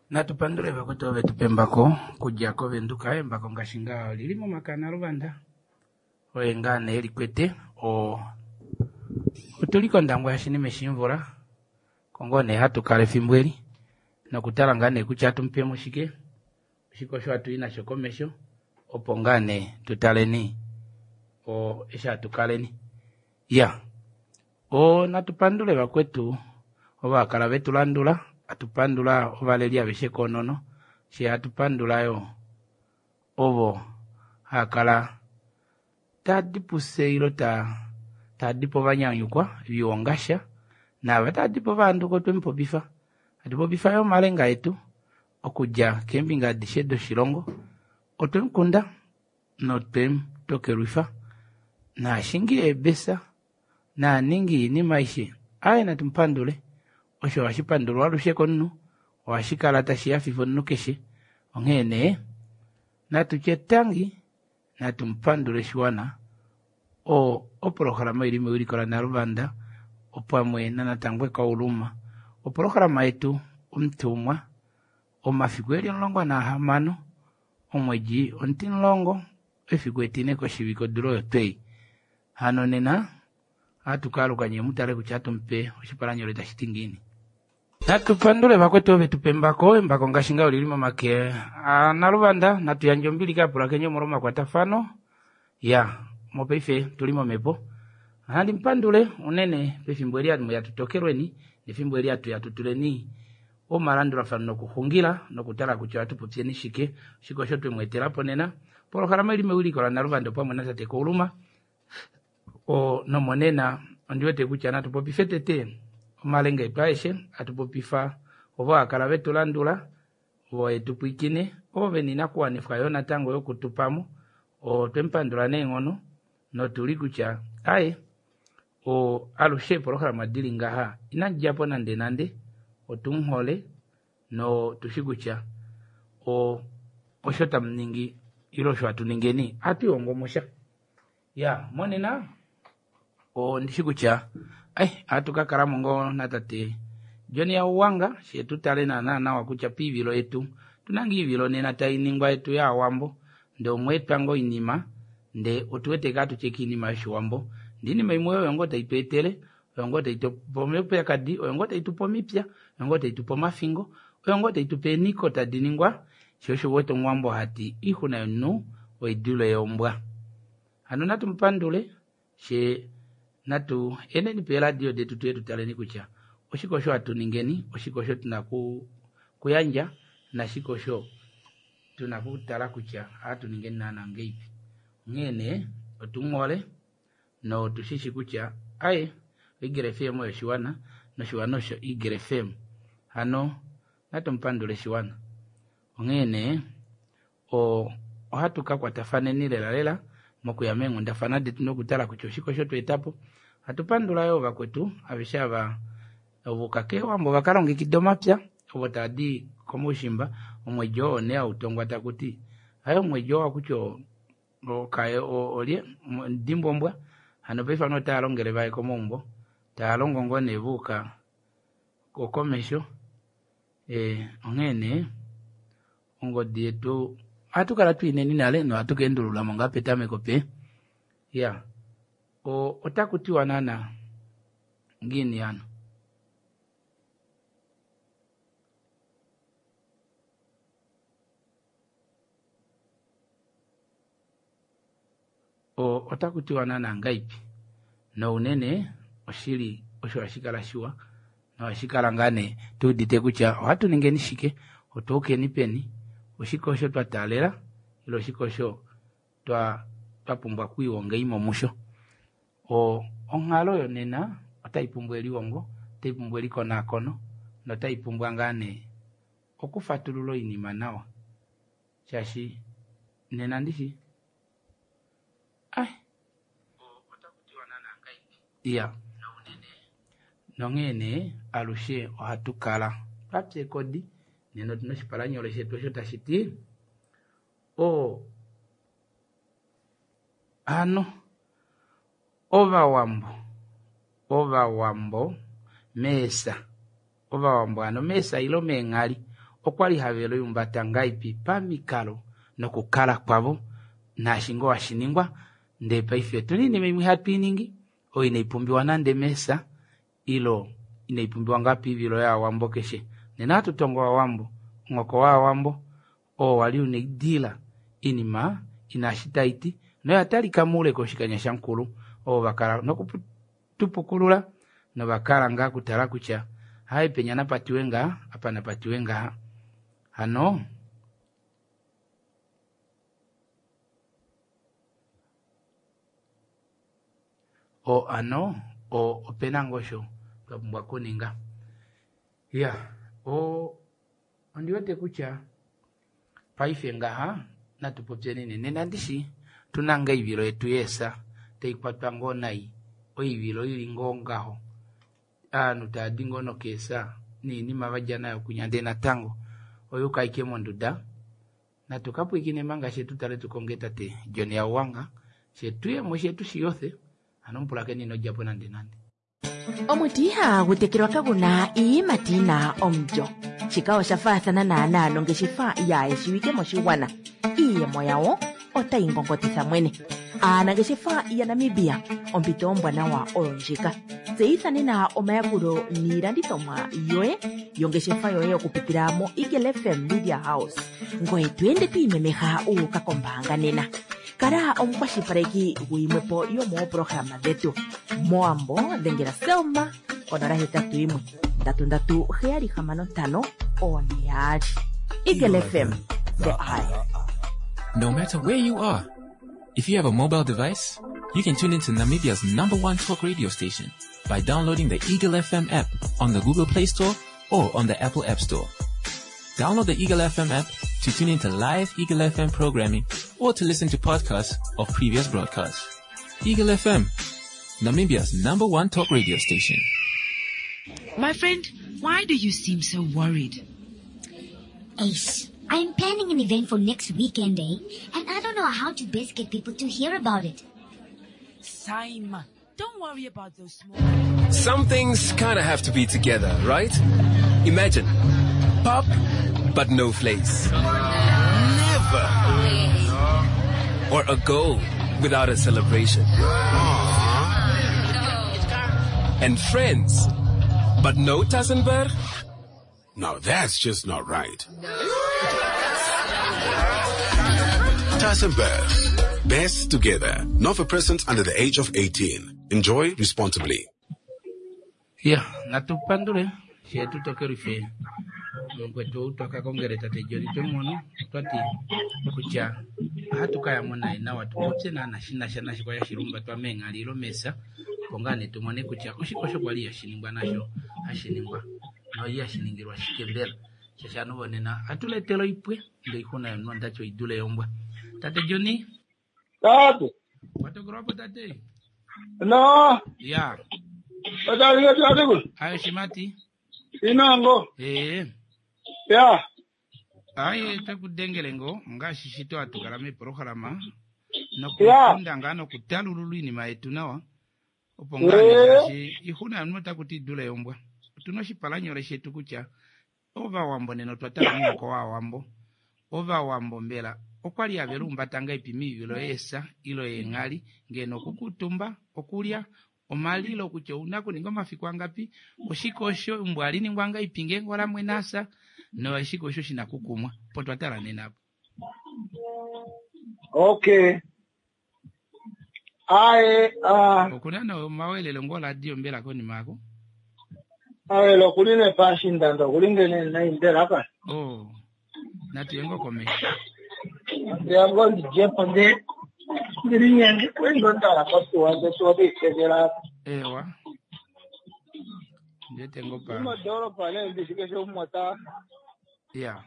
Natu pandule vakwetu ovo vetu pa embako okudja koVenduka. Embako ngaashi ngaa olili momake aNaluvanda oye ngaa nee elikwete. Otuli kOndangwa yaShinime Shimvula oko ngoo nee hatu kala efimbo eli nokutala ngaa nee kutya ohatu mupemo shike, oshike osho hatu i nasho komesho opo ngaa nee tutaleni eshi hatu kaleni. Iya, natu pandule vakwetu ovo hakala vetu landula, hatu pandula ovaleli aveshe koonono, fyee hatu pandula yo ovo haakala taadi pufye ilo taadi po ovanyanyukwa viwongasha naava taadi po ovahanduka otwemupopifa. Hatu popifa yo omalenga etu okudja keembinga adishe doshilongo, otwemukunda notwemutokelwifa naashingi eebesa naaningi yiinima aishe. Aaye natu mupandule, osho hashi pandulwa alushe komunhu, ohashi kala tashi hafifa omunhu keshe. Onghee nee natu tye tangi, natu mupandule shiwana. Oprograma oili mewiliko laNaluvanda opamwe naNatangwe Kauluma. Oprograma yetu omutumwa omafiku eli 16 omwedi omutimulongo efiku etine koshivike odula oyo twei. Hano nena ohatu kaaluka nyee mutale kutya ohatu mupe oshipalanyole tashi ti ngiini. Natu pandule vakwetu ovo vetu pa embako. Embako ngaashi ngaa olili momake aNaluvanda. Natu yandje ombili kaapulakeni omolwa omakwatafano. Ya, mopaife tuli momhepo. Ohandi mupandule unene pefimbo eli hamu ya tutokelweni nefimbo eli hatu ya tutuleni omalandulafano nokuxungila nokutala kutya ohatu popyeni shike, oshike osho twemu etela po nena. Polohalama ili mewiliko laNaluvanda opamwe natate Kauluma. Nomonena ondi wete kutya natu popife tete omalenga etu aeshe, hatu popifa ovo hakala vetu landula, ovo hetu pwiikine, ovo vena oinakuwanifwa yo natango yokutupamo. Otwemupandula neenghono notuli kutya aye alushe eepolohalama dili ngaha inadidjapo nande nande, otumuhole notushi kutya osho tamuningi ile osho hatu ningeni ohatu lihongo mosha. Ya, monena ondishi kutya ohatu kakalamo ngoo natate John Hauwanga she tutale naana nawa kutya poivilo yetu otuna ngoo oivilo nena tainingwa yetu yaawambo ndee omweetwa ngoo oinima ndee otuwete kaa tutye oinima yoshiwambo ndee oinima imwe oyo ngoo taitweetele oyo ngoo taitupe omaupyakadi, oyo ngoo taitupe omipya, oyo ngoo taitupe omafingo, oyo ngoo taitupe eenhiko tadi ningwa, sho osho uwete omuwambo hati oixuna yomunhu oidule yombwa. Hano natu mupandule she natu eneni peeradio detu tuye tutaleni kutya oshike osho hatu ningeni, oshike osho tuna kuyandja nashike osho tuna kutala kutya ohatu ningeni naana ngeipi. Onghee nee otumuhole notushishi kutya aye Eagle FM oyo oshiwana noshiwana osho Eagle FM. Hano natu mupandule shiwana. Onghee nee ohatu kakwatafaneni lela lela mokuya meenghundafana detu nokutala kutya oshike osho tweetapo. Ohatu pandula yoo vakwetu aveshe ava ovuka keewambo vakalongekida omapya ovo taadi komaushimba omwedi oo nee hautongwa takuti aye omwedi oo hakutya olye dimbwombwa. Hano paife ovanhu otava longele vaye komaumbo tava longo ngoo nee vuuka komesho. Onghee nee ongodi yetu ohatu kala twiineni nale nohatu kaendululamo ngaa petameko pe. Ya, otaku tiwa naana ngiini hano? Otaku tiwa naana ngaipi? Nounene oshili osho hashi kala shiwa nohashi kala ngaa nee tuudite kutya ohatu ningeni shike, otuukeni peni, oshike osho twa taalela ile oshike osho twa pumbwa okwiihonga musho. Onghalo yonena otai pumbwa elihongo, otai pumbwa elikonakono notai pumbwa ngaa nee okufatulula oinima nawa, shaashi nena ndishi iya nonghee nee alushe ohatu kala twapya ekodi nena otuna oshipalanyole shetu osho tashi ti hano ovawambo meesa, ovawambo hano meesa ile meenghali. Okwali have liumbata ngaipi pamikalo nokukala kwavo naashi ngoo hashiningwa ndee paife otuna oinima imwe hatu iningi oyo inaipumbiwa nande meesa ilo inaipumbiwa ngaa piivilo yaawambo keshe. Nena ohatu tongo owawambo, omuhoko waawambo oo wali una oidila inima ina eshi taiti noya talika moule koshikanya shamukulu ovo vakala nokutupukulula novakala ngaa kutala kutya hai penya napatiwe ngaa apa napatiwe ngaha. Hano o ano o opena ngoo osho twa pumbwa okuninga. Ya o ondiwete kutya paife ngaha natu popyeni nee nena ndishi tuna ngaa oivilo yetu yeesa taikwatwa ngoo nai oivilo ili ngoo ngaho ovanhu taadi ngoo nokeesa noinima vadja nayo kunya ndee natango oyuuka ashike monduda. Natu kapwiikine manga she tutale tukonge tate John Hauwanga she tuyemo she tushiyothe hano mupulakeni inodjapo nande nande. Omuti ihagu tekelwa kagu na iiyimati yi na omulyo. Shika osha faathana naanaa nongeshefa yaayeshiwike moshigwana. Iiyemo yawo otayi ngongotitha mwene. Aanangeshefa yaNamibia, ompito ombwanawa oyo ndjika. Tseyitha nena omayakulo niilandithomwa yoye yongeshefa yoye okupitila moEagle FM Media House. Ngoye to ende to imemeha wu uka kombaanga nena. Kala omukwashilipaleki guyimwepo yomoopolohalama dhetu. Mowambo dhengela Selma konola hetatu yimwe ndatu ndatu heyali hamano ntano one yaali. Eagle FM, the eye. No matter where you are, if you have a mobile device, you can tune into Namibia's number one talk radio station by downloading the Eagle FM app on the Google Play Store or on the Apple App Store. Download the Eagle FM app to tune into live Eagle FM programming or to listen to podcasts of previous broadcasts. Eagle FM, Namibia's number one talk radio station. My friend, why do you seem so worried? Ace, I'm planning an event for next weekend, eh? And I don't know how to best get people to hear about it. Simon, don't worry about those small... Some things kind of have to be together, right? Imagine, pop, but no flakes. Never. Or a goal without a celebration. And friends, but no Tassenberg? Now that's just not right. Tassenberg. Best together. Not for persons under the age of 18. Enjoy responsibly. Ya, natupandule she tutokelife mukwetu ou twakakongele tate John twemono twati kutya ohatu kayamo naye nawa tupopye naana shinasha nashi kwali hashilumbatwa meenghali mesa opo ngaa nee tumone kutya oshike osho kwali hashiningwa nasho hashiningwa noihashi shiningilwa shike mbela shaashi ovanhu vonena ohatu letela oipwe ndee oixuna yomunhu ondati oidule yombwa. Tate John? Tate. Watokelwapo tate? No. Ya. Tate. Ayo shimati. Inango. Ee. Ya. Aye takudengele ngo ngaashi shito hatukala meeprograma nokufunda ngaa nokutalulula iinima yetu nawa opo ngaa nee shaashi ixuna yomunhu otakuti idule yombwa. Otuna oshipalanyole shetu kutya ovawambo nena otwa tala omuhoko waawambo. Ovawambo mbela okwali have liumbata ngaipi miivilo yeesa ilo yeenghali ngeno okukuutumba, okulya, omalilo kutya ouna okuninga omafiku angapi, oshike osho eumbo ohali ningwa ngaipi ngeenge olamwene asa noshike osho shina okukumwa opo twa tala nena apo. Okay. Aye, Okuna nee omawelelo ngoo oradio mbela konima yako? Awele okuli nee paashindanda okuli ngene nai mbela ka. Oh. Natu ye ngoo komesho. Ndeya ngoo ndidje po nde ndilinyenge kwendo ndala kotuwa nde tuwa otiitekela. Ewa. Ndiwete ngoo pa. Modoolopa nee ndishi keshe umwe ota. Ya.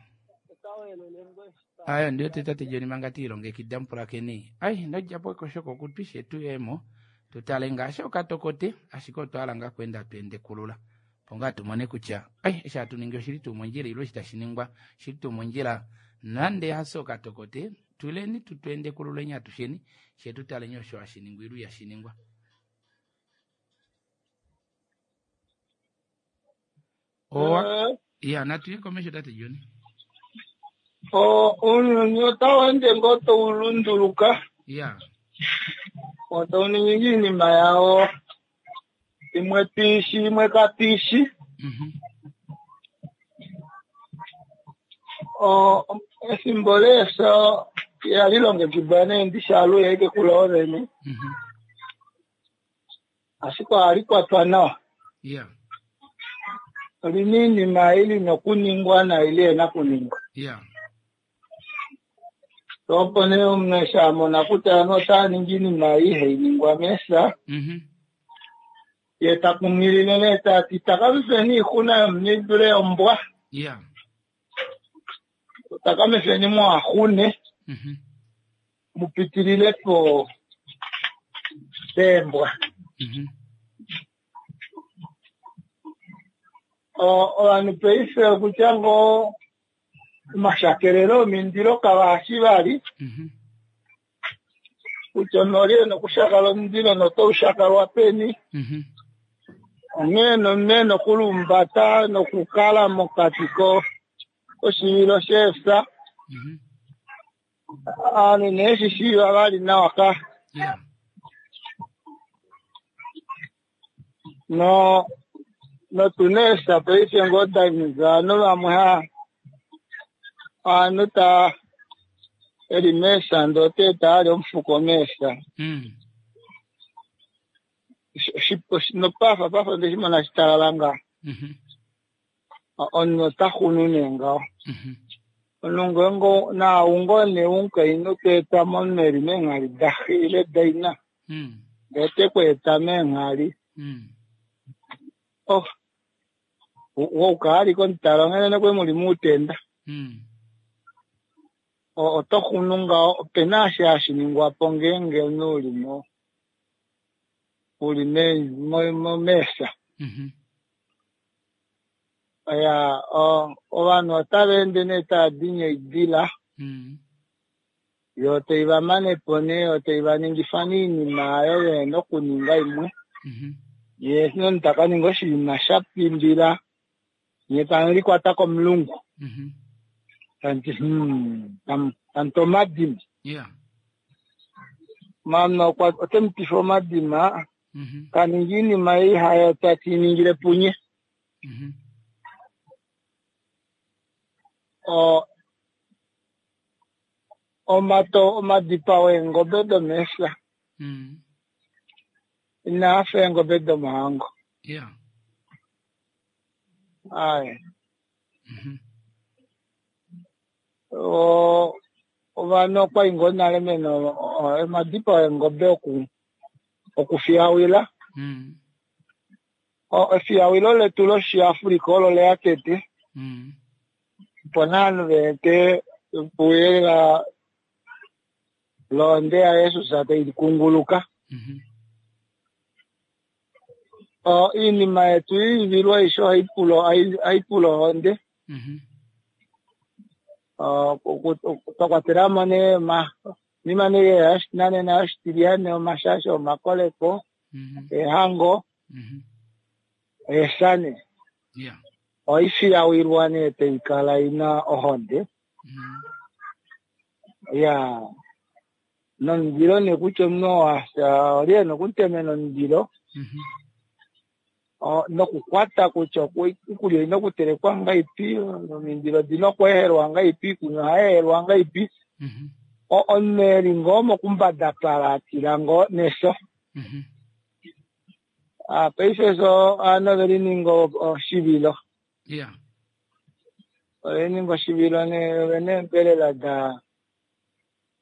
Ayo ndiwete tate John manga tiilongekida mupulakeni. Ai nodjapo ekosho kokutwi she tuyemo tutale ngaashi okatokote ashike otwa hala ngaa okweenda tweendekulula opo ngaa tumone kutya ai eshi hatu ningi oshili tuu mondjila ile eshi tashi ningwa oshili tuu mondjila nande hafye okatokote tuleni tutweendekululeni atusheni she tutaleni osho hashi ningwa ile ihashi ningwa. Owa ya natuye komesho tate John. Ounyuni otau ende ngoo tau lunduluka. Otau ningi iinima yawo imwe twiishi imwe katwiishi. Efimbo leefya ihali longekidwa nee ndishi aluhe ashike kuloo vene. Ashike ohali kwatwa nawa. Olina iinima ei lina okuningwa naai lihena okuningwa. Opo nee omunhu eshi amona kutya ovanhu otava ningi iinima ei ihai ningwa meefya, ye takunghilile nee tati takamifeni oixuna yomunhu idule yombwa. Takamifeni muhaxune mupitilile po peembwa. Ovanhu paife okutya ngoo omashakelelo omindilo kavaashi vali kutya omunhu oli ena okushakala omundilo notaushakalwa peni. Onghee nomunhu ena okulumbata nokukala mokati koshivilo sheefya. Ovanhu nee shishiiva vali nawa ka. Notuna eefya paife ngoo daninga ovanhu vamwe ovanhu taa eli meefya ndee otaeta ali omufuko meefya. Nopafa pafa ndeshimona shitalala ngaho. Omunhu ota xunu nee ngaho. Omunhu ngeenge naau ngoo nee omukainhu toeta mo eli meenghali daxe ile daina ndee otekweeta meenghali. Woukala ali komutala onghee nokwe muli muutenda. Oto xunu ngaho opena eshi hashi ningwa po ngeenge omunhu uli uli meefya. Ovanhu otava ende nee tava dinye oidila yoo taiva manepo nee yoo taivaningifa nee oinima aayo vehena okuninga imwe. Yee omunhu takaninga oshinima shapimbila nyee tamulikwata komulungu. Tamuti tamuti omadima. Maana otemutifa omadima kaninga oinima ei hayo tatiningile punye. Omadipao eengobe domeefya inaafa eengobe domohango. Aye. Ovanhu okwali ngoo nale mena omadipao eengobe okufiyawila. Efiyawilo letu loshiAfrika olo leya tete. Opo nee ovanhu vaete pouyelele lohonde yaJesus tai kunguluka. Oinima yetu iivilwa aishe ohaipula ohonde. Twakwatelamo nee oinima nee yoshinanena yoshitilyane omashasho omakoleko eehango eefya nee. Ohaifiyawilwa nee taikala ina ohonde. Nomundilo nee kutya omunhu oo afya oli ena okumutemena omundilo nokukwata kutya oikulya oina okutelekwa ngahelipi, omindilo odina okweehelwa ngahelipi, iikunwa ohayeehelwa ngahelipi. Omunhu eli ngoo mokumbadapala atila ngoo nefyo. Paife ovanhu ovelininga oshivilo. Ovelininga oshivilo nee ovena eembelela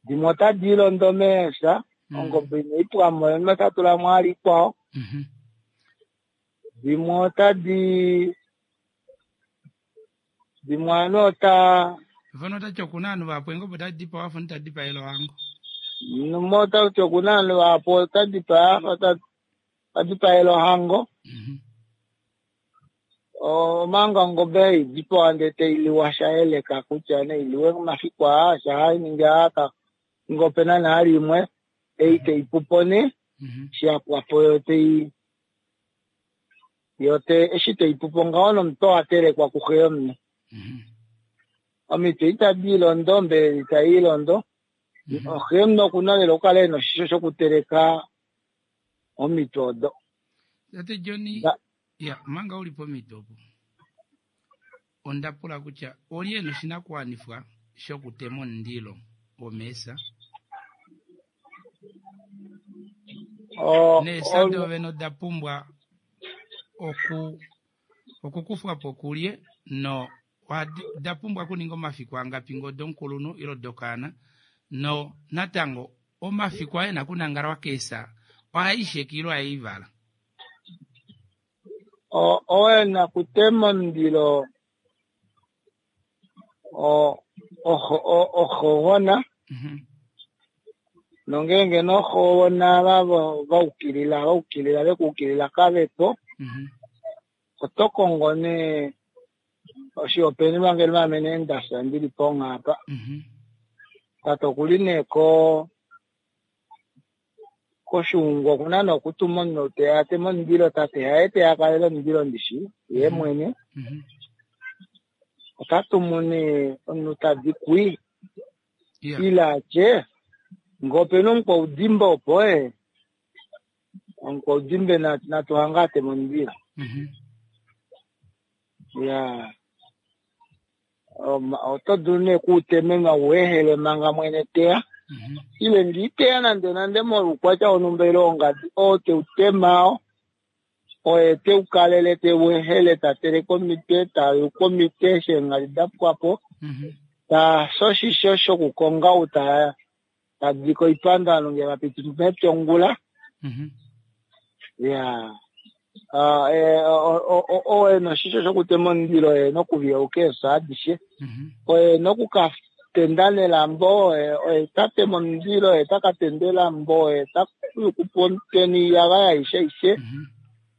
dimwe otadi ilondo meefya, ongobe inaipwamo omunhu ota tulamo vali ikwao. Dimwe otadi dimwe ovanhu ota Mfano otati okuna ovanhu vahapu eengobe otadi dipawa afa omunhu tadipaele ohango. Mumwe otati okuna ovanhu vahapu otadipaa tadipaele ohango. Omanga ongobe haidipawa ndee tailiwa shayeleka kutya nailiwe mafiku aa shahaningi aa nge opena nale imwe ei taipupo nee shiyapwapo yo tai yo eshi taipupo ngaho nomutwe owatelekwa kuxe yomunhu. Omitwe itadi ilondo, ombelela itai ilondo. Oxe nokuna lela okukala ena oshisho shokuteleka omitwe odo. Tate Johnny, ya manga uli pomitwe opo onda pula kutya olye ena oshinakuwanifwa shokutema omundilo womeesa? Neesa doovene oda pumbwa okukufwa po kulye no oda pumbwa okuninga omafiku angapi ngee odomukulunhu ile odokaana no natango omafiku aye na kunangalwa keesa ohaisheka ile ohaivala? Owe na kutema omundilo oxogona nongeenge noxogona vaukilila vaukilila vekuukilila kavepo oto kongo nee oshihopaenenwa ngeno ame nee ndafya ndili ponghaapa tate okuli nee koshuungu okuna nee okutuma omunhu teya ateme omundilo tate haye teya akalele omundilo ndishi yee mwene ota tumu nee omunhu tadi kui ile atye ngee opena omukwaudimba opo omukwaudimba natuhange ateme omundilo. Ya oto dulu nee okuutemenwa uehele manga mwene teya ile ngiiteya nande nande molwoukwatya wonhumba ile wongadi oo teutema oye teukalele teuehele tateleke omitwe tayuka omitwe eshi eenghali dapwapo tafye oshisho shokukonga ou tadike oipando ovanhu ngee vapiti mepya ongula. Ya oo ena oshisho shokutema omundilo oye ena okuviyauka eefya adishe oye ena okukatenda nelambo oye tatema omundilo oye takatenda elambo oye tayukupo omutwe noiyagaya aishe aishe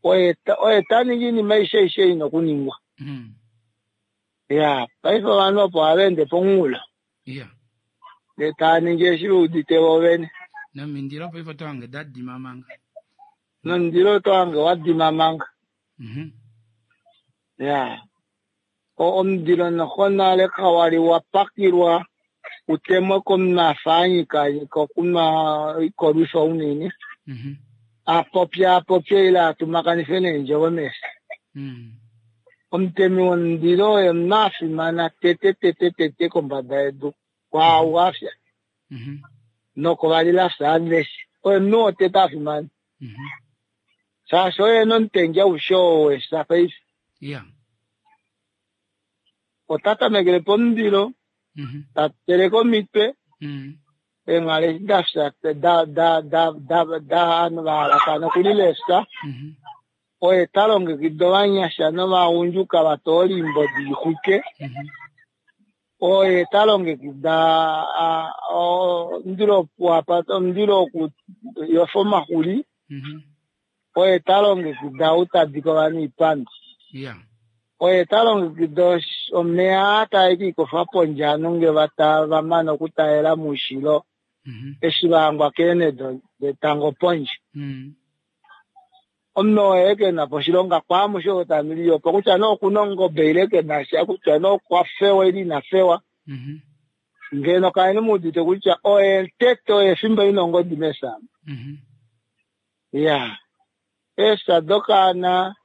oye taningi oinima aishe aishe ina okuningwa. Ya paife ovanhu opo ohava ende pomunghulo ndee tava ningi eshi veudite voovene. Nomindilo paife oto hange dadima manga. Nomundilo oto hange wadima manga. Ya omundilo noxo nale kawali wapakilwa utemwe komunhu afa anyika okunwa oikolwifa unene apopye apopye ile atumakanife neendjovo meefya. Omutemi womundilo oye omunhu afimana tete tete tete kombada yedu kwaau afya nokovalilafya aveshe oye omunhu wotete afimana shaashi oye ena omutengi aushe oo wefya paife. Ota tamekele pomundilo tateleke omitwe eenghali eshi dafya ovanhu vahalakana okulila eefya oye talongekida ovanyasha novagundjuka vatoole oimbodi ixwike oye talongekida omundilo omundilo wokuyofa omaxuli oye talongekida ou tadike ovanhu oipando oye talongekida omeya tae kiikofa pondje ovanhu ngee vamane okutalela moushilo eshi vahangwa keenhe detango pondje. Omunhu oye kenapo oshilonga kwaamushe oo tamuli opo kutya nee okuna ongobe ile kenasha kutya nee okwa fewa ile ina fewa ngeno kaleni muudite kutya oye tete oye fimbo ina ongodi mefya. Ya eefya dokaana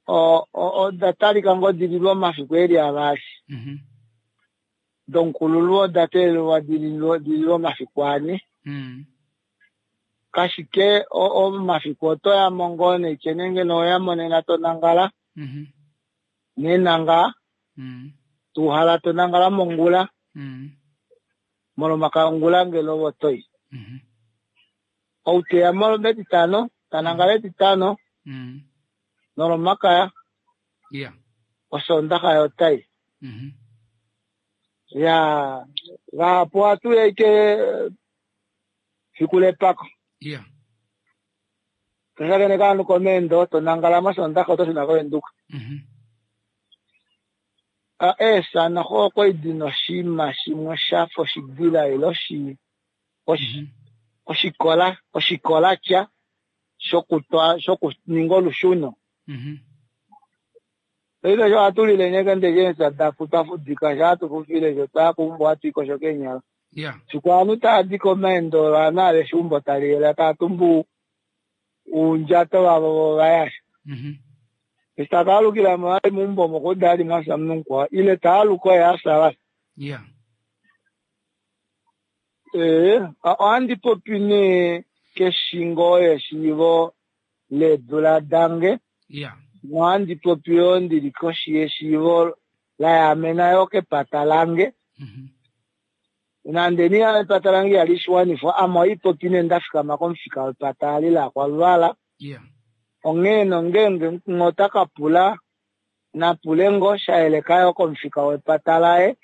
oda talika ngoo dililwe omafiku eli avali domukulunhu oda teelelwa dililwe omafiku ane. Kashike omafiku oto yamo ngoo neitye nenge noyamo nena tonangala nenanga tuhala tonangala mongula molomaka ongula ngeno otoyi outeya metitano tanangala etitano nolomakaya osondaxa yotai. Ya vahapu ohatu ya ike fiku lepako toshakeneka ovanhu komeendo tonangala mosondaxa oto shuna kovenduka. Eefya noxo okwali dina oshinima shimwe shafa oshidila ile oshikola oshikolakya shokuninga olushuno. Paife sho ohatu lile nekende eefya dafu twa fudika sho hatu fufile sho twaya keumbo ohatu ikosho keenyala. Fiku ovanhu tava di komaendo ovanhu aveshe eumbo tali yela tava tumbu uundjato vavo vo vayasha. Eshi taka alukila mo vali meumbo omo okwa uda vali mwafya omunhu mukwao ile ta aluka oye afya vali. Ee, ohandi popi nee keshingo yeshiivo leedula dange nohandi popi yoo ndili koshi yeshiivo la yaamena yoo kepata lange. Nande nee epata lange ihali shi wanifwa, ame ohandi popi nee nda fikama komufika wepata ali laakwaluvala. Onghee nongeenge umwe ota ka pula, na pule ngoo sha yeleka yoo komufika wepata laye,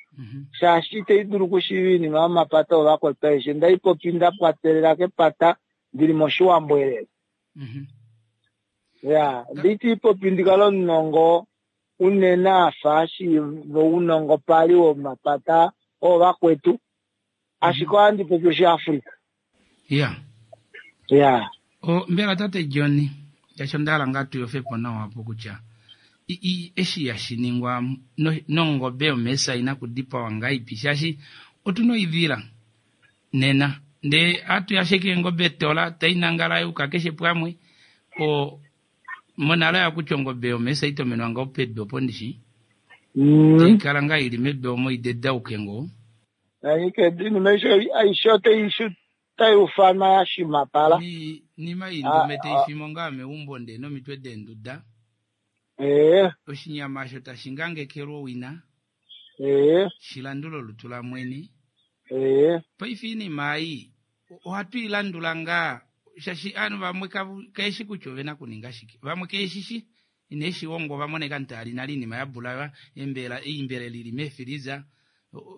shaashi itai dulu okushiiva oinima yomapata oovakwetu aishe. Ndai popi nda kwatelela kepata ndili mOshiwambo elela. Ya, nditi popi ndi kale omunongo unene a fa ashiiva ounongo pali womapata oovakwetu, ashike ohandi popi Oshiafrika. Ya. Ya. O, mbela tate John, shaashi onda hala ngaa tu yofe po nawa apo kutya i, i, eshi hashi ningwa no, nongobe yomeesa ina kudipawa ngaipi, shaashi otu na oivila nena ndee hatu yasheke eengobe tola tai nangala yuka keshe pwamwe o monale oya kutya ongobe yomeesa itomenwa ngoo pedu opo ndishi tai kala ngaa ili medu omo idedauke ngoo. Nanyika oinima aishe otai ufanwa ya shimapala. Nima iindume tai fimo ngaa meumbo ndee nomitwe deenduda. Oshinyama osho tashi ngangekelwa owina. Shi landule olutu lamwene. Paife oinima ei ohatu i landula ngaa shaashi ovanhu vamwe kaeshi kutya ove na okuninga shike. Vamwe keeshi shi ine shi hongo ova mona eka ntaali nale oinima ya bulawa, eembela, oimbele li li meefiliza,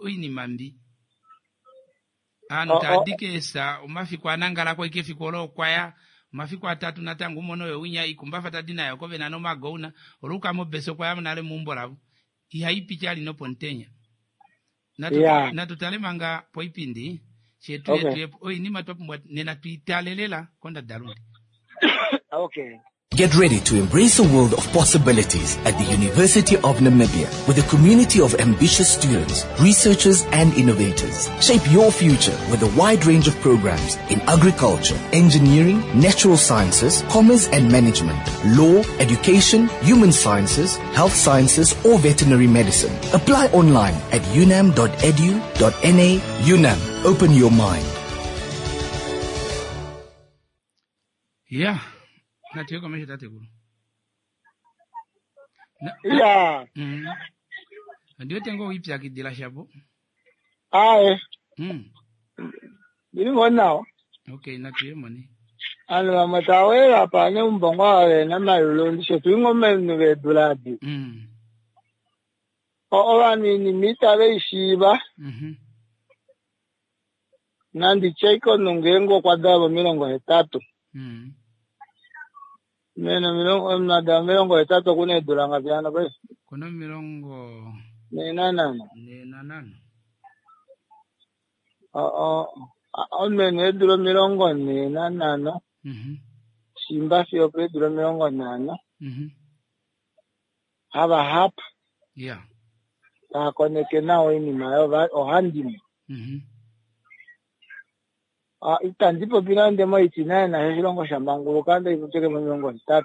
oinima mbi. Ovanhu tava di keesa omafiku a nangala ko ashike efiku olo okwa ya omafiku atatu natango umone oyo winya ikumbafa tadi nayo oko vena nomagouna oluuka mobesa okwa ya nale meumbo lavo. Ihai piti ali nopomutenya. Natu, natu tale manga poipindi shetu okay. Yetu oinima twa pumbwa nena tuitale lela kondadalunde. Okay. Get ready to embrace a world of possibilities at the University of Namibia with a community of ambitious students, researchers and innovators. Shape your future with a wide range of programs in agriculture, engineering, natural sciences, commerce and management, law, education, human sciences, health sciences or veterinary medicine. Apply online at unam.edu.na. UNAM, open your mind. Yeah. Natu ye komesho tatekulu. Ya. Ondi wete ngoo wiipyakidila shapo. Aye. Ndili ngoo nawa. Okay, natu ye mone. Ovanhu vamwe tava wele apa neumbo ngoo ava vena omayulu ndishe tuli ngoo ovanhu veedula adi. Ovanhu oinima itave i shiiva. Nandi tye ashike omunhu ngeenge okwa dalwa 80. Mene omilongo omunhu a dalwa 80 oku na eedula ngapi hano paife? Oku na omilongo 45. 45. Omunhu e na eedula 45. Shimba fiyo opeedula 50. Havahapu. Tava koneke nawa oinima oyo ohandimwe. Itandi popi nande moitinaena oshilongo sha manguluka ndai popye mo80.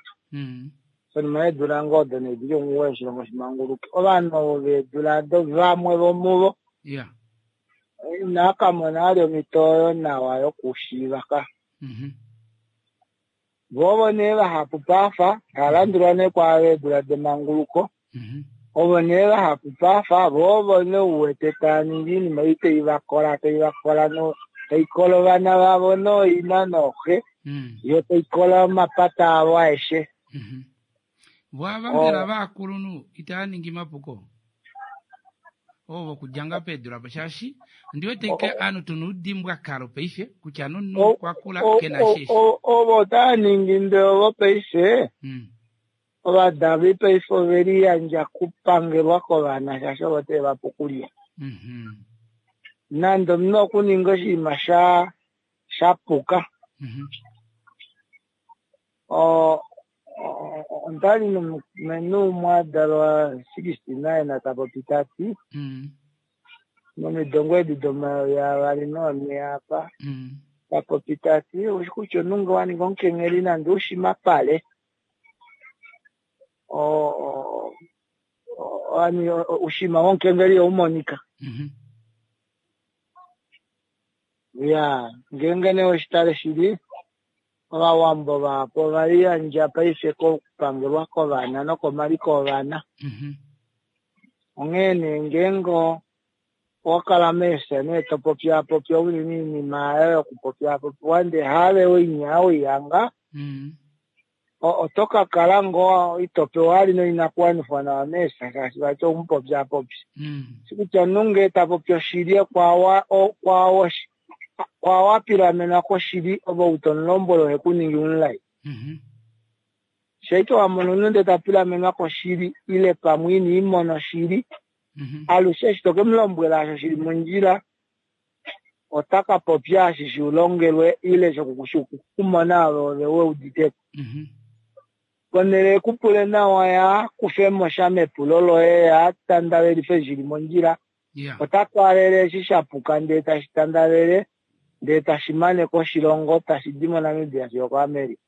Konima yeedula ngoo odo nee dili 9 oshilongo shimanguluke. Ovanhu ovo veedula ado vamwe vomuvo inava ka mona vali omhito oyo nawa yokushiiva ka. Vo ovo nee vahapu paafa tava landulwa nee kwaava veedula demanguluko. Ovo nee vahapu paafa vo ovo nee u wete tava ningi oinima ei tai va kola tai va kola no tai kola ovana vavo nooina nooxe yo tai kola omapata avo aeshe. Vo ava mbela vakulunhu itava ningi mapuko ovo vokudja ngaa peedula po shaashi ondi wete ke ovanhu tuna oudimbwa kalo paife kutya nomunhu okwa kula ke na sheshi. Ovo otava ningi ndee ovo paife ovadali paife ove liyandja kupangelwa kovana shaashi ovo teve va pe okulya. Nande omunhu okuninga oshinima sha puka. Ondali nomulumenhu umwe a dalwa 69 ta popi ta ti momido ngoo edi domayovi avali noonhe apa ta popi ta ti oushi kutya omunhu ngee wa ninga omukengheli nande ushimapale oushima womukengeli ihaumonika. Iyaa, ngeenge nee weshitale shili Ovawambo vahapu ova liyandja paife kokupangelwa kovana nokomaliko ovana. Onghee nee ngeenge owa kala meefya nee to popyaapopya unene oinima aayo yokupopyaapopiwa ndee haave weihanga, oto ka kala ngoo ito pewa vali noinakuwanifwa nawa meefya shaashi vati oumupopyaapopya. Kutya omunhu ngee ta popi oshili kwaao wa pilamenwa koshili ove ou to mu lombwele ohe ku ningi omulai. Shaike wa mona omunhu ndee ta pilamenwa koshili ile pamwe ina i mona oshili, alushe eshi to ke mu lombwela osho shili mondjila ota ka popya eshi shi longelwe ile shokukumona ove ove we uditeko. Ponhele e ku pule nawa ya kufe mo sha mepulo loye ya tandavelife eshi shili mondjila, ota twaalele eshi sha puka ndee tashi tandavele ndee tashi mane ko oshilongo tashi di moNamibia fiyo okoAmerica.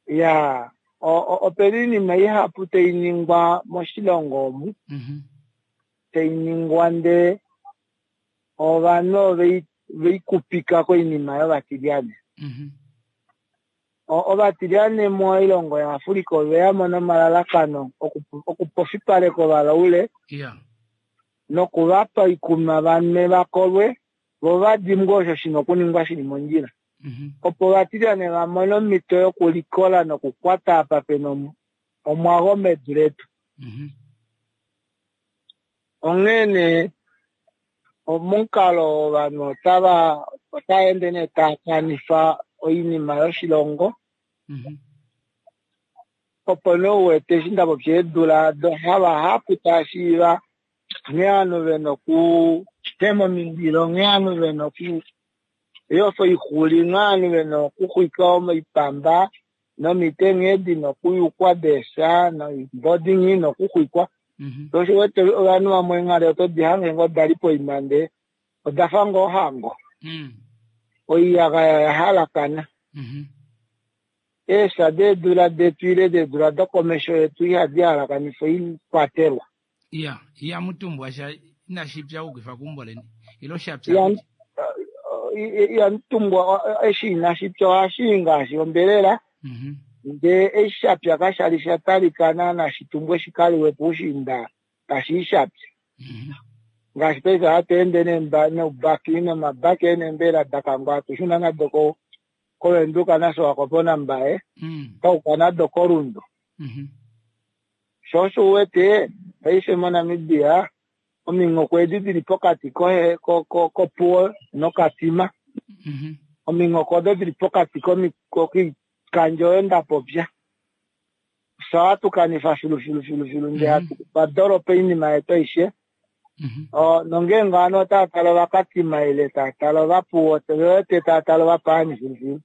Ya opena oinima ihapu tai ningwa moshilongo omu tai ningwa ndee ovanhu ove ikupika koinima yovatilyane. Ovatilyane moilongo yaAfrica ove ya mo nomalalakano okupofipaleka ovalaule noku va pa oikunwa va nwe va kolwe vo va dimbwe osho shi na okuningwa shi li mondjila opo ovatilyane va mone omhito yokulikola nokukwata apa pe na omwago medu letu. Onghee nee omukalo oo ovanhu otava otava ende nee tava kanifa oinima yoshilongo opo nee u wete eshi nda popya eedula odo havahapu tava shiiva nghee ovanhu vena okutema omindilo, nghee ovanhu vena okuyofa oixuli, nghee ovanhu vena okuxwika oipamba nomite nghee dina okuyukwa deefya noimbodi nghee ina okuxwikwa. Sho osho u wete ovanhu vamwe eenghali oto di hange ngoo da li poima ndee oda fa ngoo ohango. Oiyagaya oya halakana. Eefya deedula detu ile deedula dokomesho yetu ihadi halakanifa oikwatelwa. Iya, ihamu tumbwa sha inashi pya okukifa keumbo leni ile osha pya? Ihamu tumbwa eshi inashi pya ohashi i ngaashi ombelela ndee eshi sha pya kasha li sha talika naana shi tumbwe shi ka liwe puushiinda tashi i sha pya. Ngaashi paife ohatu ende noubaki nomabaki e neembelela da kangwa hatu shuna nado koVenduka naSwakopo naMbaye twa yuka nado koRundu. Sho osho u wete paife moNamibia ominghoko edi dili pokati kOpuwo noKatima, ominghoko odo dili pokati koikandjo oyo nda popya, fye ohatu kanifa filu filu filu filu ndee hatu twa dolopa oinima yetu aishe. Nongeenge ovanhu otava tale Ovakatima ile tava tale Ovapuwo, ve wete tava tale ovapaani filu filu.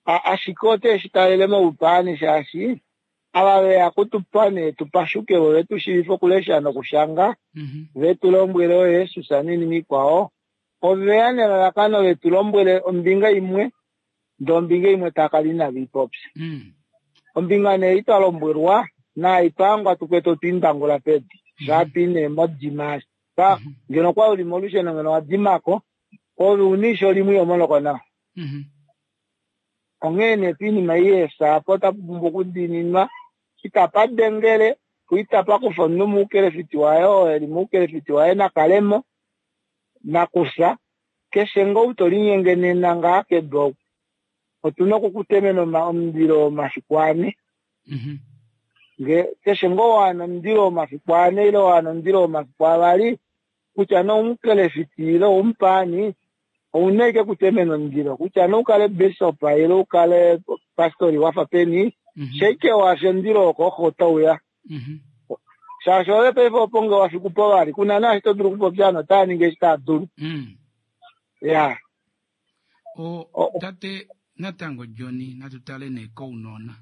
Ashike ote shi talele moupaani shaashi ava veya kutupa nee tu pashuke vo vetu shiivife okulesha nokushanga, ve tu lombwele ooYesus noinima ikwao, oveya nelalakano vetu lombwele ombinga imwe ndee ombinga imwe tava kala inave i popya. Ombinga nee ei twa lombwelwa naai twa hangwa tu kwete otwe i ndangula pedu shaa twa i nee modima ngeno okwa uli molusheno ngeno wa dimako ove una eisho limwe iho monoko nawa. Onghee nee poinima ei yeefya apa otapu pumbwa okudiininwa, itapa dengele po itapa kufa omunhu moukelefiti waye oo e li moukelefiti waye na kale mo, nakufya keshe ngoo ou to linyenge nena ngaha kedu oku otu na okukutemena omundilo womafiku ane. Nge keshe ngoo wa wana omundilo womafiku ane ile wa wana omundilo womafiku avali, kutya nee oumukelefiti ile oumupaani, ouna ashike okutemena omundilo kutya nee oukale bishop ile oukale pastori wafa peni, shaike wafya omundilo wokoxo otauya. Shaashi ove paife opo nge wafiku po vali kuna naashi to dulu okupopya ovanhu otava ningi eshi tava dulu. Ya. Tate Natango Johnny, natu tale nee kounona.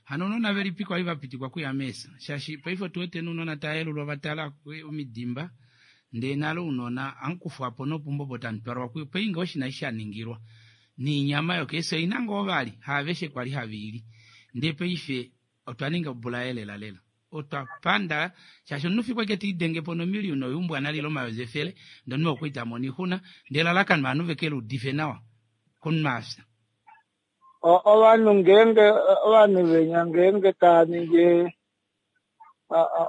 Hano ounona velipi kwali va pitikwa kuya meesa? Shaashi paife otu wete nounona tava yelulwa va tala omidimba, ndee nale ounona amukufwa po nopumbo opo tamu twalwa kuyo. Paife ngee osho inashi sha ningilwa, niinyama yokeesa oina ngoo vali, haaveshe kwali have i li. Ndee paife otwa ninga obulaye lela lela. Otwa panda shaashi omunhu fiku eke tiidenge po nomiliyuna oyuumbwa nalile omayovi efele, ndee omunhu okwali ta mono oixuna, ndee elalakano ovanhu veke luudife nawa komunhu afya. Ovanhu ngeenge ovanhu venya ngeenge tava ningi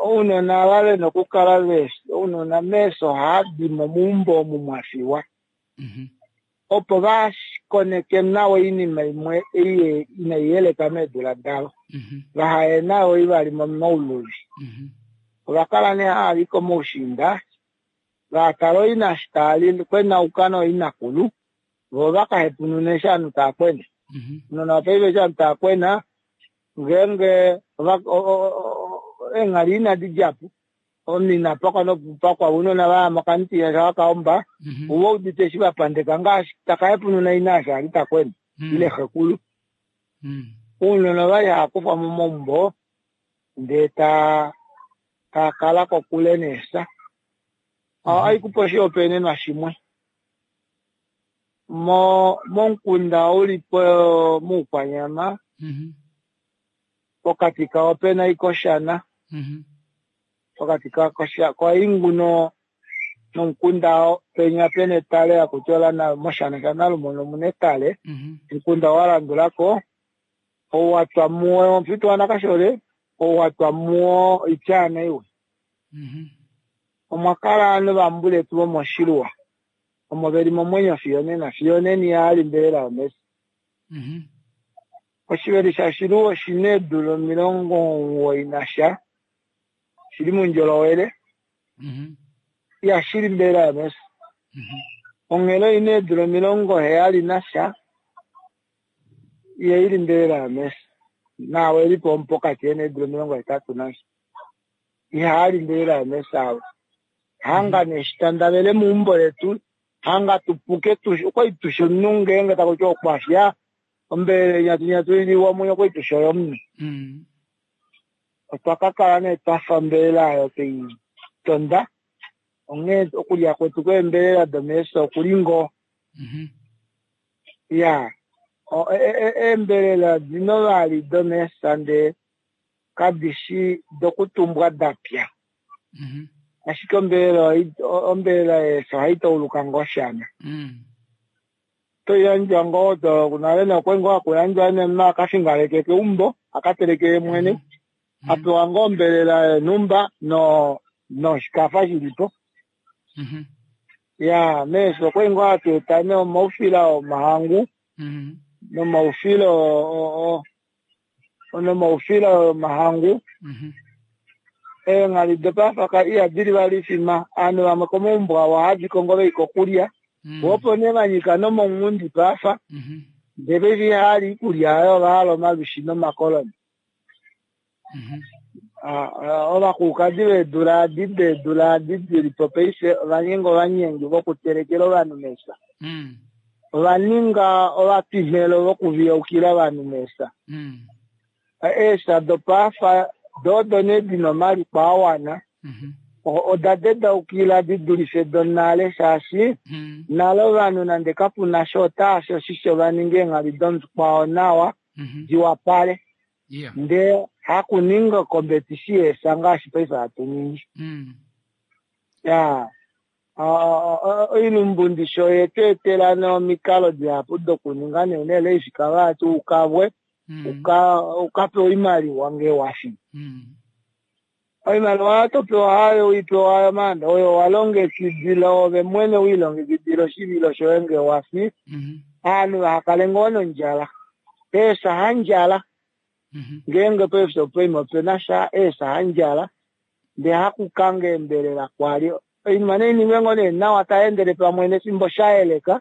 ounona ava vena okukala ve ounona meesho ohava di mo meumbo omu mwa fiwa opo va koneke nawa oinima imwe ei inai yeleka meedula davo vahaye nayo ivali momauluvi. Ova kala nee hava i komaushiinda va tala oina eshi tava li kwenauka nooinakulu vo va ka hepunune eshi ovanhu tava kwena. Ounona vopaife eshi ovanhu tava kwena ngeenge eenghali inadi dja po omunhu ina pakwa nokupakwa ounona va ya mokamutiya sha vakaomba uve udite eshi va pandeka ngaashi taka hepununa ina eshi ali ta kwena ile xekulu. Ounona ovali hava kufwa momaumbo ndee ta kala kokule neefya. Ohaikupa oshihopaenenwa shimwe. Momukunda uli po moukwanyama pokati kawo pena ikoshana pokati koingu nomukunda penya pena etale hakuti ola moshana shanalumono omuna etale omukunda wa landulako ou watwa muwo omufitu wanakashole ou watwa muwo oityaana iwe. Omwa kala ovanhu vambuletu vomoshiluwa omo veli momwenyo fiyo nena fiyo nena ihali mbelela yomesi. Oshiveli shashiluwa oshina eedula 91 nasha shili moundjolowele ihashili mbelela yomesi. Onghelo oina eedula 70 nasha ihaili mbelela yomesi. Naawe elipo omupokati ena eedula 80 nasha ihaali mbelela yomesi avo. Hanga neshitandavele meumbo letu hanga tupuke okwali tushe omunhu ngeenge takuti okwafya ombelela nyatunyatu iliwa omwenyo okwali tushe oyomunhu. Otwa ka kala nee twafa ombelela oyo twei tonda onghee okulya kwetu kweembelela domeesho okuli ngoo. Ya eembelela dino vali domeesha ndee kadishi dokutumbwa dapya. Ashike ombelela yeesha ohai tauluka ngoo shana. Toiyandjwa ngoo nale nokwali ngoo hakuyandjwa nee akafingaleke keumbo akateleke yemwene apewa ngoo ombelela yonhumba noshikafa shilipo. Ya meesho okwali ngoo hatu eta nee omaufila omahangu nomaufila nomaufila omahangu. Eenghali dopafaka ihadi vali ifima ovanhu vamwe komaumbo avo ohadi kongo vei kokulya opo nee vanyika nomongundi pafa ndee paife ihali iikulya oyo ovahala omalwishi nomakoloni. Ovakulukadi veedula adi deedula adi dilipo paife ovaninga ovanyengi vokutelekela ovanhu meesha. Ovaninga ovatwimhelo vokuviyaukila ovanhu meesha. Eesha dopaafa doodo nee dina omaliko awana oda dedaukila di dulife donale shaashi nale ovanhu nande kapuna sha otaafi oshisho vaninge eenghali domukwao nawa diwapale. Ndee hakuninga okombetisi yeesha ngaashi paife hatu ningi. Ya oilumbundisho yetu etela nomikalo dihapu dokuninga neenele ifika vati ukavwe ukapewa oimaliwa ngee wafi. Oimaliwa topewa hayo uipewa hayo maanda oyo walongekidila ove mwene wiilongekidila oshivilo shoye ngee wafi. Ovanhu vahakale ngoo nondjala. Eesha handjala. Ngeenge paife poima opena sha eesha handjala ndee hakukanga eembelela kwali. Oinima nainingwe ngoo nee nawa taendele pamwe nefimbo shayeleka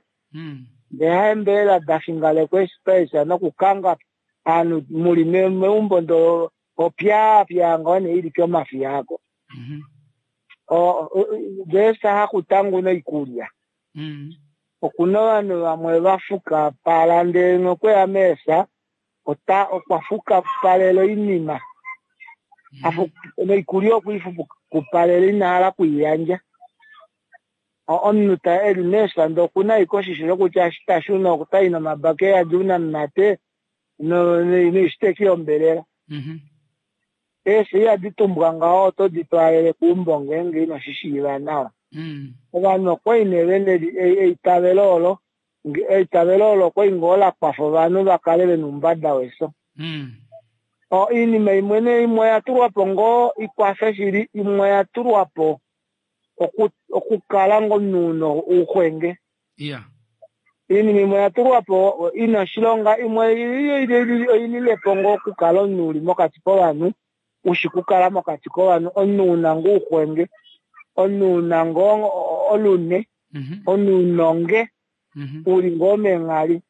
ndee haembelela dafingalekwa eesha nokukanga ovanhu muli meumbo ndoo opyaapya ngoo nee ili komafiya ako. Ngeesha hakutanguna oikulya. Okuna ovanhu vamwe va fukapala ndele nokweya meefya ota okwa fukapalela oinima. Noikulya okwe i fukapalela ina hala okuiyandja. Omunhu ta eli meefya ndee okuna ashike oshisho shokutya eshi ta shuna otai nomabaki e yadi ounamumate noishiteki yombelela. Eefya ihadi tumbwa ngaho oto di twaalele keumbo ngeenge ino shi shiiva nawa. Ovanhu okwali nee vena eitavelo olo, eitavelo olo okwali ngoo la kwafa ovanhu va kale vena oumbada wefyo. Oinima imwe nee imwe oya tulwa po ngoo ikwafe shili, imwe oya tulwa po okukala ngoo omunhu una ouxwenge. Oinima imwe oya tulwa po ina oshilonga, imwe oilile po ngoo okukala omunhu uli mokati kovanhu, ushi kukala mokati kovanhu, omunhu una ngoo ouxwenge, omunhu una ngoo olune, omunhu unonge, uli ngoo meenghali.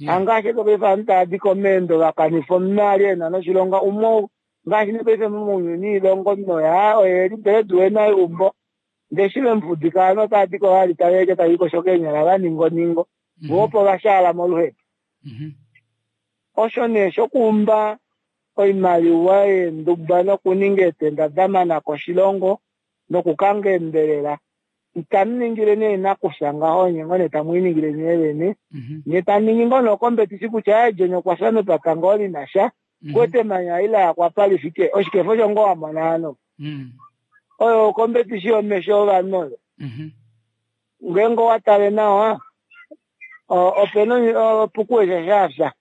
Hangaashi paife ovanhu tava di komeendo va kanifa omunhu ali ena noshilonga, umwe ngaashi nepaife mounyuni ilongo noya oye li breadwinner yeumbo, ndee eshi vemufudika ovanhu otava di ko vali tave lya tave likosho keenyala va ninga oningo, voo opo va shaala moluhepo. Osho nee shokuumba oimaliwa yeenduba nokuninga eetenda da mana koshilongo nokukanga eembelela, itamu ningile nee nakufya ngaho, nye ngoo nee tamu i ningile nyee vene. Nye tamu ningi ngoo nee okombetisi kutya aye John okwa fya mepata ngoo li na sha, kwete emanya eli la yakwa apa li fike, oshikefo osho ngoo wa mona hano. Oyo okombetisi yomesho ovanhu oyo. Ngeenge owa tale nawa, opena opukuwesha sha fya.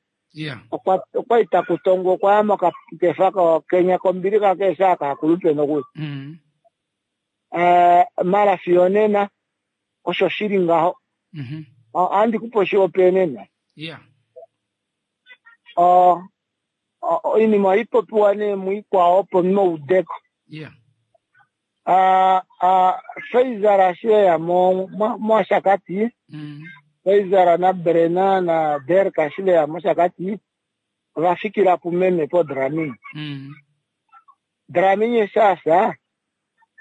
Okwa li taku tongwa okwa ya mokakefa kenya kombilixa keesha kaakulupe nokuli. Mara fiyo nena osho shi li ngaho. Ohandi ku pe oshihopaenenwa. Oinima ohai popiwa nee muikwao opo muudeko. Faizal eshi eya mOshakati, Faizal naBrena naDerk eshi veya mOshakati, ova fikila pumeme poDramini. Dramini eshi a fya,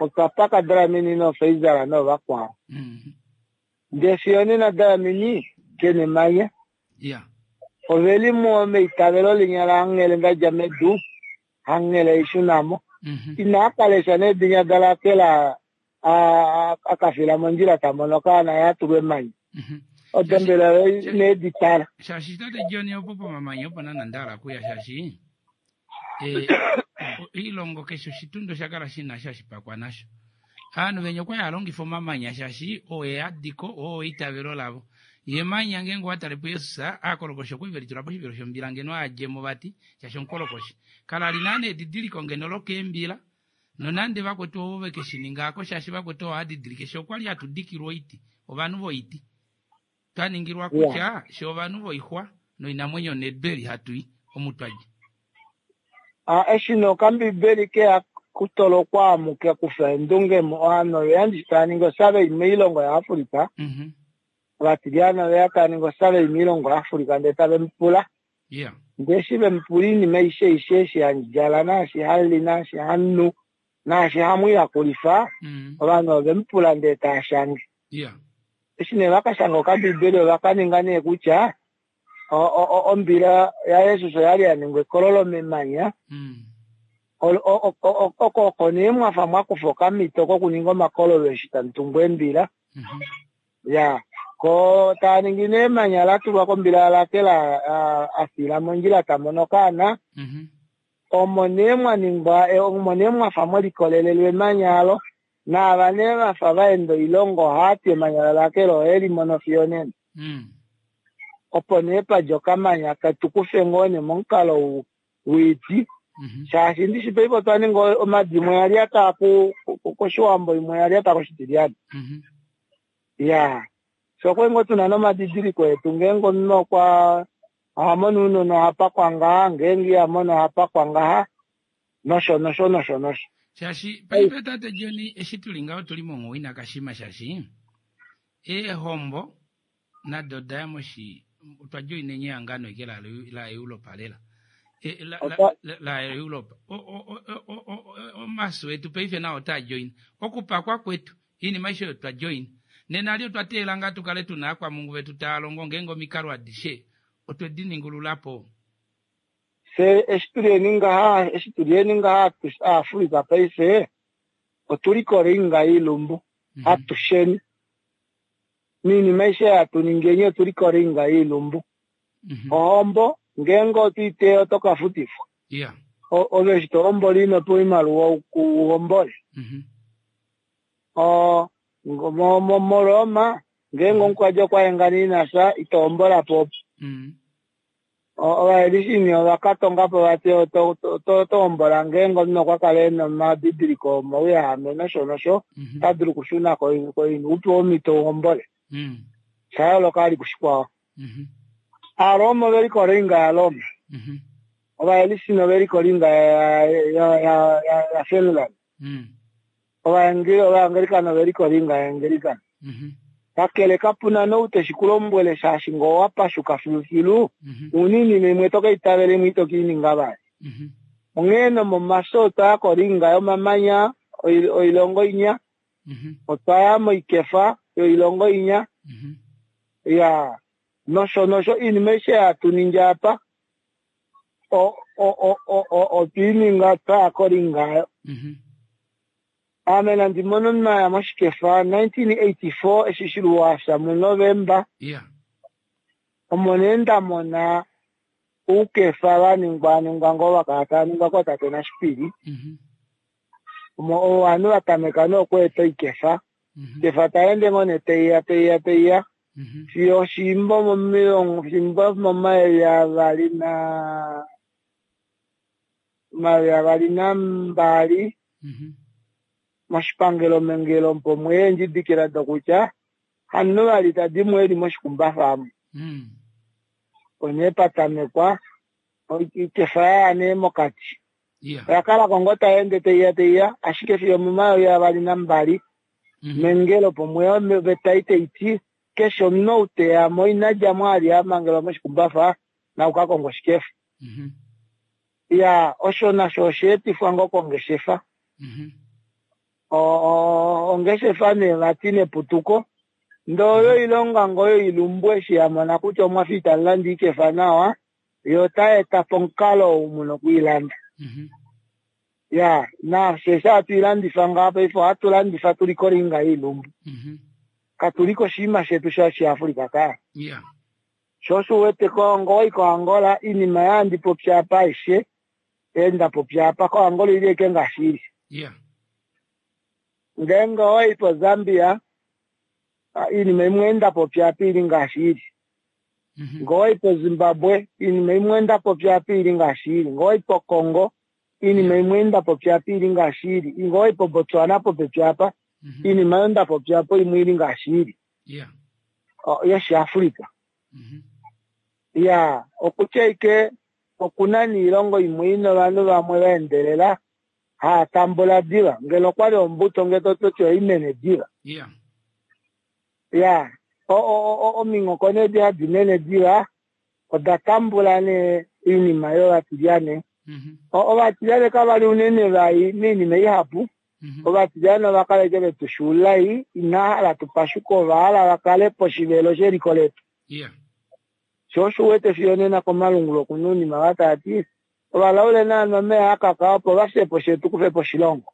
otwa paka Dramini nooFaizal noovakwao. Ndee fiyo onena Dramini ke na emanya. Ove li meitavelo linya laanghele nda dja medu, hanghele ishuna mo. Inaa ka lesha nee dinya daRakel a ka fila mondjila ta mono okaana ye a tulwa emanya. Odo mbela ine di tala. Shaashi tate John opo pomamanya opo naana nda hala okuya shaashi oilongo keshe oshitundu osha kala shi na sha shipakwa nasho. Ovanhu venya okwali hava longifa omamanya shaashi oo eadiko, oo eitavelo lavo. Ye emanya ngeenge owa tale puJesus, aakolokoshi okwali ve litula poshivelo shombila ngeno a dje mo vati shaashi omukolokoshi. Kala li naana edidiliko ngeno lokeembila nonande vakwetu ovo ve ke shi ninga ako shaashi vakwetu ovo didilike she okwali hatu dikilwa oiti, ovanhu voiti. Twa ningilwa kutya she ovanhu voixwa noinamwenyo nedu eli hatu i omu twa dja. Eshi nee okambibeli ke ya kutolokwa amuke kufa eendunge mo, ovanhu ove ya ndishi tava ningi osurvey moilongo yaAfrica, ovatilyane ove ya tava ningi osurvey moilongo yaAfrica ndee tave mu pula. Ndee eshi ve mu pula oinima aishe aishe eshi ha djala naashi ha li naashi ha nu naashi hamu yakulifa, ovanhu ove mu pula ndee tava shange. Eshi nee va ka shanga okambibeli ova ka ninga nee kutya ombila yaJesus oya li ya ningwa ekololo memanya. Oko oko nee mwa fa mwa kufa okamhito kokuninga omakololo eshi tamu tungu eembila. Ya, ko taa ningi nee emanya la tulwa kombila yaRakel a fila mondjila ta mono okaana. Omo nee mwa ningwa, omo nee mwa fa mwe likolelelwa emanya alo. Naava nee va fa va enda oilongo ohava ti emanya laRakel ohe li mono fiyo nena. Opo nee pa dja okamanya ketu kufe ngoo nee momukalo woiti. Shaashi ndishi paife otwa ninga omadu imwe oya lyata kOshiwambo imwe oya lyata kOshitilyane. Ya, fye okwali ngoo tuna nomadidiliko etu ngeenge omunhu okwa oha mono ounona oha pakwa ngaha, ngeenge iha mono oha pakwa ngaha, nosho nosho nosho nosho. Shaashi paife tate John eshi tuli ngaho otuli monghuwo ina kashima shaashi eehombo nado oda ya moshi otwa joinenye ehangano eke laEuropa lela. LaEuropa. Omasu etu paife nao otaa joina. Okupakwa kwetu, iinima aishe oyo twa joina. Nena li otwa teelela ngaa tu kale tu na aakwamungu vetu taya longo ngeenge omikalo adishe otwe di ningulula po. Fye eshi tu li eni ngaha, eshi tu li eni ngaha Aafrika paife, otu li kolinga yiilumbu atusheni. Miinima aishe hatu ningeni otu li kolinga yiilumbu. Ohombo ngeenge oto i teya oto ka futifwa. Ove eshi to hombola ino pewa oimaliwa u hombole. MoRoma ngeenge omukwadi okwa hengana ina fya ito hombola po opo. Ovaelishini ova ka tonga po vati oto hombola ngeenge omunhu okwa kala e na omadidiliko omauyahame nosho nosho, ota dulu okushuna koini u pewe omhito u hombole. Osha yooloka vali kushikwao. Aaroma ove li kolinga yaRoma. Ovaelishini ove li kolinga yaFinland. Ovaangelikana ove li kolinga yaAngelikana. Kakele kapu na nou te shi ku lombwele shaashi ngee owa pashuka filufilu, ouna oinima imwe to ka itavela imwe ito ke i ninga vali. Onghee nomomafyo otwa ya kolinga yomamanya oilongo inya, otwa ya moikefa yoilongo inya, ya nosho nosho oinima aishe hatu ningi apa otwe i ninga twa ya kolinga oyo. Ame nandi mone omunhu a ya moshikefa 1984 eshi Shiluwa a fya muNovemba. Omo nee nda mona oukefa va ningwa ningwa ngoo va kala tava ningwa kootate Nashipili. Omo ovanhu va tameka nee okweeta oikefa. Oikefa tai ende ngoo nee tai ya tai ya tai ya fiyo oshimbo momilongo fimbo momayovi avali na 2002 moshipangelo mEngelo opo mwe eendjidikila dokutya hamunhu vali ta di mo e li moshikumbafa omo. Opo nee pa tamekwa oikefa ya ya nee mokati. Oya kala ko ngoo tai ende tai ya tai ya ashike fiyo omomayovi 2002 mEngelo opo mwe oveta ei tai ti keshe omunhu ou te ya mo ina dja mo a li a mangelwa moshikumbafa naku ka konge oshikefa. Iya, osho nasho osha etifwa ngoo kongeshefa. Ongeshefa nee vati neputuko ndee oyo oilonga ngoo yoilumbu eshi ya mona kutya omwa fa itamu lande oikefa nawa, yo otai eta po omukalo ou mu na okwiilanda. Ya, nafye eshi hatu i landifa ngaha paife ohatu landifa tu li kolinga yoilumbu. Katu li koshinima shetu shOshiafrika kaa. Sho osho u wete ko ngoo wai koAngola iinima ei handi popi apa aishe ei nda popya apa koAngola oili ashike ngaashi ili. Ngeenge owai poZambia iinima imwe ei nda popya apa oili ngaashi ili. Ngee owai poZimbabwe iinima imwe nda popya apa oili ngaashi ili. Ngee owai poCongo iinima imwe ei nda popya apa oili ngaashi ili. Ngee owai poBotswana popepi apa iinima oyo nda popya apa imwe oili ngaashi ili. yOshiafrika. Ya, okutya ashike oku na niilongo imwe i na ovanhu vamwe va endelela hava tambula diva. Ngeno okwa li ombuto ngeno to ti ohai mene diva. Ya, ominghoko nee edi hadi mene diva oda tambula nee oinima yovatilyane. Ovatilyane kava li unene vai moinima ihapu. Ovatilyane ova kala ashike ve tu shuulai, inava hala tu pashuke, ova hala va kale poshivelo sheliko letu. Sho osho u wete fiyo onena komalungula oku na ounima va tava ti ovalaule nava nwe omeva a kaka opo va fye po fye tu kufe po oshilongo.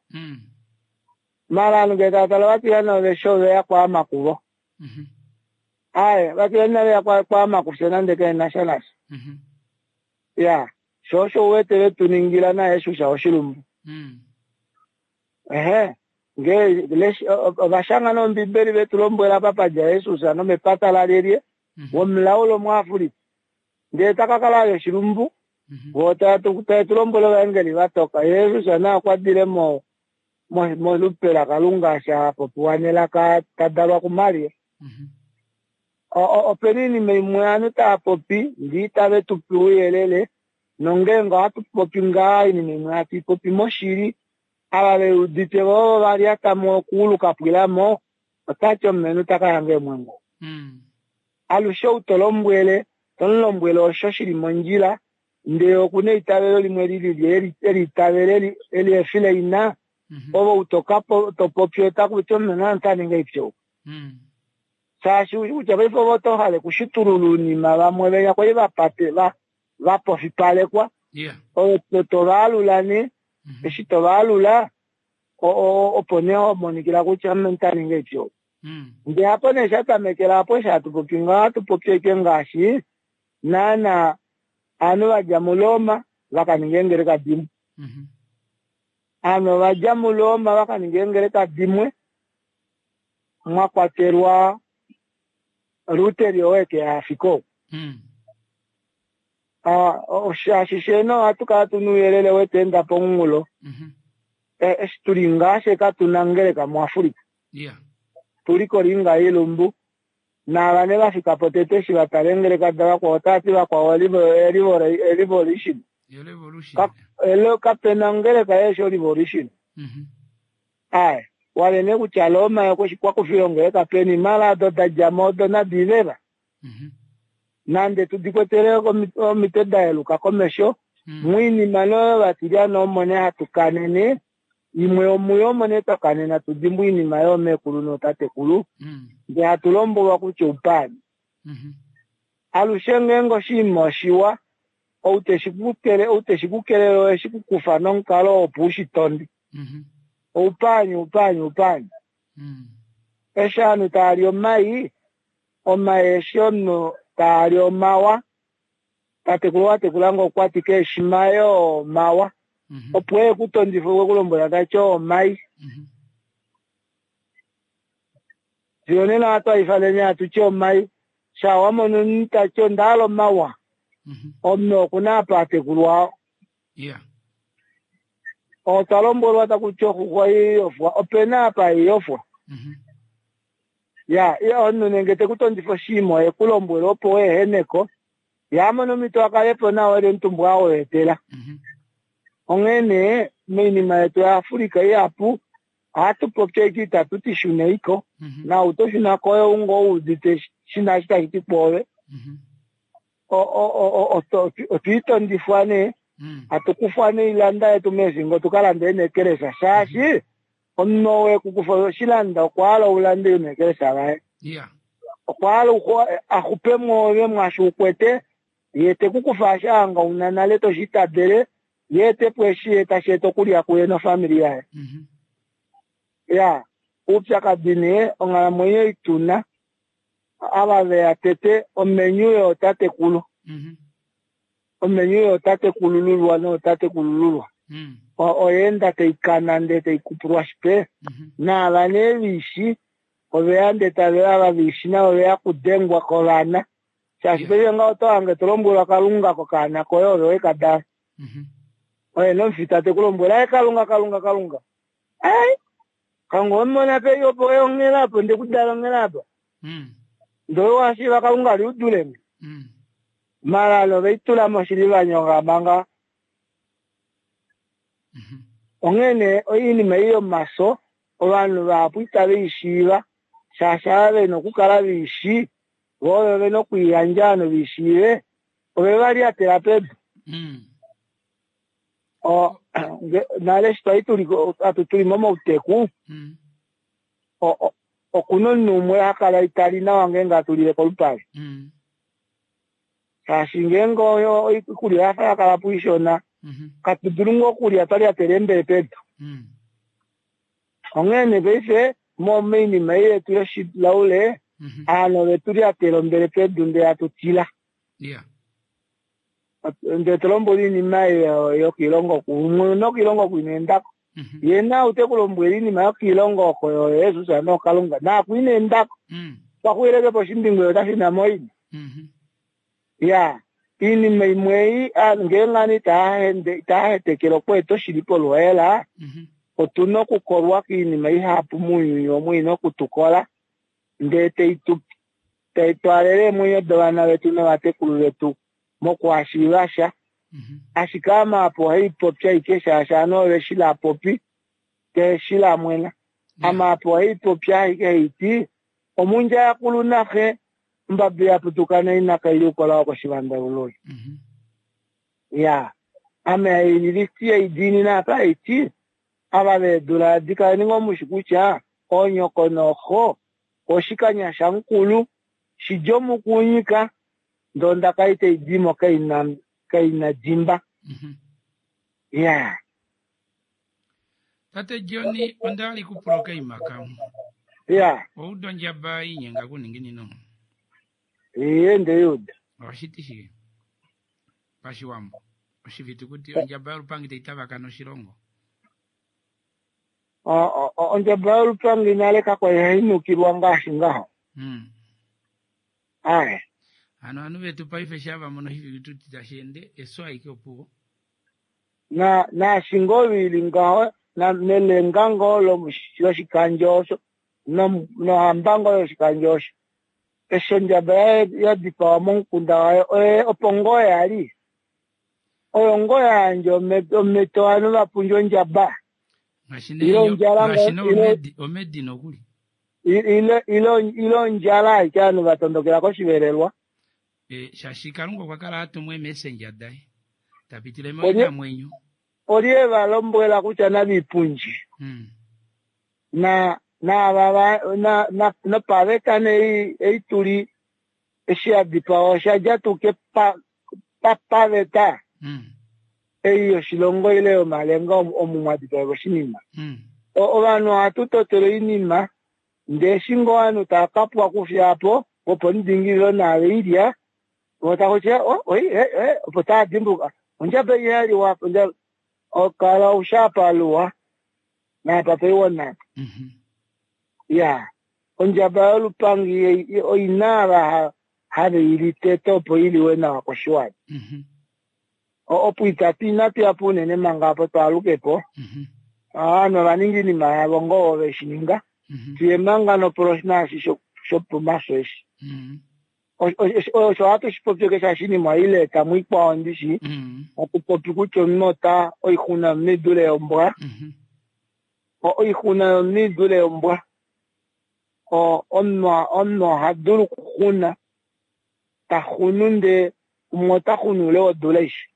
Maala ovanhu ngee tava tale ovatilyane ove shi ove ya kwaama kuvo. Aaye, ovatilane inave ya kwaama kufye nande kae na sha nasha. Ya, sho osho u wete ve tu ningila naJesus oshilumbu. Ehe, nge ova shanga nOmbibeli ve tu lombwela apa pa dja Jesus nomepata lalyelye, womulaule Omuafrika. Ndele ta ka kala a li oshilumbu, vo tave tu lombwele ovaengeli va toka. Jesus naye okwa dile mo molupe laKalunga sha popiwa nelaka ta dalwa kuMaria. Ope na oinima imwe ovanhu tava popi ndee itave tu pe ouyelele, nongeenge ohatu popi ngaa oinima imwe hatu i popi moshili, ava ve udite vo ovo va lyata mo okuulu ka pwila mo, ota ti omulumenhu ta ka yanga eemwengu. Alushe ou to lombwele, to mu lombwele osho shi li mondjila, ndele oku na eitavelo limwe li lili e li itavela e li efi laina, ove ou to ka to popi otaku ti omulumenhu ota ningi oipya ou. Shaashi kutya paife ove oto hale kushitulula ounima vamwe venya kwali vapate vapofipalekwa. Ove to vaalula nee. Eshi to vaalula opo nee ho monikila kutya ame nda ninga eshi oku. Ndee apo nee sha tamekela apo eshi hatu popi ngaho ohatu popi ashike ngaashi naana ovanhu va dja muRoma va ka ninga eengeleka dimwe. Ovanhu ova dja muRoma va ka ninga eengeleka dimwe mwa kwatelwa Luteri oo eke ya afika oku. Shaashi sheeno ohatu kala tu na ouyelele wetu enda pomunghulo. Eshi tuli ngaa she katu na ngeleka muAfrica. Tuli kolinga ilumbu. Naava nee va fika po tete eshi va tala eengeleka davakwao otava ti vakwao revolution. Kape na ongeleka yeeshi orevolution. Ae, wale nee kutya Roma okwa kufile ongeleka peni, mala odo da dja mo odo nadi iveva. Nande tu di kwetele omitwe da yeluka komesho, moinima nee oyo vatilyana omo nee hatu kanene, imwe yomuyo omo nee twa kanena tu dimbwe oinima yoomeekulu nootatekulu, ndee hatu lombwelwa kutya oupaani. Alushe ngeenge oshinima oshiwa, ou te shi ku kelele oye shi ku kufa nomukalo opo u shi tonde. Oupaani, oupaani, oupaani. Eshi ovanhu tava li omai, omai eshi omunhu taa li omawa, tatekulu watekula ngo okwa ti keeshi mai oo omawa. Opo e ku tondife okwe ku lombwela ta ti oo omai. Fiyo nena ohatu a ifanene hatu ti omai. Sha wa mona omunhu ta ti onda hala omawa, omunhu oku na apa a tekulwa. Otwa lombwelwa taku ti oxuxwa oiyofwa, ope na apa haiyofwa. Ya, omunhu nenge te ku tondifa oshinima ohe ku lombwele opo u ehene ko, ye a mone omhito a kale po nawa e li omutumba a weetela. Onghee nee, moinima yetu yaAfrica ihapu ohatu popi ashike itatu ti shunei ko, naau to shuna ko oye ou ngoo u udite shi na eshi tashi ti kwoove. Otwa itondifwa nee, hatu kufwa noilanda yetu meefingo tu ka lande eenekelesha shaashi omunhu ou e ku kufa oshilanda okwa hala u lande eenekelesha vaye. Okwa hala a xupe mwoove mwaashi u kwete, ye te ku kufa eshi a hanga u na nale to shi itadele, ye ete po eshi ye tashi eta okulya kuye nofamili yaye. Ya, oupyakadi nee onghalamwenyo ei tu na, ava ve ya tete omenyu yootatekulu. Omenyu yootatekulululwa nootatekulululwa oya enda tai kana ndee tai kupulwashi pe. Naava nee veishi ove ya ndee tave ya ava veishi navo ove ya kudengwa kovana. Shaashi paife ngaho oto hange to lombwelwa Kalunga kokaana koye ove we ka dala. Oye nomufita te ku lombwele aye Kalunga Kalunga Kalunga. Ai! Kalunga owe mu mona pei opo oye onghela apo nde ku dala onghela apa. Ndele owa shiiva Kalunga li u dule nge. Mara ove i tula moshili va nyoka manga. Onghee nee oinima ei yomaso ovanhu vahapu itave i shiiva shaashi ava ve na okukala ve i shii vo ovo ve na okwiiyandja ovanhu ve i shiive ove va lyatela pedu. Nale eshi twali tuli momauteku okuna omunhu umwe ha kala itali nawa ngeenge hatu lile kolupale. Shaashi ngeenge oikulya oya fa ya kala po ishona, katu dulu ngoo okulya twa lyatela eembele pedu. Onghee nee paife moinima ei yetu yoshilaule, ovanhu ove tu lyatela ombele pedu ndee hatu tila. Ndee to lombwele oinima ei yokoilongo oku, umwe nokoilongo oku ina enda ko. Ye na ote ku lombwele iinima yokiilongo oko yooJesus nooKalunga naaku ina enda ko. Okwa xwileke po oshimbingu ye ota shuna moina. Ya, iinima imwe ei ngeenge ovanhu itava hetekele okweeta oshili poluhaela, otu na okukolwa koinima ihapu mounyuni omu i na oku tu kola ndee tai tu tai twaalele eemwenyo dovana vetu novatekulu vetu mokuhashiiva sha. Ashike ame apa ohai popi ashike shaashi ovanhu ove shi la popi te shi la mwena. Ame apa ohai popi ashike hai ti, Omundja yakulu naxe, ombabi ya putuka naina kai li ukola wokoshivandalululi. Ya, ame hai liti hai diinina apa hai ti, ava veedula adi kaleni ngoo mushi kutya oonyoko nooxo. Oshikanya shamukulu shidja omukunyika ndee ondaka ei taidimo kaina kaina dimba. Iyaa. Tate John, onda hala ikupula okaima kamwe. Iyaa. Owauda ondjaba inyenga kuninginino? Iye ndeiuda. Ohashi ti shike pashiwambo? Oshifitukuti ondjaba yolupangi tai tavakana oshilongo. Ondjaba yolupangi nale kakwa ihai nukilwa ngaashi ngaho. Aye. Hano ovanhu vetu paife sha va mono oshifitukuti tashi ende efyo aike opuwo. Na naashi ngoo ili ngaho na nelenga ngoo loshikandjo osho nohamba ngoo yoshikandjo osho eshi ondjaba ya dipawa momukunda wayo oye opo ngoo yali oyo ngoo ya yandja omhito ovanhu va pundje ondjaba ile ondjala omedi nokuli ile ondjala aike ovanhu va tondokela koshivelelwa. Shaashi Kalunga okwa kala a tumwa eemessenger daye tapitile moinamwenyo. Olye va lombwela kutya navipundje na naava na nopaveta nee ei tuli eshi ya dipawa osha dja tuu paveta ei yoshilongo ile yomalenga omu mwa dipaelwa oshinima. Ovanhu ohatu totele oinima ndee eshi ngoo ovanhu tava kapwa kufya po vopomudingililo naave ilya vo takutya opo tava dimbuluka ondjaba ei yaliwa okala ushapaluwa naapa paiwa napa. Ya ondjaba yolupangi oina ava have ili tete opo iliwe nawa koshiwana. Opo itatu inatu yapo unene manga apo twaalukepo. Ovanhu ova ninga oinima yavo ngoo veshi ninga. Tuye manga nopolo naashi shopomafyo eshi. Osho ohatu shi popi keshe oshinima ile tamu ikwao ndishi. Hatu popi kutya omunhu ota oixuna yomunhu idule yombwa. Oixuna yomunhu idule yombwa. Omunhu oha dulu okuxuna. Taxunu ndee umwe ota xunu ule wodula aishe.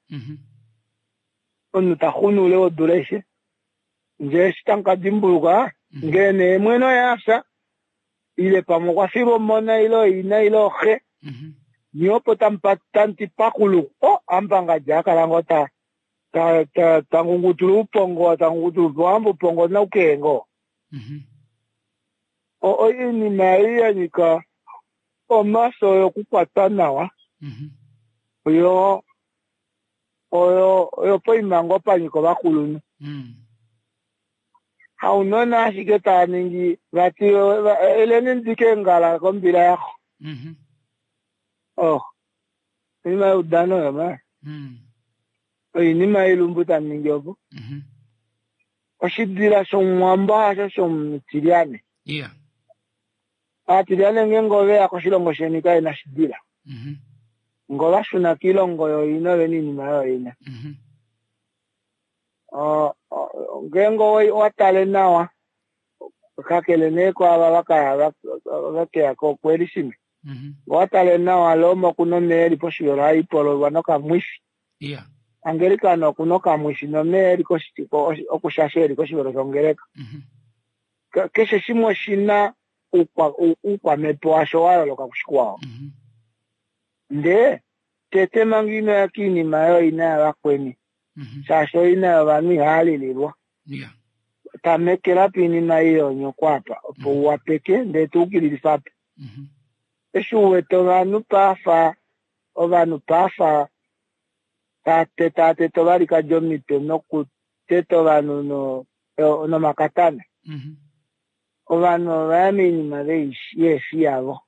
Omunhu taxunu ule wodula aishe. Ndee eshi tamu kadimbuluka ngee nee mwene oye afya ile pamwe okwa filwa omona ile oina ile oxe nyee opo tamuti pakulu amupangadja akala ngoo tangungutula oupongo tangungutula ohamba oupongo naukee ngoo. Oinima ei yanyika omafyo yokukwatwa nawa oyo oyo poima ngoo panyika ovakulunhu. Haunona ashike tava ningi vati eleni ndike eengala kombila yaxo. Oinima youdano oyo ma. Oinima yoilumbu tamuningi opo. Oshidila shOmuwambo hasho shomutilyane. Aatilyane ngeenge oveya koshilongo sheni kavena shidila. Ngoo vashuna koilongo yoina ovena oinima yoina. Ngeenge owa tale nawa kakele nee kwaava vakaya vakeya koKwelishime. Owa tale nawa Roma okuna omeva eli poshivelo haipololwa nokamwifi. Angelikana okuna okamwifi nomeva eli okushasha eli koshivelo shongeleka. Keshe shimwe oshina oukwamhepo washo wa yooloka kushikwao. Ndee tete manga inoya koinima yoina yavakweni shaashi oina yovanhu ihalililwa. Tamekela poinima ei yonyoko apa opo uwapeke ndee tuukililifapo. Eshi uwete ovanhu paafa ovanhu paafa taatetaateta ovalikadi omitwe nokuteta ovanhu nomakatana. Ovanhu ovaya moinima yeefi yavo.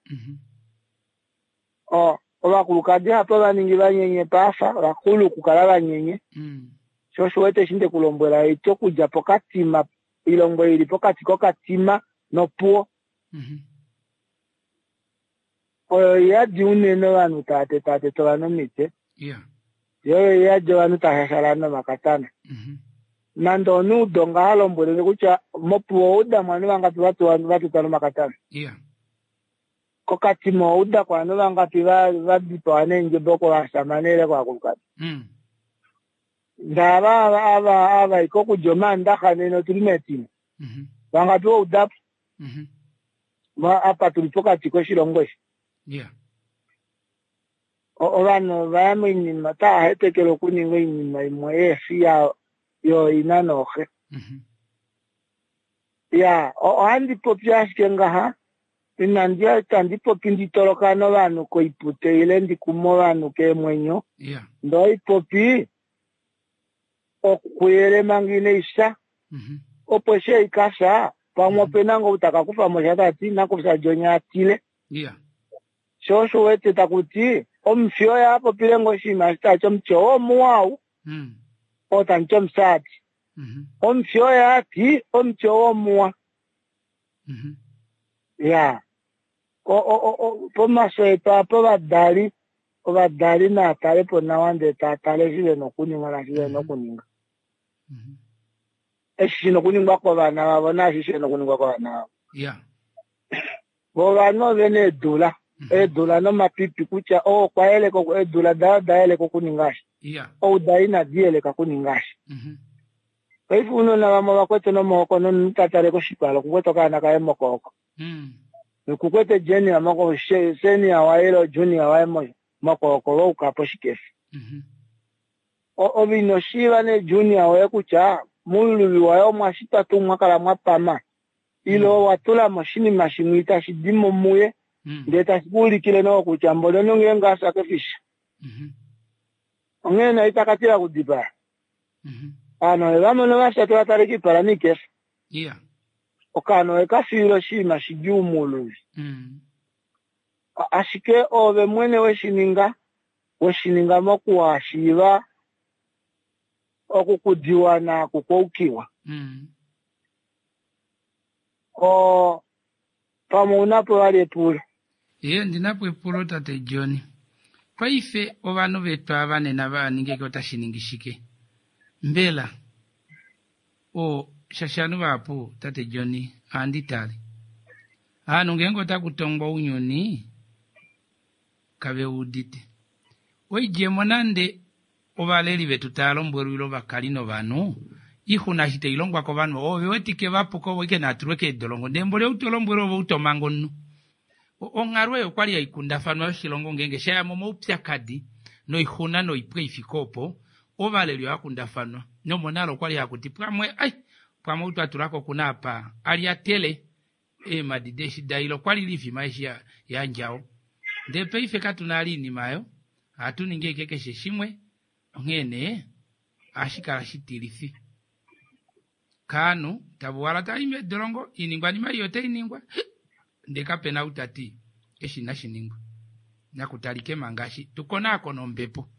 Ovakulukadi hapo vaningi vanyenye paafa vakulu okukala vanyenye. Sho osho uwete eshi ndekulombwela eti okudja pokatima oilongo ili pokati kokatima nopuwo. Oyo iyadi unene ovanhu tava tetaateta ovanhu omitwe. Yo oyo iyadi ovanhu tava shashala nomakatana. Nande omunhu udonga halombwelenge kutya mopuwo oudamo ovanhu vangapi vatutwa nomakatana. Kokatima oudako ovanhu vangapi vadipawa neendjebo kovashamane ile kovakulukadi. Ndee ava ava kokudja omaandaxa nena otuli metine. Vangapi woudapo. Apa tuli pokati koshilongo eshi. Ovanhu ova ya moinima otava hetekele okuninga oinima imwe yeefi yooina nooxe. Ya, ohandi popi ashike ngaha, inandi itandi popi ndi tolokane ovanhu koipute ile ndi kume ovanhu keemwenyo. Ndee ohaipopi okuyele manga inai fya. Opo eshi ei ka fya, pamwe ope na ngoo ou ta ka kufa mo sha ta ti nakufya Johnny a tile. Sho osho u wete taku ti omufi oye a popile ngoo oshinima eshi tashi ti omuti oo omuwa ou, oo tamu ti omusati. Omufi oye a ti omuti oo omuwa. Ya. Pomafyo etu apa ovadali, ovadali naa tale po nawa ndee taa tale eshi ve na okuninga naashi ve na okuninga. Eshi shi na okuningwa kovana vavo naashi shi na okuningwa kovana vavo. Vo ovanhu ove na eedula, eedula nomapipi kutya oo okwa yeleka eedula daye oda yeleka okuninga eshi, ou daye inadi yeleka okuninga eshi. Paife ounona vamwe ova kwete nomaoko nomunhu ta tale koshipala okukwete okaana kaye mokooko. Nokukwete junior moko senior waye ile junior waye mokooko va uka poshikefa. Ove ino shiiva nee junior woye kutya mouluvi waye omwa shitwa tuu mwa kala mwa pama ile owa tula mo oshinima shimwe itashi di mo muye ndee tashi ku ulikile noo kutya mboli omunhu ngeenge a fya ke fi sha. Onghee nee ita ka tila okudipaa. Ovanhu ove va mona va fya tava tale koipala noikefa. Okaana ove ka fiila oshinima shidjuu mouluvi. Ashike oove mwene we shi ninga, we shi ninga mokuhashiiva okukudiwa naakukwaukiwa. Oo, pamwe ou na po vali epulo? Ee, ondi na po epulo, tate John. Paife ovanhu vetu ava nena va ningeke otashi ningi shike? Mbela o, shaashi ovanhu vahapu, tate John, ohandi tale. Ovanhu ngeenge otaku tongwa ounyuni, kave udite. Oidjemo nande ovaleli vetu tava lombwelwa ile ovakali novanhu, oixuna eshi tai longwa kovanhu ovo ve wetike va puka ovo ashike naa tulwe keedolongo ndee mboli ou to lombwelwa ove ou to manga omunhu. Onghalo ei okwali hai kundafanwa yoshilongo ngeenge sha ya momaupyakadi noixuna noipwe i fike opo, ovaleli ohava kundafanwa nomonale okwali haku ti pamwe ai pamwe ou twa tulako okuna apa a lyatele eemhadi deeshi da ile okwali lifima eshi ya yandjawo. Ndee paife katuna vali oinima oyo, ohatu ningi ashike keshe shimwe onghee nee ohashi kala shitilifi kaanhu tava uhala tava i meedolongo, oiningwanima ei otai ningwa ndee kapena ou tati eshi inashi ningwa. Nakutalike manga eshi tu konaakone ombepo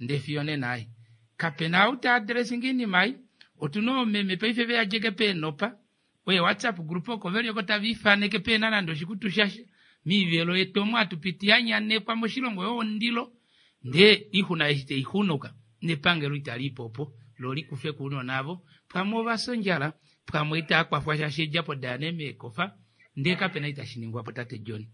ndee fiyo nena ai kapena ou ta addressinga oinima ei. Otuna oomeme paife veyadjeke peenopa Oye WhatsApp group oko veli oko tava ifaneke pehena nande oshikutu shasha miivelo yetu omo hatu piti ya nyanekwa moshilongo yo ondilo ndee oixuna eshi tai xunuka nepangelo itali ipo opo lo li kufe ko ounona avo pamwe ova fya ondjala pamwe itava kwafwa shaashi eedjapo daya nee meekofa ndee kapena itashi ningwapo tate John.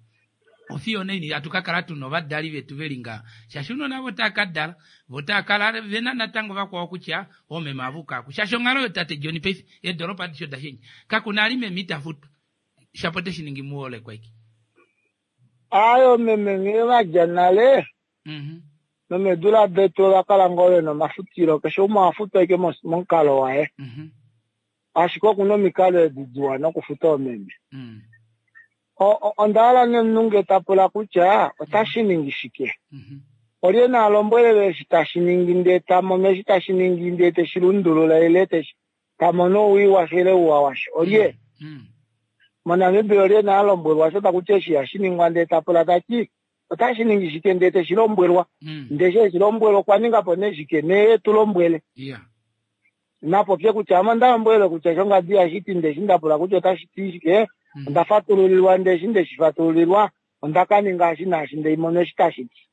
Ofiyo onaini hatu ka kala tu na ovadali vetu ve li ngaha? Shaashi ounona avo otava ka dala, vo otava kala ve na natango vakwao kutya oomeme ava uka aku. Shaashi onghalo yootate John paife, eedolopa adishe oda shendja. Kaku na ali meme ita futwa. Shapo ote shi ningi muholekwa ashike. Aaye oomeme nghee va dja nale, nomeedula detu ova kala ngoo ve na omafutilo. Keshe umwe oha futwa ashike momukalo waye. Ashike oku na omikalo edi diwa nokufuta oomeme. Onda hala nee omunhu nge ta pula kutya otashi ningi shike. Olye na lombwelele eshi tashi ningi ndee ta mono eshi tashi ningi ndee te shi lundulula ile te shi ta mono owii washo ile ouwa washo. Olye? MoNamibia olye na lombwelwa osho taku ti eshi ihashi ningwa ndee ta pula ta ti otashi ningi shike ndee te shi lombwelwa. Ndee eshi e shi lombwelwa okwa ninga po nee shike? Nee e tu lombwele. Na popye kutya ame onda lombwelwe kutya shongadi ihashi ti ndee eshi nda pula kutya otashi ti shike, onda fatululilwa ndee eshi nde shi fatululilwa onda ka ninga eshi naashi ndee mono eshi tashi ti.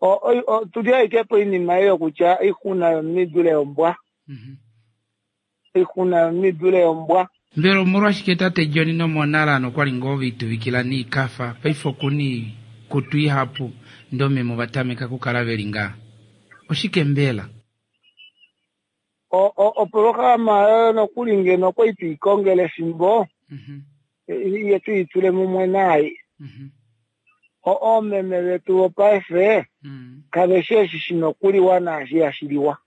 Otu li ashike poinima ei yokutya oixuna yomunhu i dule yombwa. Oixuna yomunhu i dule yombwa. Mbela omolwashike tate John nomonalano kwa li ngoo ve ituvikila niikafa, paife oku na oikutu ihapu ndee oomeme ova tameka okukala ve li ngaha? Oshike mbela? Opolohalama oyo nokuli ngeno okwali twi ikongela efimbo. Ye tu itule mumwe naai. Oomeme vetu vopaife kave shi eshi shi na okuliwa naashi ihashi liwa.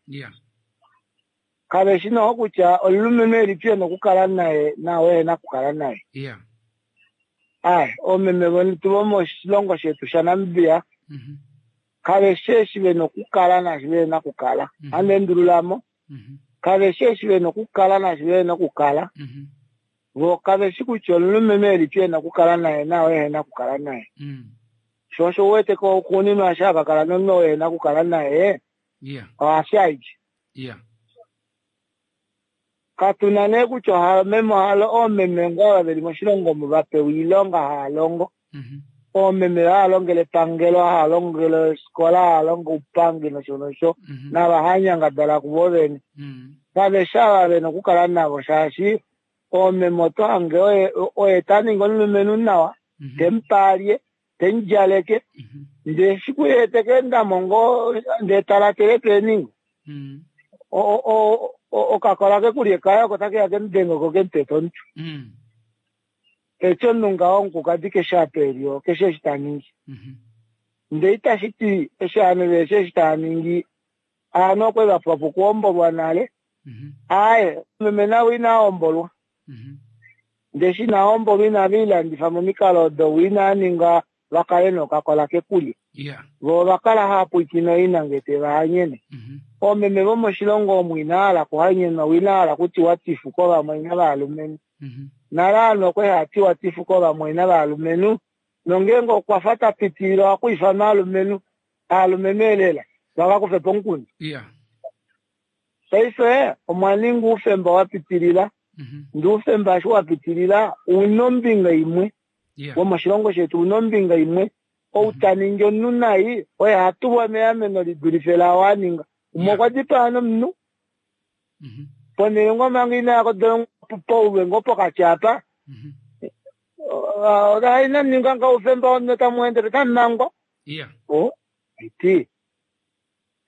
Kave shi noho kutya omulumenhu elipi e na okukala naye naao ehe na okukala naye. Ai, oomeme vetu vomoshilongo shetu shaNamibia kave shi eshi ve na okukala naashi vehe na okukala. Ohandi endulula mo. Kave shi eshi ve na okukala naashi vehe na okukala. Vo kave shi kutya omulumenhu elipi e na okukala naye naao ehe na okukala naye. Sho osho u wete ko xuuninwa eshi hava kala nomunhu oo ehe na okukala naye, oha fya aike. Katu na nee kutya oha meme oha oomeme ngoo ava ve li moshilongo omu va pewa oilonga hava longo. Oomeme hava longele epangelo, hava longele ofikola, hava longo oupangi nosho nosho, nava hava nyangadala kuvo vene. Kave shi ava ve na okukala navo shaashi oomeme oto hange oye oye ta ningi omulumenhu nawa, te mu pe alye, te mu djaleke, ndee efiku ye te ka enda mo ngoo ndee ta latele peeningo. Okakola kekulye kaye oko take ya ke mu denge ko ke mu tete omutwe. Eti omunhu ngaho omukukadi keshe apa e li keshe eshi ta ningi. Ndee itashi ti eshi ovanhu vehe shi eshi tava ningi ovanhu okwe va pwa po okuhombolwa nale. Aaye, meme navo inava hombolwa. Ndee eshi inava hombolwa inave lilandifa momikalo odo vo inava ninga va kale nokakola kekulya. Vo ova kala hava pwilikine oina nge te va hanyene. Oomeme vomoshilongo omu inava hala okuhanyenwa vo inava hala okutiwa tifu kovamwaina valumenhu. Nale ovanhu okwa li hava tiwa tifu kovamwaina valumenhu nongeenge okwa fa ta pitilile oha ku ifanwa aalumenhu, aalumenhu elela va ka kufe po omukundu. Paife omwa ninga oufemba wa pitilila, ndee oufemba eshi wa pitilila ouna ombinga imwe womoshilongo shetu ouna ombinga imwe. Ou ta ningi omunhu nai oye ha tulwa meameno li dulife laao a ninga. Umwe okwa dipaa nomunhu ponhele ngoo manga ina ya kodolongo paulwe ngoo pokati apa. Inamu ninga ngaho oufemba womunhu otamu endele otamu mangwa. O, iti.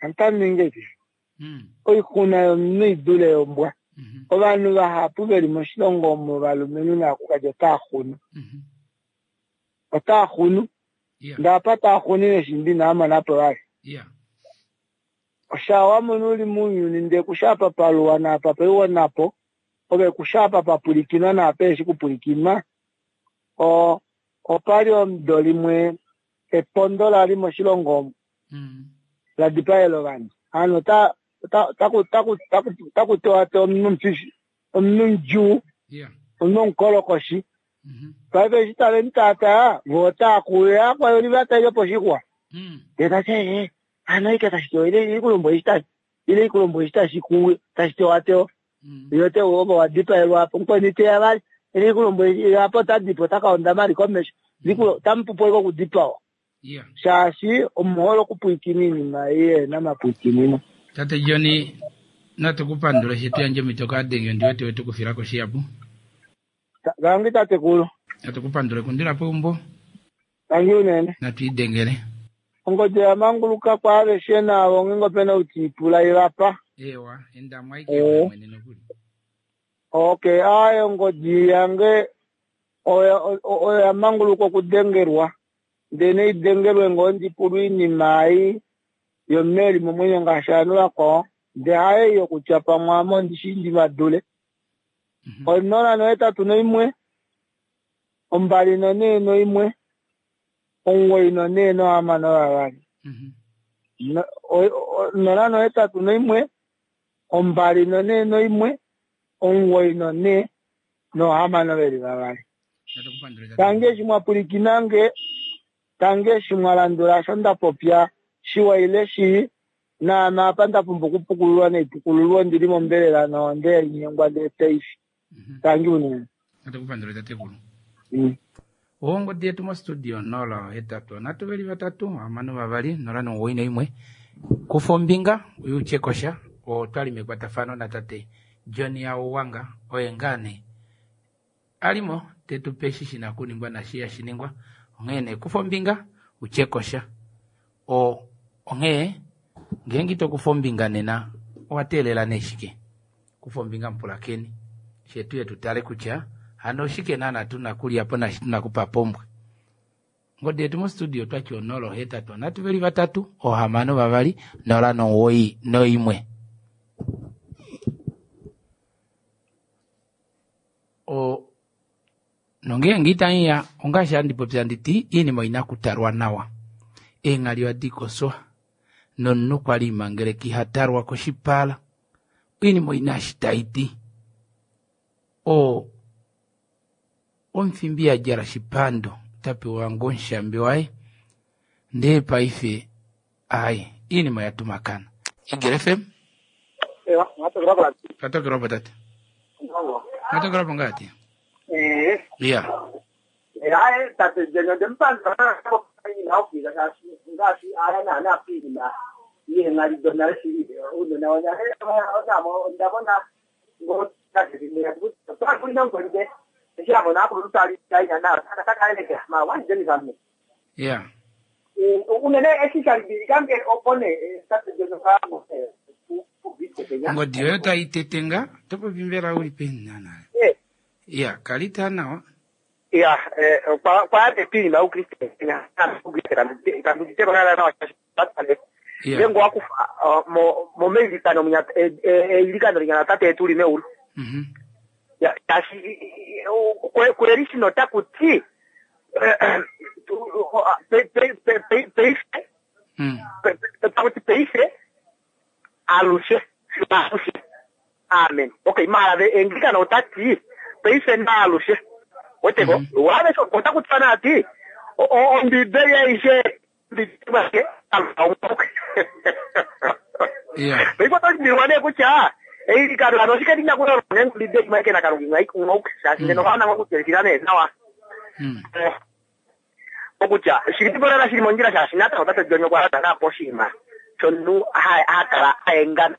Otamu ningi eshi. Oixuna yomunhu i dule yombwa. Ovanhu vahapu ve li moshilongo omu ovalumenhu naakulukadi otaa xunu. Otaa xunu. Ndee apa taa xunine shimbi inava mona po vali. Osha wa mona u li mounyuni ndee ku shi apa pa luwa naapa pa iwa napo, ove ku shi apa pa pwilikinwa naapa eheshi kupwilikinwa. O, opa li omudo limwe epondo la li moshilongo omu la dipaela ovanhu. Hano ota, ota, otaku, otaku, otaku, otaku tewatewa omunhu omufifi, omunhu mudjuu, omunhu omukolokoshi. Paife eshi tave mu taataa, vo otaa kuuya kwa li va taile poshixwa. Ndee ta ti, ee, hano ike tashi tewa, ile ikulombo eshi tashi, ile ikulombo eshi tashi kuuya, tashi tewatewa. Yo te ovo wa dipaelwa apo, mukweni te ya vali, ile ikulombo eshi, apo ota dipa, ota ka ondama ali komesho. Likulo, otamu pupu ashike okudipawa. Shaashi omu hole okupwilikina oinima ei yehe na mapwilikinino. Tate Johnny, natu ku pandule eshi to yandje omhito kaadenge, ondi wete we tu kufila ko shihapu. Tangi tatekulu. Natu ku pandule kundila peumbo. Tangi unene. Natu idengele. Ongodi oya manguluka kwaaveshe naavo ngeenge ope na ou te i pula i va pa. Eewa, enda mo aike ove mwene nokuli. Okay, aaye ongodi yange oya oya manguluka okudengelwa. Ndee nai dengelwe ngoo ndi pulwe oinima ei yomunhu e li momwenyo ngaashi ovanhu vakwao. Ndee haye ei yokutya pamwe ame ondi shii ndi va dule. Onola nohetatu noimwe, ombali nonhee noimwe, omuwoi nonhee nohamano vavali. Onola nohetatu noimwe, ombali nonhee noimwe, omuwoi nonhee nohamano veli vavali. Tangi eshi mwa pwilikina nge, tangi eshi mwa landula osho nda popya, shiwa ile shii, Naame apa nda pumbwa okupukululwa naipukululwe, ondi li mombelela nohonde ya linyengwa ndee tai fi. Tangi unene. Natu ku pandule tatekulu. Ongodi yetu mostudio 083 3 6 2 091. Kufa ombinga uye utye kosha. Otwali mekwatafano natate John Hauwanga oye ngaa nee a li mo te tu pe eshi shi na okuningwa naashi ihashi ningwa. Onghee nee kufa ombinga utye kosha. O, onghee ngeenge ito kufa ombinga nena owa teelela nee shike? Kufa ombinga mupulakeni, fye tuye tu tale kutya Hano oshike naana tuna kulya po nashi tuna kupa pombwe? Ngodi yetu mostudio otwati 0 8 3 6 2 0 9 1. O nongeenge itangiya ongaashi handi popi handi ti iinima oyina okutalwa nawa. Eenghali ohadi koswa nomunhu kwali imangeleka ihatalwa koshipala. Oinima oyina eshi tai ti. O omufimbi yadjala shipando ota pewa ngoo omushambi waye ndee paife aaye iinima oya tumakana. Eagle FM. Ewa, mwatokelwa po Twatokelwa po tate. Mwatokelwa po ngati? Eh. Iya. Hayi tate Jenny ndempandula ina ofika shaashi ngaashi aya naana piinima yeenghali donale shili uunona wonale ndabona ngotakulina eshi amona akuluntu tali taina na takaelekela ma wanjeni Iya. Unene eshi shalibilikange opone tate Jenny kaamo Ngodi yoyo taitetenga topopi mbela uli peni naana. Iya, kalita nawa. Ya, kwa piinima ukriste ukriste kandutite nawa Iya. ngengo wakufa momeilikano eilikano linya tate yetu li meulu. Ya, tashi kweli shino takuti peife takuti peife alushe alushe amen. Okay, mara englikano otati peife na alushe weteko wave otakutana ati ombibeli aishe Iya. Peife nee kutya eilikano ano shike ndinakulonga ombibeli maike nakalunga ngauke shaashi ngeno kaona ngokutelikila nee nawa okutya shili tibolala shili mondjila shaashi natango tate John okwa landa napo oshinima shomunhu hakala aengana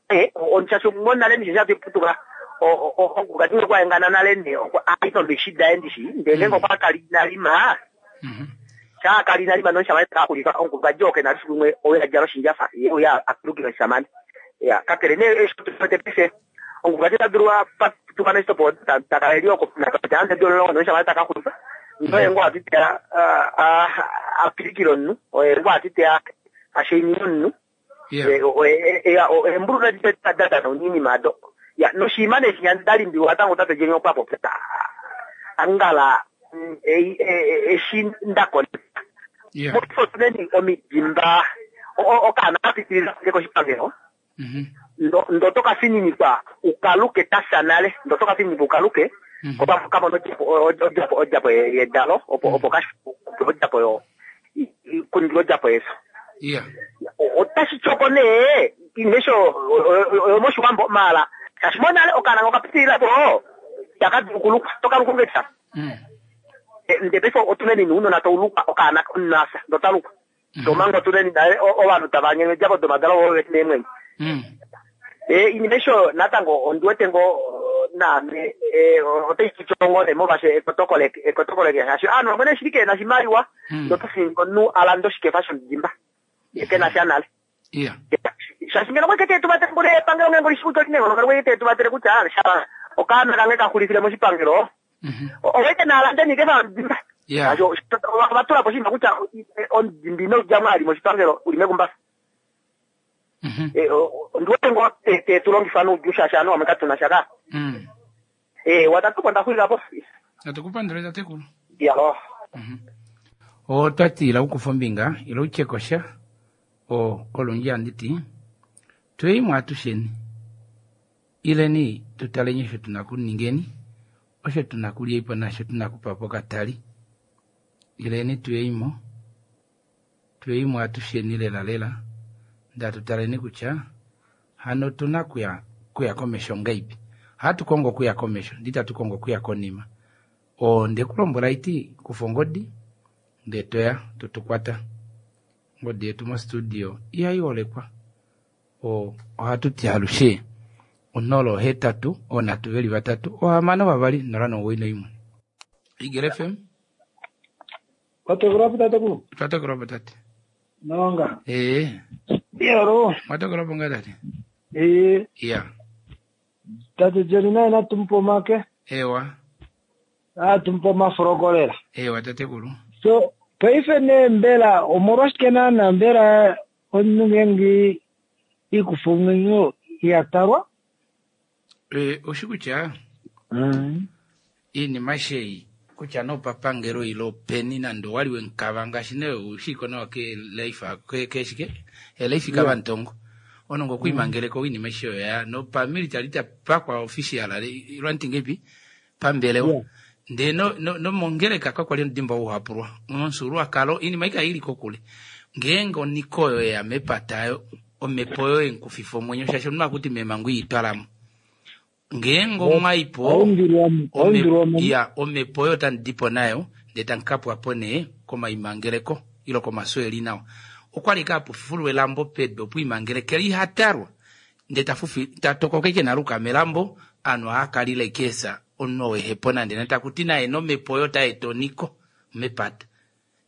shaashi monale ndishi shatuputuka okukati kwaengana nale ne ainombishi daye ndishi ndee ngenge okwa kali inalima shaakali inalima noshamane takulika omukulukadi oke nalisu limwe owe adjala oshinjafa ye uya akulukile oshamane ya kakele nee eshitote paife omukulukadi ota dulu aputuka neshitopo takala eli oko ande dololongo noshamane takaxulifa noye ngo atiteya apilikile omunhu oye ngo atiteya ashainine omunhu embulu nadadana oninima ado ya noshinima nee shinya ndalimbiwa tango tate Jenny okwa popya angala eshi ndakona mofotuneni omidimba okaana kapitilila ke koshipangelo ndo tokafininikwa ukaluke tasa nale ndo tokafininikwa ukaluke kamona odjapo yedalo opo odjapo yo kuningila odjapo yeso. Iya. Otashi tyoko nee inesho yomoshiwambo mala shaashi monale okaana okapitilila po takadulu kulukwa tokalukungekisa nde paife otuneni nuunona toulukwa okaana omunasa ndotalukwa tomanga otuneni naye ovanhu tava nyenye odjapo domadalo voveti neemwenyo. Inima esho natango ondiwete ngo naame otai tutyongone molwaashi ekotokoleke shaashi aanhu vamwe nee shili keena shimaliwa ndotofininga omunhu alande oshikefa shomudimba ye kena sha nale. Iya. Shaashi ngeno kweke tetuvatele mbule epangelo ngenge olishikuti olinenghono ngeno kweke tetuvatele kutya sha okaana kange kaxulifile moshipangelo owete naalande nikefa yomudimba. Iya. Ovatula po oshinima kutya omudimba ino djamo ali moshipangelo uli mekumbafa. Ondiwete ngo tetulongifa noudjuu shaashi aanhu vamwe katuna sha ka. Watatu po ndaxulila po. Natukupandule tatekulu. Yalo. Otwati ila ukufa ombinga ila utyekosha o olundji handiti tweimwe atusheni ileni tutaleni osho tuna kuningeni osho tuna kulyaipo nasho tuna kupapo katali ileni tuyeimo tuyeimo atusheni lela lela ndatutaleni kutya hano tuna kuya komesho ngaipi hatukongo kuya komesho nditatukongo kuya konima o ndekulombwela iti kufa ongodi ndee toya totukwata ngodi yetu mostudio ihaiholekwa o ohatuti alushe 0 8 3 3 6 2 0 9 1. Eagle FM. Watokelwa po tatekulu. Twatokelwa po tate. Nonga. Ee. Yoro. Mwatokelwa po nga tate. Ee. Iya. Tate Jenny naye natumupa omake. Ewa. Atu mupe omafuloko lela. Ewa tatekulu. So paife nee mbela omolwashike naana mbela omunhu ngeenge ikufa omwenyo iha talwa? Oshi kutya iinima aishe ei kutya nee opapangelo ile openi nande owali wemukava ngaashi nee ushiko nawa ke life ke shike elife kavantongo onongo okwiimangeleka oinima aishe oyo ya nopamilitali tapakwa official lwantingepi pambelewa ndee nomongeleka kakwali omudimba ouhapulwa momufyuululwakalo oinima ei kaili kokule ngeenge oniko oyo yeya mepata ayo omhepo oyo yemukufifa omwenyo shaashi omunhu akuti meemango iitwalamo ngeenge omwaipo ya omhepo oyo otamu dipo nayo ndee tamu kapwa po nee komaimangeleko ile komafyo eli nawa okwali kapufulwa elambo pedu opo imangelekele ihatalwa ndee tatokoka ike naluka melambo ovanhu ohakalila ike esa omunhu oo ehepo nande nande takuti naye nomhepo oyo otaeta oniko mepata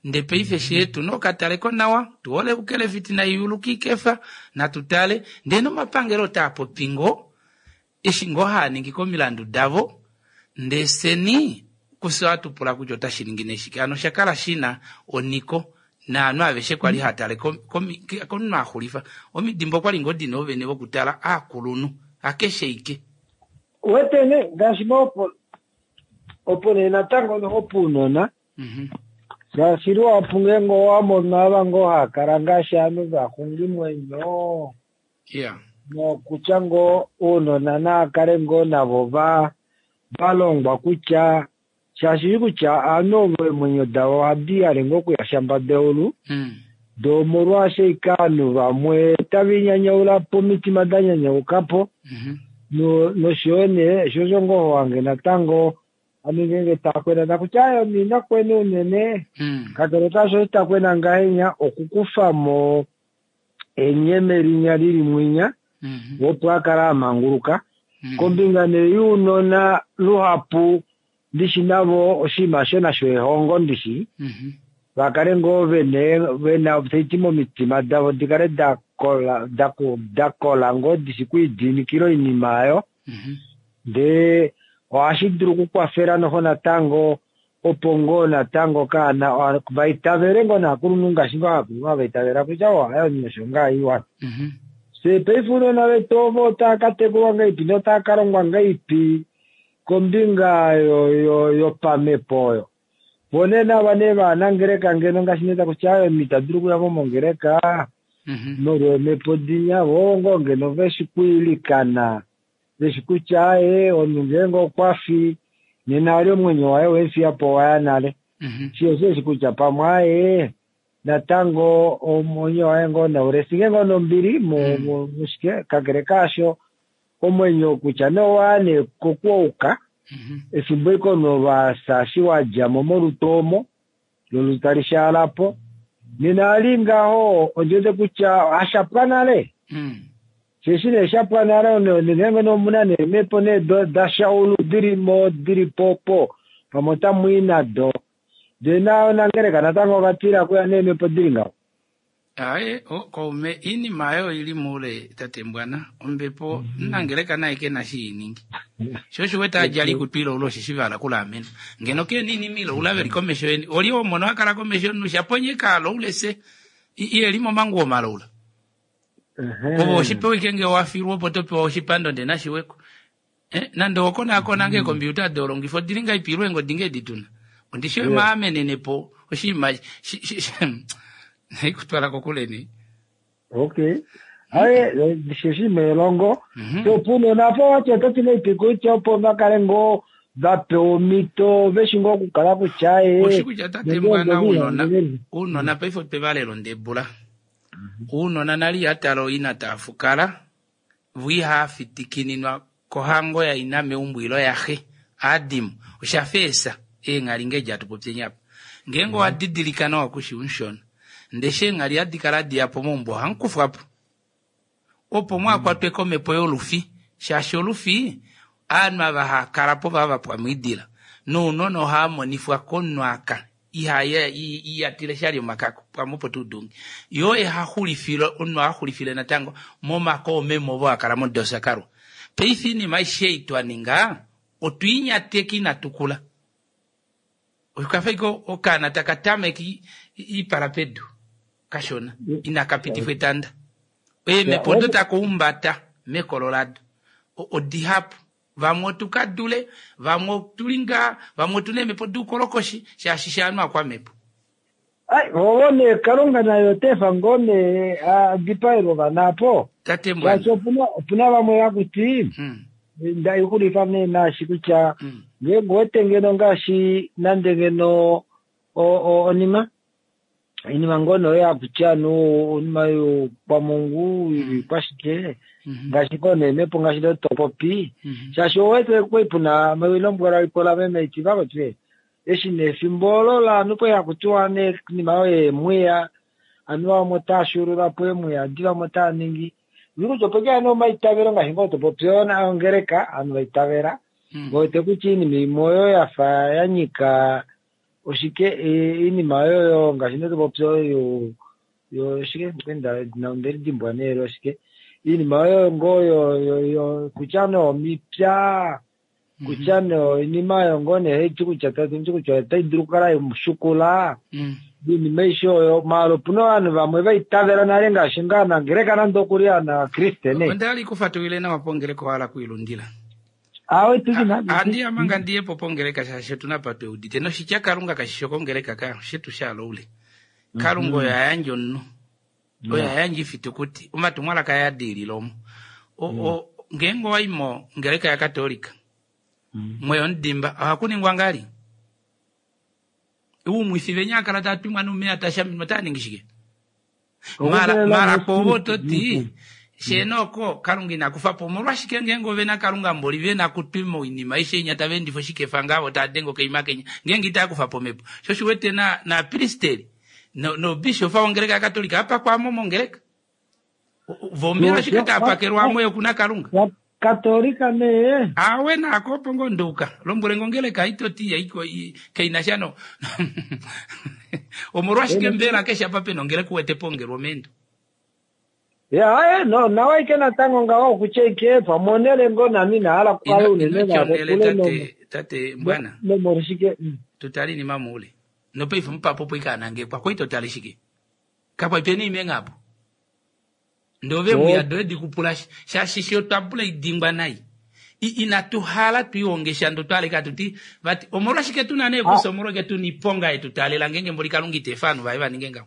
ndee paife shetu nokataleko nawa tuhole ukelefiti naiyuluka ikefa natutale ndee nomapangelo otaa popi ngoo eshi ngoo haaningi komilandu davo ndee fyeni kufye ohatupula kutya otashi ningi nee shike hano oshakala shina oniko naanhu aveshe kwali hatale komunhu axulifa omidimba okwali ngoo dina oovene vokutala aakulunhu hakeshe ike wete ne ngaashi opo nee natango noho puunona shaashi luhapu ngeenge owa mono ava ngoo haakala ngaashi ovanhu vaxungimwenyo nokutya ngoo ounona naakale ngoo navo valongwa kutya shaashi kutya ovanhu ovo eemwenyo davo ohadi hale ngoo okuya shambada eulu doo omolwaasho ike ovanhu vamwe tava inyanyaulapo omitima da nyanyaukapo noshoyo nee sho osho ngoo wange natango ame ngeenge takwena takutya aye omunhu inakwena unene kakele kaasho takwena ngahenya okukufamo enyeme linya lili mwinya opo akala amanguluka kombinga nee younona luhapu ndishi navo oshinima sho nasho ehongo ndishi vakale ngoo vena taiti momitima davo dikale dakola ngoo dishi kwiidiinikila oinima oyo ndee ohashi dulu okukwafela noho natango opo ngoo natango kaana vaitavele ngoo naakulunhu ngaashi ngoo aakulunhu havaitavela kutya ohaye omunhu ngaa iwa. Fye paife ounona vetu ovo otava katekulwa ngahelipi notava kalongwa ngahelipi kombinga yopamhepo oyo vo nee nava nee vaanangeleka ngeno ngaashi nee takutya aye omunhu ita dulu okuya mo mongeleka molweemhepo dinya vo ngoo ngeno veshi kwiilikana veshi kutya aye omunhu ngeenge okwafi nena ali omwenyo waye wemufiyapo waya nale shi eshi kutya pamwe aye natango omwenyo waye ngoo naulesike ngoo nombili mushike kakele kaasho omwenyo kutya nee owaya nee kokwouka efimbo iko nolwasa shi wadjamo molutu omo lolutu tali shaalapo nena ali ngaho ondiwete kutya hashapwa nale sheshi nee shapwa nale ngeenge omuna neemhepo nee dashaulu dilimo dili po pamwe otamwii nado ndee nangeleka natango ovatila kuya neemhepo dili ngaho. Aye kaume iinima ayo oili muule tate Mbwana ombepo nangeleka naye kena shi iningi sho osho wete adjala ikutu ilaula osheshi vahala kulaamena ngeno kena iinima ilaula veli komesho yeni oli omono akala komesho yomunhu shaponye kaalaule se iyeli momanguwo malaula ove oshipewa ike ngee wafilwa opo topewa oshipando ndee nashiweko nande okonaakona ngee eekompiuta dolongifa odili ngahelipi ile eengodi ngee dituna ondishi maamenenepo oshinima naikutwala kokule nee. Okay aye oshinima elongo opunona apo wati ototi ngahelipi kutya opo vakale ngoo vapewa omhito veshi ngoo okukala kutya aye oshi kutya tate Mbwana ounona ounona paife otwe valela ondebula ounona nale ihatala oina taafukala vo ihaafitikininwa kohango yaina meumbo ile yaxe aadimo oshafa eesa eenghali ngee hatu popyeni apa ngeenge owadidilika nawa kushi umushona ndee eshi eenghali hadi kala hadiyapo meumbo ohamukufwapo opo mwaakwatwe komhepo yolufi shaashi olufi ovanhu ava haakalapo vava vapwa moidila nounona ohaamonifwa komunhu aka ihatile shali omakako pamwe opo tuudunge yoo ehaxulifile omunhu ohaxulifile natango momake oomeme ovo hakala modosakalwa paife oinima aishe ei twaninga otwiinyateka inatukula. Okafa ike okaana taka tameke iipala pedu kashona inaka pitifwa etanda. Eemhepo odo taka umbata mekolo lado odihapu. Vamwe otu ka dule, vamwe otu li ngaa, vamwe otu na eemhepo doukolokoshi shaashi shaanhu akwamhepo. Ai, ovo nee Kalunga naye ota efa ngoo nee a dipaelwe ovana apo. Tate Mbwana. Shaashi opuna, opuna vamwe hakuti, nda xulifa nee naashi kutya ngeenge wete ngeno ngaashi nande ngeno o- o- onima inima ngoo nee oyo hakuti anu onima youkwamungu yoikwashike ngaashi ngoo nee mhepo ngaashi ndo to popi shaashi owete kwai puna melombwela lipola meme iti vakoti eshi nee efimbo olo laanhu kwai hakutiwa nee inima oyo yeemwiya anuwa vamwe otaa shuulula po eemwiya adi vamwe otaa ningi kutya ope ke nee omaitavelo ngaashi ngoo to popi ongeleka ovanhu vaitavela wete kutya iinima imwe oyo yafa ya nyika oshike iinima oyo ngaashi ndo to popi oyo yo shike onde lidimbwa nee oshike iinima oyo ngoo yo yo kutya nee omipya kutya nee oinima oyo ngoo nee haiti kutya tati kutya otai dulu okukala yemushukula iinima aishe oyo maala opuna ovanhu vamwe vaitavela nale ngaashi ngaa nangeleka nande okuli anakriste ne Onda li kufatulile nawa pongeleka owa hala kuilundila. awe tuki na Andi amanga ndiye po pongeleka shaashi otuna pa tweudite noshitya Kalunga kashi shi okongeleka ka shetu shaloule. Kalunga oyo a yandja omunhu. Oyo a yandja ifitukuti. Omatumwalaka aye a diilila omo. Ngeenge owa i mongeleka yaKatolika mweya omudimba ohaku ningwa ngali? Uumwifi venya akala taa twimwa nomeya tashaminwa otaa ningi shike? Mara kwovo oto ti sheena oko Kalunga ina kufa po omolwashike ngeenge ove na Kalunga mboli ve na kutwima oinima aishe inya tava endifa oshikefa ngaavo taa denge okaima kenya ngeenge itaa kufa po omhepo sho shi wete na napristeri nobishofa wongeleka yaKatolika apakwamo mongeleka vombela ashike taa pakelwamo yokuna Kalunga Katolika nee awe nako opo ngoo nduka lombwele ngongeleka itoti yaiko kaina sha no omolwashike mbela keshe apa pena ongeleka uwete pongelwa omeendo ya aye no nawa ike natango ngaho okutya ike pamwe onele ngoo nami inahala okukala unene ino navo tate tate mbwana nomolwashike tutale inima muule nopaife mupapo opo ikanangekwa kwai totale shike kapwa pena imenga apo ndove mwiya doye dikupula shaashi shi otwa pula idingwa nai inatu hala tuihonge shando twaleka tuti vati omolwashike tuna nee kusa omolwashike tuna iponga yetu taalela ngeenge mboli Kalunga ita efa ovanhu vaye va ninge ngaho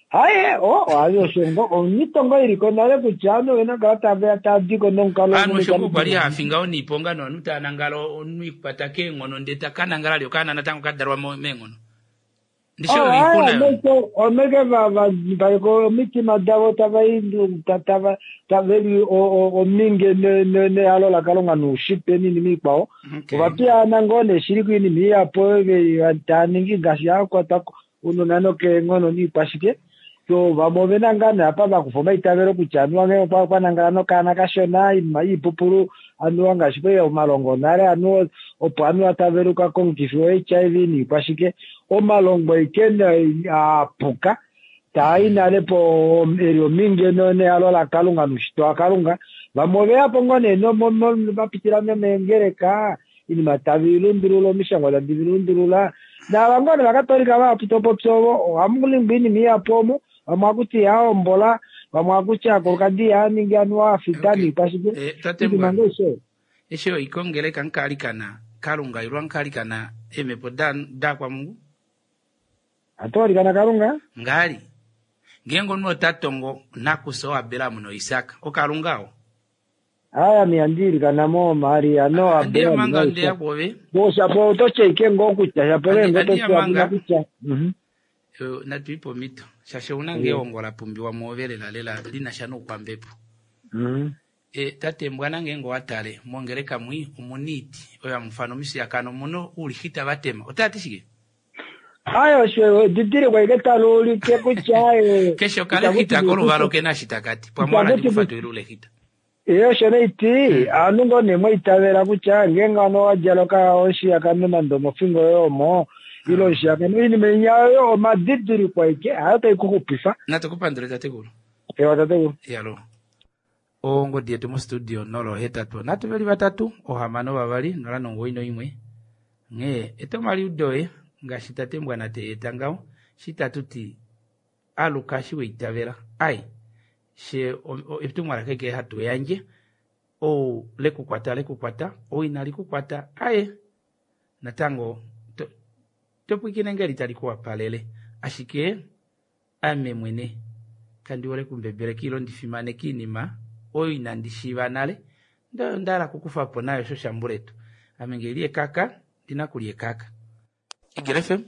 haye o ayo osho omito ngoo iliko nale kutya ovanhu ovena okukala tave tava diko nomukalo ovanhu osho ngoo kwali hafinga oniiponga novanhu tava nangala omunhu ikwata keenghono ndee taka nangala ali okaana natango kadalwa meenghono ndishi oyo oixuna yo omeke valeko omitima davo tava tava taveli ominge nehalo laKalunga noushitwe niinima ikwao ovapiyaana ngoo nee shili koinima iyapo taa ningi ngaashi hakwata unona nokeenghono niikwashike so vamwe ovena ngaa nee apa vakufa omaitavelo kutya anuwa ngee kwa nangala nokaana kashona iinima iipupulu anuwa ngaashi kwai omalongo nale anuwa opo anuwa taveluka komukifi wo HIV niikwashike omalongo ike apuka taai nale po eli ominge nehalo laKalunga noushitwe waKalunga vamwe oveyapo ngoo nee vapitila nomeengeleka iinima tavi lundulula omishangwa tadi lundulula naava ngoo nee vakatolika vahapu topopya ovo ohamu ningwa iinima ihapu omu vamwe hakuti ihahombola vamwe hakuti akulukadi ihaningi anuwa afita niikwashike tate iinima ngoo isho eshi oikongeleka nkalikana Kalunga ilwa nkalikana eemhepo dakwamungu atolikana Kalunga ngali ngeenge omunhu ota tongo nakusa oAbraham noIsak oKalunga oo aya miyandiilikana mo Maria no Abraham manga ndeya kwoove shapo ototya ike ngoo kutya shapo ngoo ototya kutya natuipe omhito shaashi ouna ngee ehongo la pumbiwa mwoove lela lela lina sha noukwambepo tate mbwana ngeenge owatale mongeleka mwi omuna oiti oyo hamufana omishiyakano omuna oulixita vatema otati shike ayo osho edidiliko ike tali ulike kutya keshe okalexita koluvalo kena eshi takati pamwe wala ndikufatulile ulexita iyo osho neiti aanhu ngoo nee mwaitavela kutya ngeenge ano wadjala oshiyakano nande omofingo yoye omo ile oshiyakano oinima inya oyo omadidiliko aike hayo tai kuxupifa natukupandule tatekulu ewa tatekulu yalo ongodi yetu mostudio 083 3 6 2 0 91 Onghee eta omaliudo oye ngaashi tate Mbwana te eta ngaho, shi tatu ti aluka shi weitavela. Ai, she etumwalaka eke hatu yandje, ou lekukwata lekukwata, ou inali kukwata, aye natango to, to pwiikine ngeli tali ku wapalele. Ashike ame mwene kandi hole kumbebeleka ilo ndi fimaneke iinima oyo inandi shiiva nale, ndee oyo nda hala okukufa po nayo osho shambuletu. Ame nge li ekaka, ndi na kulya ekaka. Eagle FM.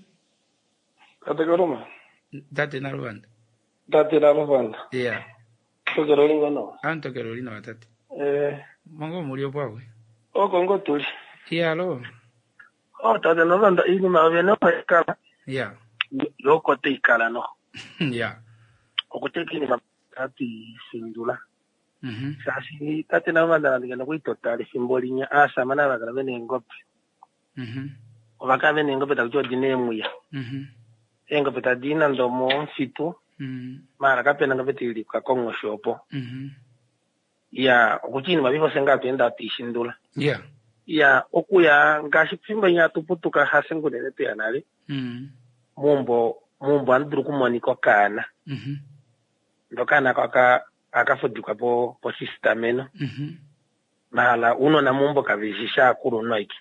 Tate Kaluma. Tate Naluvanda. Tate Naluvanda. Yeah. Tokelo oli ngoo nawa. Ame tokelo oli nawa tate. Eh. Mongo muli opo akwe. Oko ngoo tuli. Iya alo. Oh tate Naluvanda iinima yovene opo ya kala. Yeah. Yo oko tai kala noho. Yeah. Okuteka iinima hatu i findula. Shaashi tate Naluvanda nande ngeno okwa itotala efimbo linya aasamane ava kala vena eengobe. Ova kala vena eengobe taku ti odi na eemwiya. Eengobe tadi i nande omomufitu maala kapena ongobe tai lika konghoshi opo. Iya okutya iinima paife ofye ngaa hatu ende hatu i shindula. Iya okuya ngaashi pefimbo linya hatu putuka hafye ngoo unene tweya nale meumbo meumbo ohamu dulu okumonika okaana. Ndee okaana ako ohaka fudikwa po posisitameno. Mahala ounona meumbo kave shi shaakulunhu aike.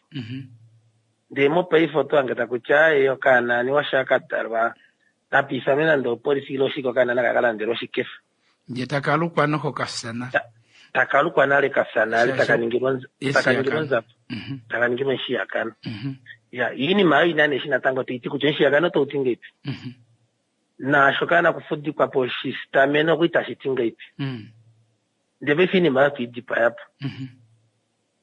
Ndee mopaife oto hange taku ti aaye okaana aniwa shaa ka dalwa napa ifanwe nande opolifi ile oshike okaana naka ka landelwe oshikefa. Ndee taka lukwa noho kafya nale. Taka lukwa nale kafya nale taka ningilwa taka ningilwa onzapo. Taka ningilwa omushiyakano. Ya iinima oyo ina nee eshi natango tai ti kutya omushiyakano otau ti ngeipi. Naasho kaana kufudikwa posisitameno okwa itashi ti ngeipi. Ndee paife iinima oyo otwe i dipaya po.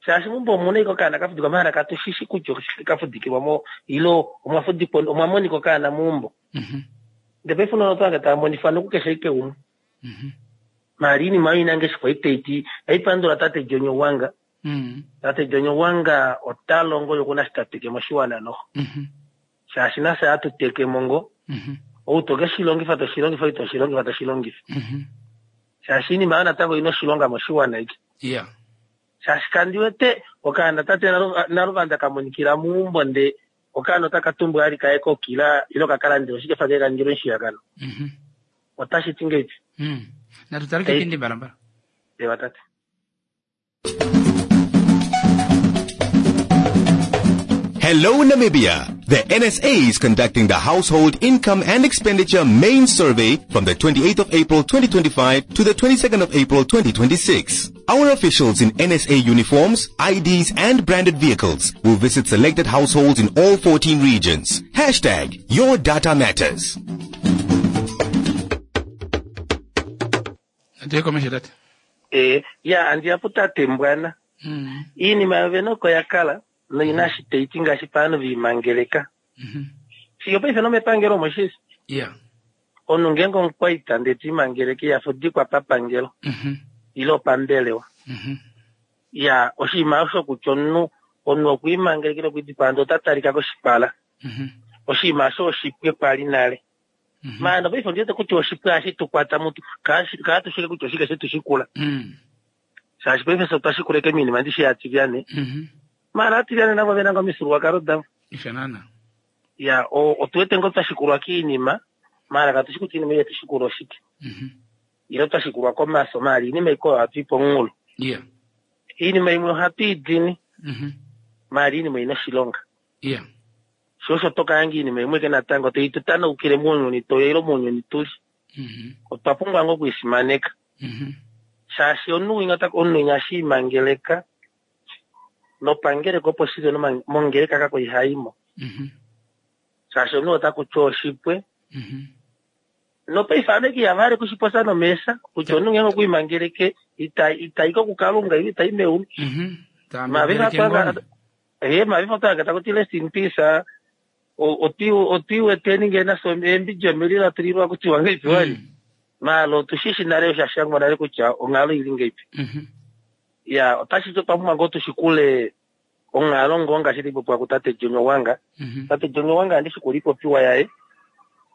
Shaashi meumbo omu na ashike okaana ka fudikwa mahala katu shi shi kutya oshike ka fudikilwa mo ile omwa fudikwa omwa monika okaana meumbo. Ndee paife ounona oto hange tava monifwa nokukeshe ashike umwe. Maala iinima oyo ina ngeshi kwali tai ti. Haipandula tate Jonyo Wanga. Tate Jonyo Wanga ota longo ye okuna shi ta teke moshiwana noho. Shaashi nafye ohatu teke mo ngoo. Ou to ke shi longifa to shi longifa, ou ito shi longifa to shi longifa. Shaashi iinima oyo natango ina oshilonga moshiwana iki. Yeah. Shaashi kandi wete okaana tate Naluvanda ka monikila meumbo nde okaana otaka tumbwa ali kaye kokila ile ka ka landele oshikefa kaye ka ningilwe omushiyakano. Otashi ti ngeipi? Natu tale kepindi mbalambala. Ewa tate. Hello Namibia! The NSA is conducting the Household Income and Expenditure Main Survey from the 28th of April 2025 to the 22nd of April 2026. Our officials in NSA uniforms, IDs and branded vehicles will visit selected households in all 14 regions. Hashtag your data matters. Natu ye komesho tate. Ee, ya andi ya putate Mbwana. Iinima yovene oko ya kala noina shi tai ti ngaashi paanhu ve imangeleka. Fiyo paife nomepangelo omo shili. Omunhu ngeenge omukwaita ndee te imangeleke iha fudikwa papangelo ile opambelewa. Ya oshinima osho kutya omunhu omunhu okwa imangeleka ile okwa idipaa ndee ota talika koshipala. Oshinima osho oshipwe kwali nale. Maala nopaife ondi wete kutya oshipwe ohashi tu kwata mutu kaatu shike kutya oshike she tu shikula. Shaashi paife fye otwa shikula eke miinima ndishi yaatilyane. Maala aatilyane navo ove na ngoo omifyuululwakalo davo. Isho naana. Ya, otu wete ngoo twa shikulwa kiinima, maala katu shi kutya iinima ei yetu shikula oshike. Ile twa shikulwa komaso, maala iinima ikwao ohatu i pomunghulo. Iinima imwe ohatu i dini, maala iinima oi na oshilonga. Sho osho to ka hanga iinima imwe ke natango tai tu tanaukile mounyuni toya ile mounyuni tuli. Otwa pumbwa ngoo okuisimaneka. Shaashi omunhu winya ota omunhu winya ohashi imangeleka nopangeleka opo shili mongeleka kako ihaimo. Shaashi omunhu ota ku ti oshipwe. Nopaife ame ihava hale kushipopya nomeesha kutya omunhu ngeenge okwa imangeleke ita itai ko kuKalunga ile itai meulu. Mavifa otwa hanga taku ti rest in peace. Otwi weteni ngee nafye eembidi omililo tulilwa kutiwa ngeipi wali. Maala otu shi shi nale osha shangwa nale kutya onghalo ili ngeipi. Ya otashi ti otwa pumbwa ngoo tu shikule onghalo ngoo ngaashi tai popiwa kutate Jonyo Wanga. Tate Jonyo Wanga ohandi shikula ipopiwa yaye.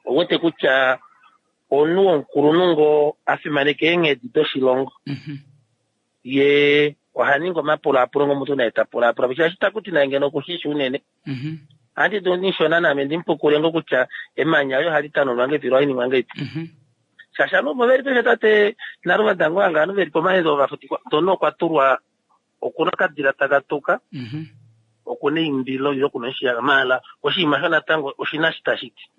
Ouwete kutya omunhu womukulunhu ngoo a fimaneka eenghedi doshilongo. Ye Oha ningi omapulaapulo ngomuntu naye ta pulaapula shaashi taku ti naye ngeno okushishi unene. Ohandi dulu ndishona naame ndimupukule ngo kutya emanya oyo ohali tanunwa ngeipi lo ohali ningwa ngeipi. Shaashi ovanhu ovo veli peshe tate Naluvanda ngoo anga ovanhu veli pomahedo ovafutikwa ndono okwa tulwa okuna okadila taka tuka okuna eimbilo ile okuna oshiyaga maala oshinima sho natango oshina shi tashi ti.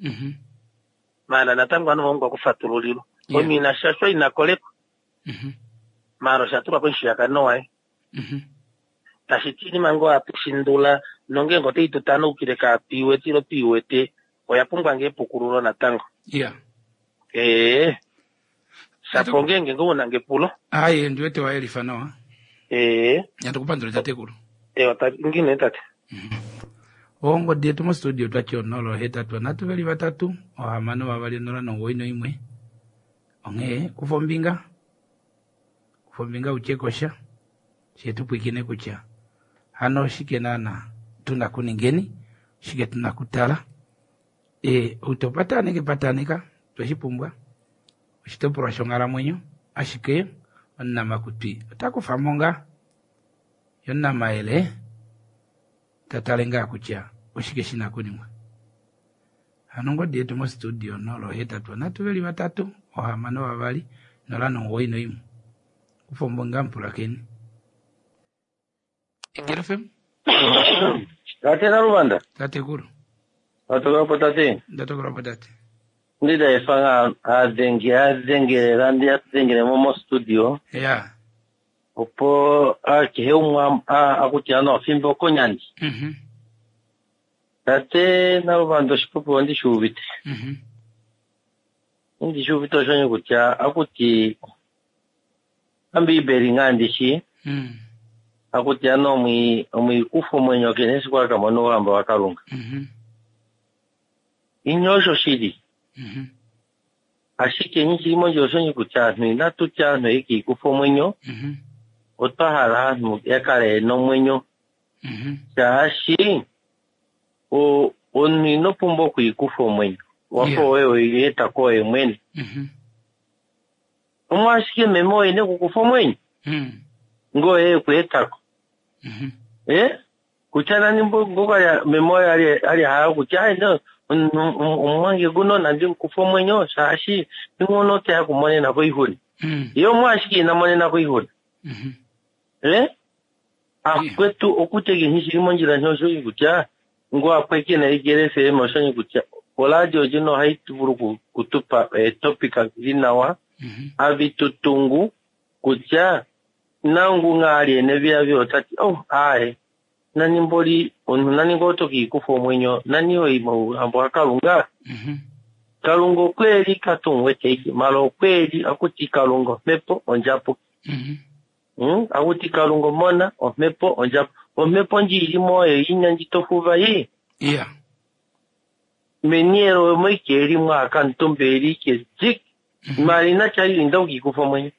Maala natango ovanhu vahongwa okufatululilwa. Omunhu ina shashwa ina kolekwa. Maala osha tulwa komushiyakano waye. Tashi ti iinima ngoo hatu shindula nongeenge otai tu tanaukile kaatwiiwete ile twiiwete oya pumbwa ngoo epukululo natango. Ee. Shapo ongeenge ngoo una ngepulo. Aye ndiwete wa yelifa nawa. Ee. Natu kupandule tatekulu. Ewa ngine nee tate. Ongodi yetu mostudio twati 083 3 6 2 0 91. Onghee kufa ombinga. Kufa ombinga utye kosha. She tu pwiikine kutya hano oshike naana tuna kuningeni, oshike tuna kutala. E, outopataneke pataneka tweshi pumbwa oshitopolwa shonghalamwenyo ashike omunamakutwi ota kufa mo ngaa ye omunamayele ta tale ngaa kutya oshike shi na okuningwa. Hano ongodi yetu mostudio 083 3 6 2 091. Kufa ombinga mupulakeni. Egelo FM. Tate Naluvanda. Tatekulu. Watoka po tate. Ndatokola po tate. Ndida efanga adhenge adhengelela ndi adhengele mo mostudio. Ya. Opo kehe umwe akutya no fimbo konyandi. Tate Naluvanda oshipopiwa ondi shi uvite. Ondi shi uvite oshonye kutya akuti Ombiibeli ngaa ndishi. Akuti ano omwiikufa omwenyo kene esiku aka mona ouhamba waKalunga. Inye osho shili. Ashike nyi shili mondjila oshonye kutya aanhu inatu tya aanhu ekiikufa omwenyo. Otwa hala aanhu ya kale yena omwenyo. Shaashi omunhu ino pumbwa okwiikufa omwenyo. Wafa oye oyeeta koye mwene. Omwashike meme oye nekukufa omwenyo? Ngoye ekweetako. Kutya nani ngoka meme oye ali hala kutya ayi no omumwange guno nandi mukufa omwenyo shaashi ingono oteya kumonena ko oixuna. Ye omwashike ina monena ko oixuna. Akwetu okutya kehe shili mondjila osho kutya ngo apwekena Igele FM osho kutya oradio ndjino ohayi vulu kutupa eetopika dhili nawa avitutungu kutya nangu nga ali ene otati oh aye nani mboli omuntu nani ngoo tokiikufa omwenyo nani oyi mouhambo waKalunga. Kalunga okweli katumuwete mala okweli akuti Kalunga omhepo ondjapuki. Akuti Kalunga omona omhepo ondjapuki. Omhepo ndji ilimo oyo inya ndji tofuva yi. Menielo omo ike eli mwakamutumba eli ike zik. Mala inatya inda ukikufa omwenyo.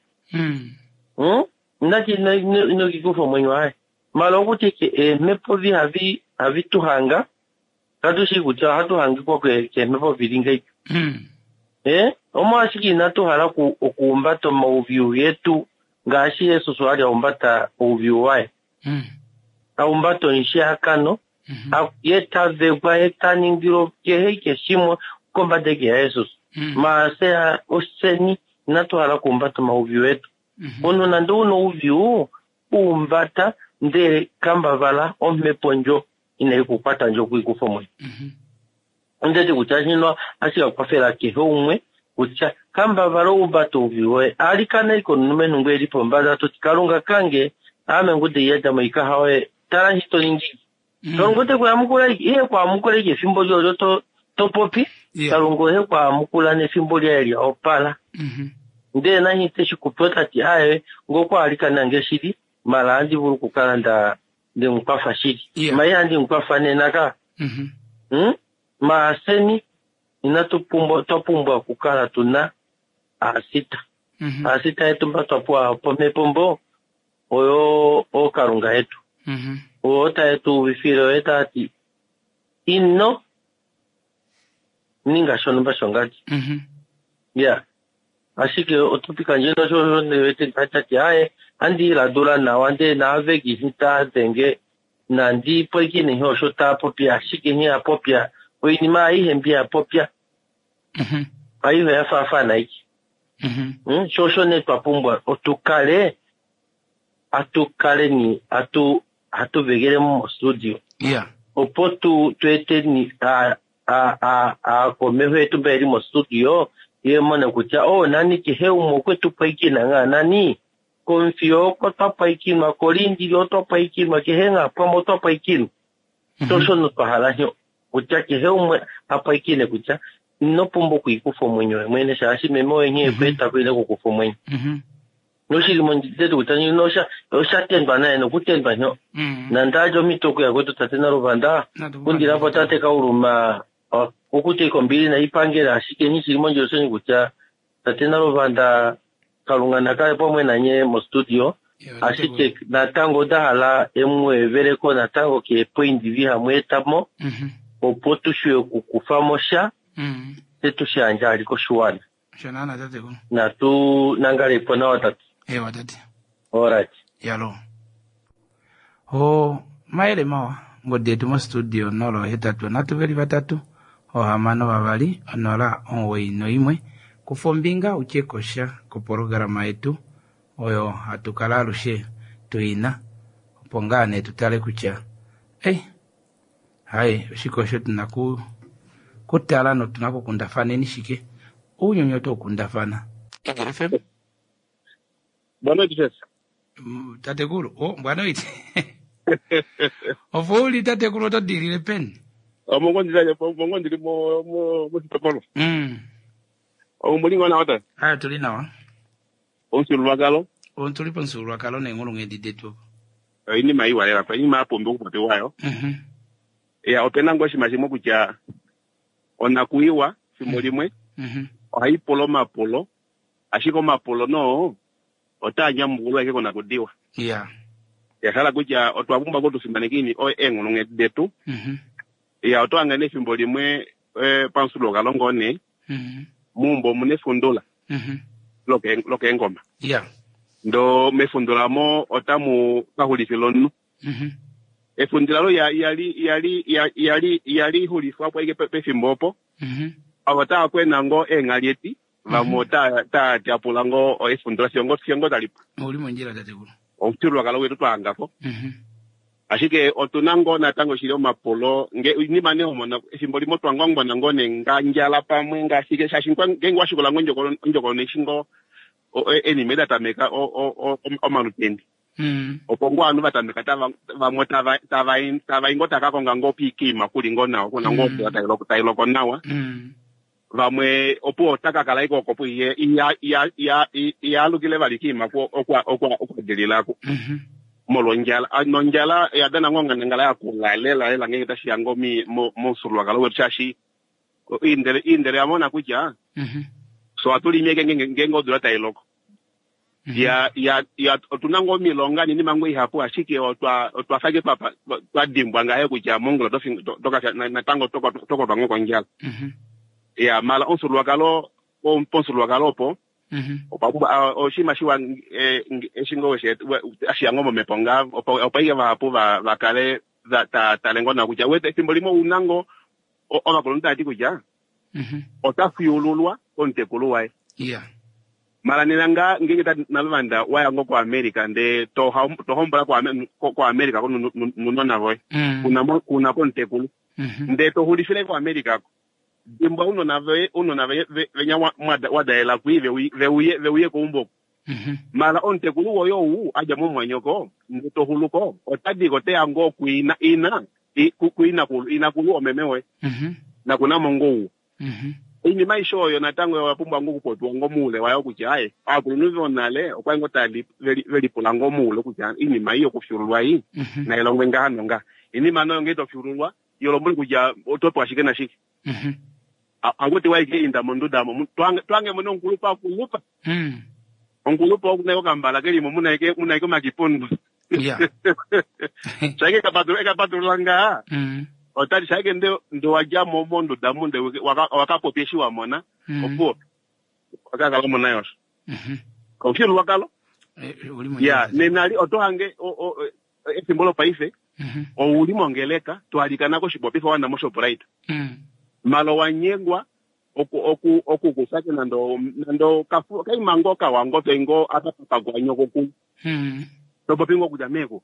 Inatya inokikufa omwenyo aye. Mala okuti ike eemhepo vi havi tuhanga katushi kutya ohatu hangikwa keemhepo vili ngeipi. Omolwashike inatu hala okuhumbata omauvyu getu ngaashi Jesus ali ahumbata ouvyu waye. Ahumbata omushiyakano ye tavekwa ye taningilwa kehe ike shimwe kombada ike yaJesus. Maase oseni inatu hala okuhumbata omauvyu etu. Omunhu nande una ouvyu uhumbata ndele kambavala omhepo ndjo inayi kukwata ndjo okwiikufa omwenyo. Ondeti kutya shino ohashi ka kehe umwe kutya kambavala oumbata ouvyu woye alikana ike omulumenhu ngo eli pombada toti Kalunga kange ame ngude iyada moikaha oye tala nshi to ningi. Kalunga ote kuyamukula ihe kwamukula ike efimbo lyolyo to popi. Kalunga ohe kwamukula nefimbo lyaye lya opala. Ndele nani teshi kupe otati aye ngoko alikana nge shili mala andi vulu okukala nda ndemukwafa shili. Ma ihandi mukwafa nena ka. Maaseni inatu pumbwa twa pumbwa okukala tuna aasita. Aasita yetu mba twa pewa pomhepo mbo oyo ookalunga yetu. Oyo taye tu uvifile oye tati ino ninga shonumba shongadi. Ya. Ashike otopika ndjino sho ndewete tati aye Andi iladula nawa ndee naaveki eshi taa denge nandi pwilikine nghee osho taa popi ashike nghee a popya oinima aihe mbi a popya aihe oya faafana aike. Sho osho nee twa pumbwa otukale atukaleni atu hatu vegele mo mostudio Yeah. opo tu tu eteni a a a aakomeho yetu mba yeli mostudio ye mone kutya o nani kehe umwe okwe tu pwilikina ngaa nani komufiyo oko twa pwilikinwa kolindili otwa pwilikinwa kehe ngaa pamwe otwa pwilikinwa sho osho twa hala nyo kutya kehe umwe a pwilikine kutya ino pumbwa okwiikufa omwenyo we mwene shaashi meme oye nghee ekweeta ko ile kukufa omwenyo noshili mondjetu kutya nyino osha oshatendwa naye nokutendwa nyo nandadja omhito okuya kwetu tate Naluvanda kundilapo tate Kauluma okuti kombili naipangela ashike nghi shili mondjila oshoni kutya tate Naluvanda Kalunga nakale pamwe nanye mostudio ashike natango onda hala emueveleko natango keepoindi vi hamu etamo opo tushiwe okukufamo sha tse tushiyandje ali koshiwana. Osho naana tatekulu. Natu nangalepo nawa tate. Ewa tate. Alright. Yalo. O mayele mawa ngodi yetu mostudio 083 362 091. Kufa ombinga utye kosha kopologarama yetu oyo hatu kala alushe tuina opo ngaa nee tutale kutya ei hai oshike osho tuna ku kutala notuna kukundafaneni shike ounyuni oto kundafana. Eagle FM. Boa noite, Jess. Tatekulu, oh, boa noite. Opo uli tatekulu oto dilile peni? Mongo ndili moshitopolwa. Omuli ngoo nawa tate? Aya tuli nawa. Omufyuululwakalo. Otuli pomufyuululwakalo neenghulunghedi detu opo. Oinima iwa lela, oinima ya pumbiwa okupopiwa yo. Ya opena ngoo oshinima shimwe kutya onakuiwa fimbo limwe ohai pula omapulo, ashike omapulo noo otaa nyamukulwa ashike konakudiwa. Ya hala kutya otwa pumbwa ngoo tufimaneke eenghulunghedi detu. Ya oto hangane efimbo limwe pamufyuululwakalo ngoo nee muumbo omuna efundula lokeengoma. Ndo mefundula mo otamu ka xulifila omunhu. Efundula lo yali yali yali yali xulifwa po ashike pefimbo opo avo taa kwena ngoo eenghali vamwe ota taa tyapula ngoo efundula fiyo ngoo talipu. Ouli mondjila tatekulu. Omufyuululwakalo wetu twahangako. Ashike otuna ngoo natango shili omapulo nge inima nee homona efimbo limwe otwa ngwangwana ngoo nee ngandjala pamwe ngashike shaashi ngeenge washikula ngoo ondjokonona eshi ngoo enima eda tameka omalutende opo ngoo ovanhu vatameka vamwe tava i ngoo taka konga ngoo piikiima kuli ngoo nawa kuna ngoo odula tailoko nawa vamwe opo otaka kala ike oko iyalukile vali kiima okwadililako molwondjala. Nondjala oya dana ngoo onghandangala yakula lela lela ngeenge tashiya ngoo momufyuululwakalo wetu shaashi iindele yamona kutya so ohatu limi eke ngeenge odula tailoko. Ya ya ya otuna ngoo omilonga ninima ngoo ihapu ashike otwa fa ike twadimbwa ngahe kutya mongula tokafya natango tokwatwa ngoo kondjala. Ya mala omufyuululwakalo pomufyuululwakalo opo okwa pumbwa oshinima shiwa eshi ngoo ashiya ngoo momhepo ngaa opo ike vahapu vakale tale ngoo nawa kutya wete efimbo limwe ouna ngoo ovakulunhu tava ti kutya ota fyuululwa komutekulu waye. Mala nena ngaa ngeenge Naluvanda waya ngoo koAmerica ndee tohombola koAmerica nunona voye kuna komutekulu ndee toxulifile koAmerica ko dimbwa unona voye unona venya wadalela kwi veuye keumbo mala omutekulu woye ou adja momumwanyoko ndee toxuluko otadiko oteya ngoo kuina ina kuinakulu inakulu omeme woye nakunamo ngoo ouwa. Oinima aishe oyo natango oya pumbwa ngoo okupopiwa ngoo moule wayo kutya aye ovakulunhu vonale okwali ngoo tava velipula ngoo moule kutya oinima ei yokufyuululwa ei nailongwe ngaha nongaha. Oinima noyo ngee tofyuululwa yolombwele kutya oto pewa shike nashike. Hakuti waike inda monduda mo twange mone omukulupe akulupa. Omukulupe okuna okambala kelimo muna ike omakipundu. Shaike ekapatulula ngaa otati shaike nde wadja mo monduda mu nde wakapopya eshi wamona opuwo wakakala mona yosho. Omufyuululwakalo. Ya, nena oto hange efimbo lopaife ouli mongeleka to alikana koshipopifa wana moShoprite. Malo wa nyengwa oku oku okukufake nando nando kafu kaima ngoo kawa ngoo toi ngoo apa papagwa nyoko ku. To popi ngoo kutya meeko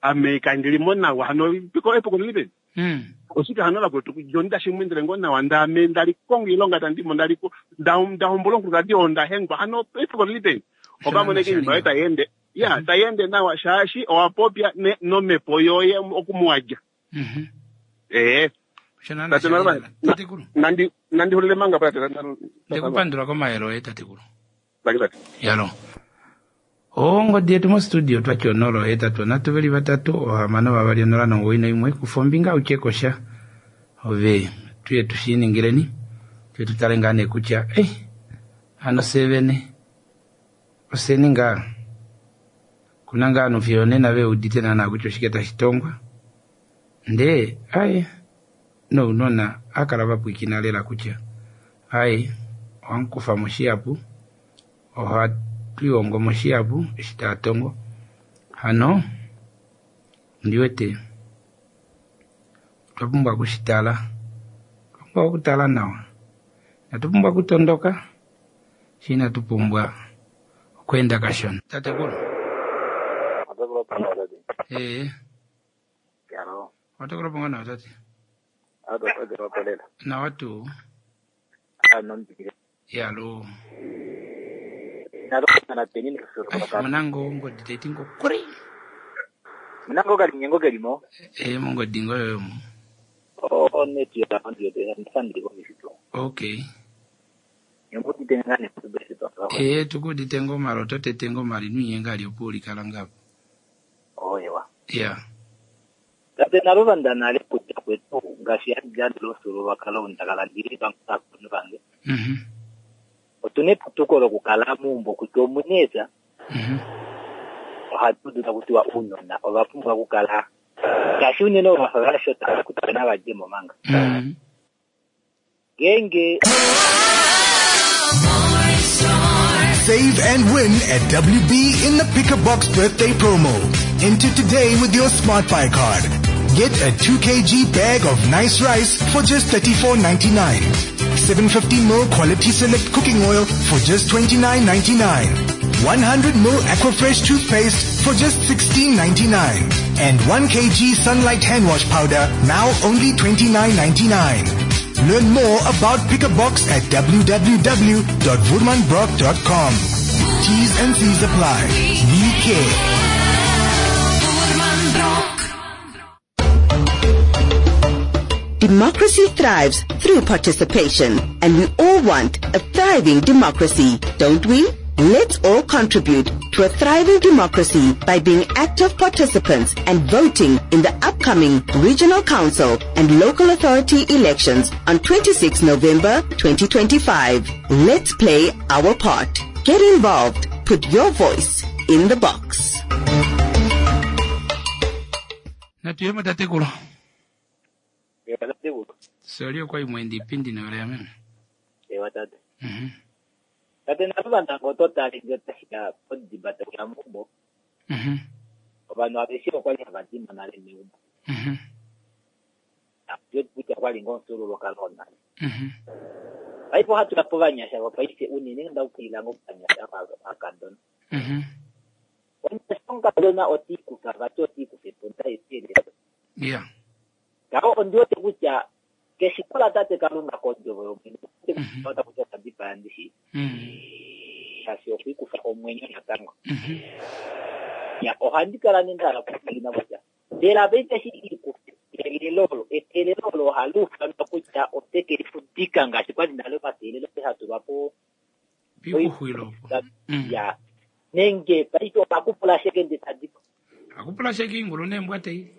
ame kandili mo nawa hano piko epuko lili peni. Oshike hano vakwetu John tashi mu endele ngoo nawa ndee ame ndali konga oilonga tandi mo ndali nda hombola omukulukadi oo nda hengwa hano epuko lili peni. Oka mona ashike oinima yoye tai ende ya tai ende nawa shaashi owa popya nomhepo yoye oku mu wa dja. Ee. Tate Naluvanda, nandi nandi hulile manga tate. Ndekupandula komayele oye tatekulu. Yalo. Ongodi yetu mostudio twati 0 8 3 3 6 2 0 9 1 kufa ombinga utye kosha ove tuye tushiningileni tuye tutale ngaa nee kutya eh hano fye vene oseni ngaa kuna ngaa ovanhu fiyo onena ve udite naana kutya oshike tashi tongwa ndee aye nounona akala va pwiikina lela kutya aye ohamukufa mo shihapu ohatwihongo mo shihapu eshi taa tongo hano ondiwete otwa pumbwa okushitala otwa pumbwa okutala nawa inatu pumbwa okutondoka shi inatu pumbwa okweenda kashona tatekulu ee otakulo ponga nawa tate nawa tuu yalo munango ongodi taiti ngo kuri munango okalinyengo kelimo ee mongodi ngo yoyomo oh net yandifandili komifito okay ngudite ngane kubesito ee tukudite ngo malo totete ngo mali nwinyenga ali opuulikala ngapo oyewa ya tate naluvanda nale kutya kwetu ngaashi yandilo omufyuululwakalo ndakala ndili pamwe novakulunhu vange otuna eputuko lokukala meumbo kutya omuna eepya ohatu udu taku tiwa ounona ova pumbwa okukala ngaashi unene ovo vafa vashota kutya nava djemo manga ngeenge Save and win at WB in the Pick a Box birthday promo. Enter today with your Smart Buy card. Get a 2 kg bag of nice rice for just $34.99. 750 ml quality select cooking oil for just $29.99. 100 ml Aquafresh toothpaste for just $16.99. And 1 kg Sunlight hand wash powder now only $29.99. Learn more about Pick a Box at www.voermanbrock.com. T's and C's apply. We care. Democracy thrives through participation, and we all want a thriving democracy, don't we? Let's all contribute to a thriving democracy by being active participants and voting in the upcoming Regional Council and Local Authority elections on 26 November 2025. Let's play our part. Get involved. Put your voice in the box. Natuyemo tatekulu. Soli okwa imwendi ipindi noyola yameme. Ewa tate. Tate naluvanda ngo oto tale nge otashiya podimba tauya meumbo. Ovanhu aveshe okwali hava dima nale meumbo. Kutya kwali ngoo omufyuululwakalo wonale. Paife ohatu ya povanyasha vopaife unene ndaukilila ngoo kovanyasha vakadona. Omunyasha omukadona otiikufa vati otiikufa eponda eteelelo. Ngaho ondi wete kutya keshito latate Kalunga kondjovo yomwene otaku ti okwa dipaya ndishi shaashi okwiikufa omwenyo natango. Ya ohandi kala nee ndahala okupwilikina kutya mbela paife eshi iikufa eteelelo olo eteelelo olo ohali ufanwa kutya ote ke lifudika ngaashi kwali nale omateelelo hatulwa po Pikuxwilo. Ya nenge paife okakupula sheke nde tadipo Akupula sheke ingulu neembwa tei.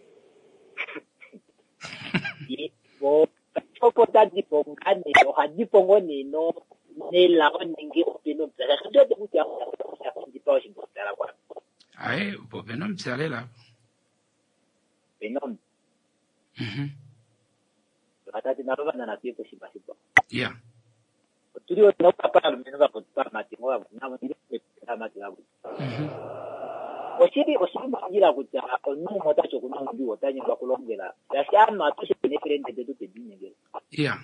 Opo tadipo ngaa nee ohadipo ngoo nee nelao nenge opena omupya shaashi ondi wete kutya oshakundipa oshingokutala kwame. Aye, opo opena omupya lela. Opena omupya. Tate nalo vanana tuye koshinima shikwao. Otuli otuna okukapa alumenhu vakwetu pamati ngo vamwe navo ndile pamati vakwetu. Oshili oshili mondjila kutya omunhu umwe otati okuna oudjuu ota nyengwa kulombwela shaashi ovanhu atushe neefelende detu tedi linyengela. Iya.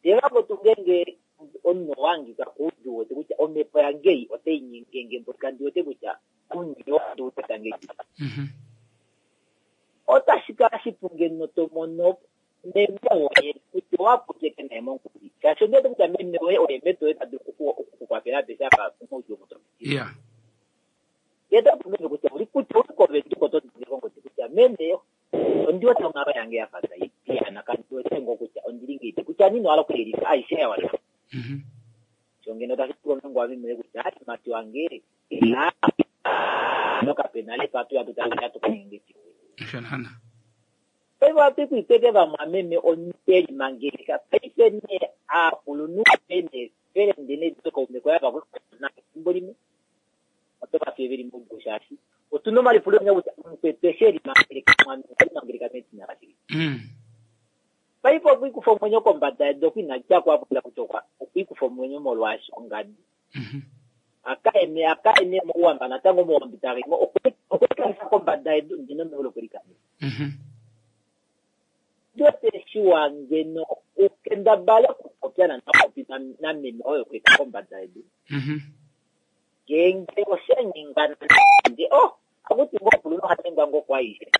Ndele vakwetu ngeenge omunhu owa hangika koudjuu wete kutya omhepo yange ei otai nyengenge mboli kandi wete kutya omunhu oo ondi wete ngahelipi. Otashi kala shipu ngeno to mono meme woye kutya owa popya eke naye mongodi shaashi ondi wete kutya meme woye oye meme woye ta dulu oku ku kwafela apeshe apa moudjuu omo to piti. Iya. Ye ta popi meme kutya uli kutya uli koVenduka oto denge kongodi kutya meme ondi wete onghalo yange ya fa tai piyaana kandi wete ngoo kutya ondili ngeipi kutya nini ohala okuyelifa aishe ya wana. Sho ngeno tashi pula omulongo wa meme woye kutya aaye mumati wange ila nokapena lefa atu ya tu tale atu ka ninge shike. Osho naana. Paife ohatu i kuipeke vamwameme omunhu e limangeleka. Paife nee aakulunhu ve neefelende neekaume koye ava kwekwana efimbo limwe oto va fiye ve li moudjuu shaashi otu na omalipulo enya kutya omukwetu eshi e limangeleka mwameme okwe limangeleka medina lashike. Paife okwiikufa omwenyo kombada yedu oku ina dja ko a popya kutya okwa okwiikufa omwenyo molwaashi ongadi. Akaye akaye nee mouhamba natango mouhamba ita mo okwe okwe kombada yedu ngeno meulu okwe likanifila. Ondi wete shiwa ngeno u kendabale okupopya nande owa popi nameme oye okweta kombada yedu. Ngeenge osha nyengana nande oh, akuti ngoo omukulunhu oha nyengwa ngoo kwaaishe.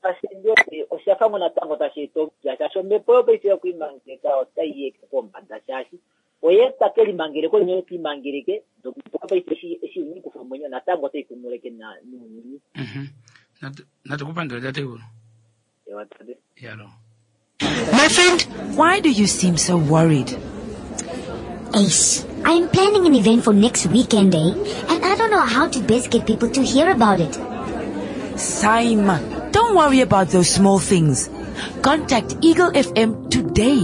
Shaashi ndi wete osha fa ngoo natango tashi eta omupya shaashi omhepo yopaife yokwiimangeleka otai yeke pombada shaashi oye ta ke limangeleka oye te limangeleke nomhepo yopaife eshi eshi ina ikufa omwenyo natango otai kumuleke nounyuni. Natu ku pandule tatekulu. Ewa tate. Yalo. My friend, why do you seem so worried? Ace, I'm planning an event for next weekend, eh? And I don't know how to best get people to hear about it. Saima, don't worry about those small things. Contact Eagle FM today.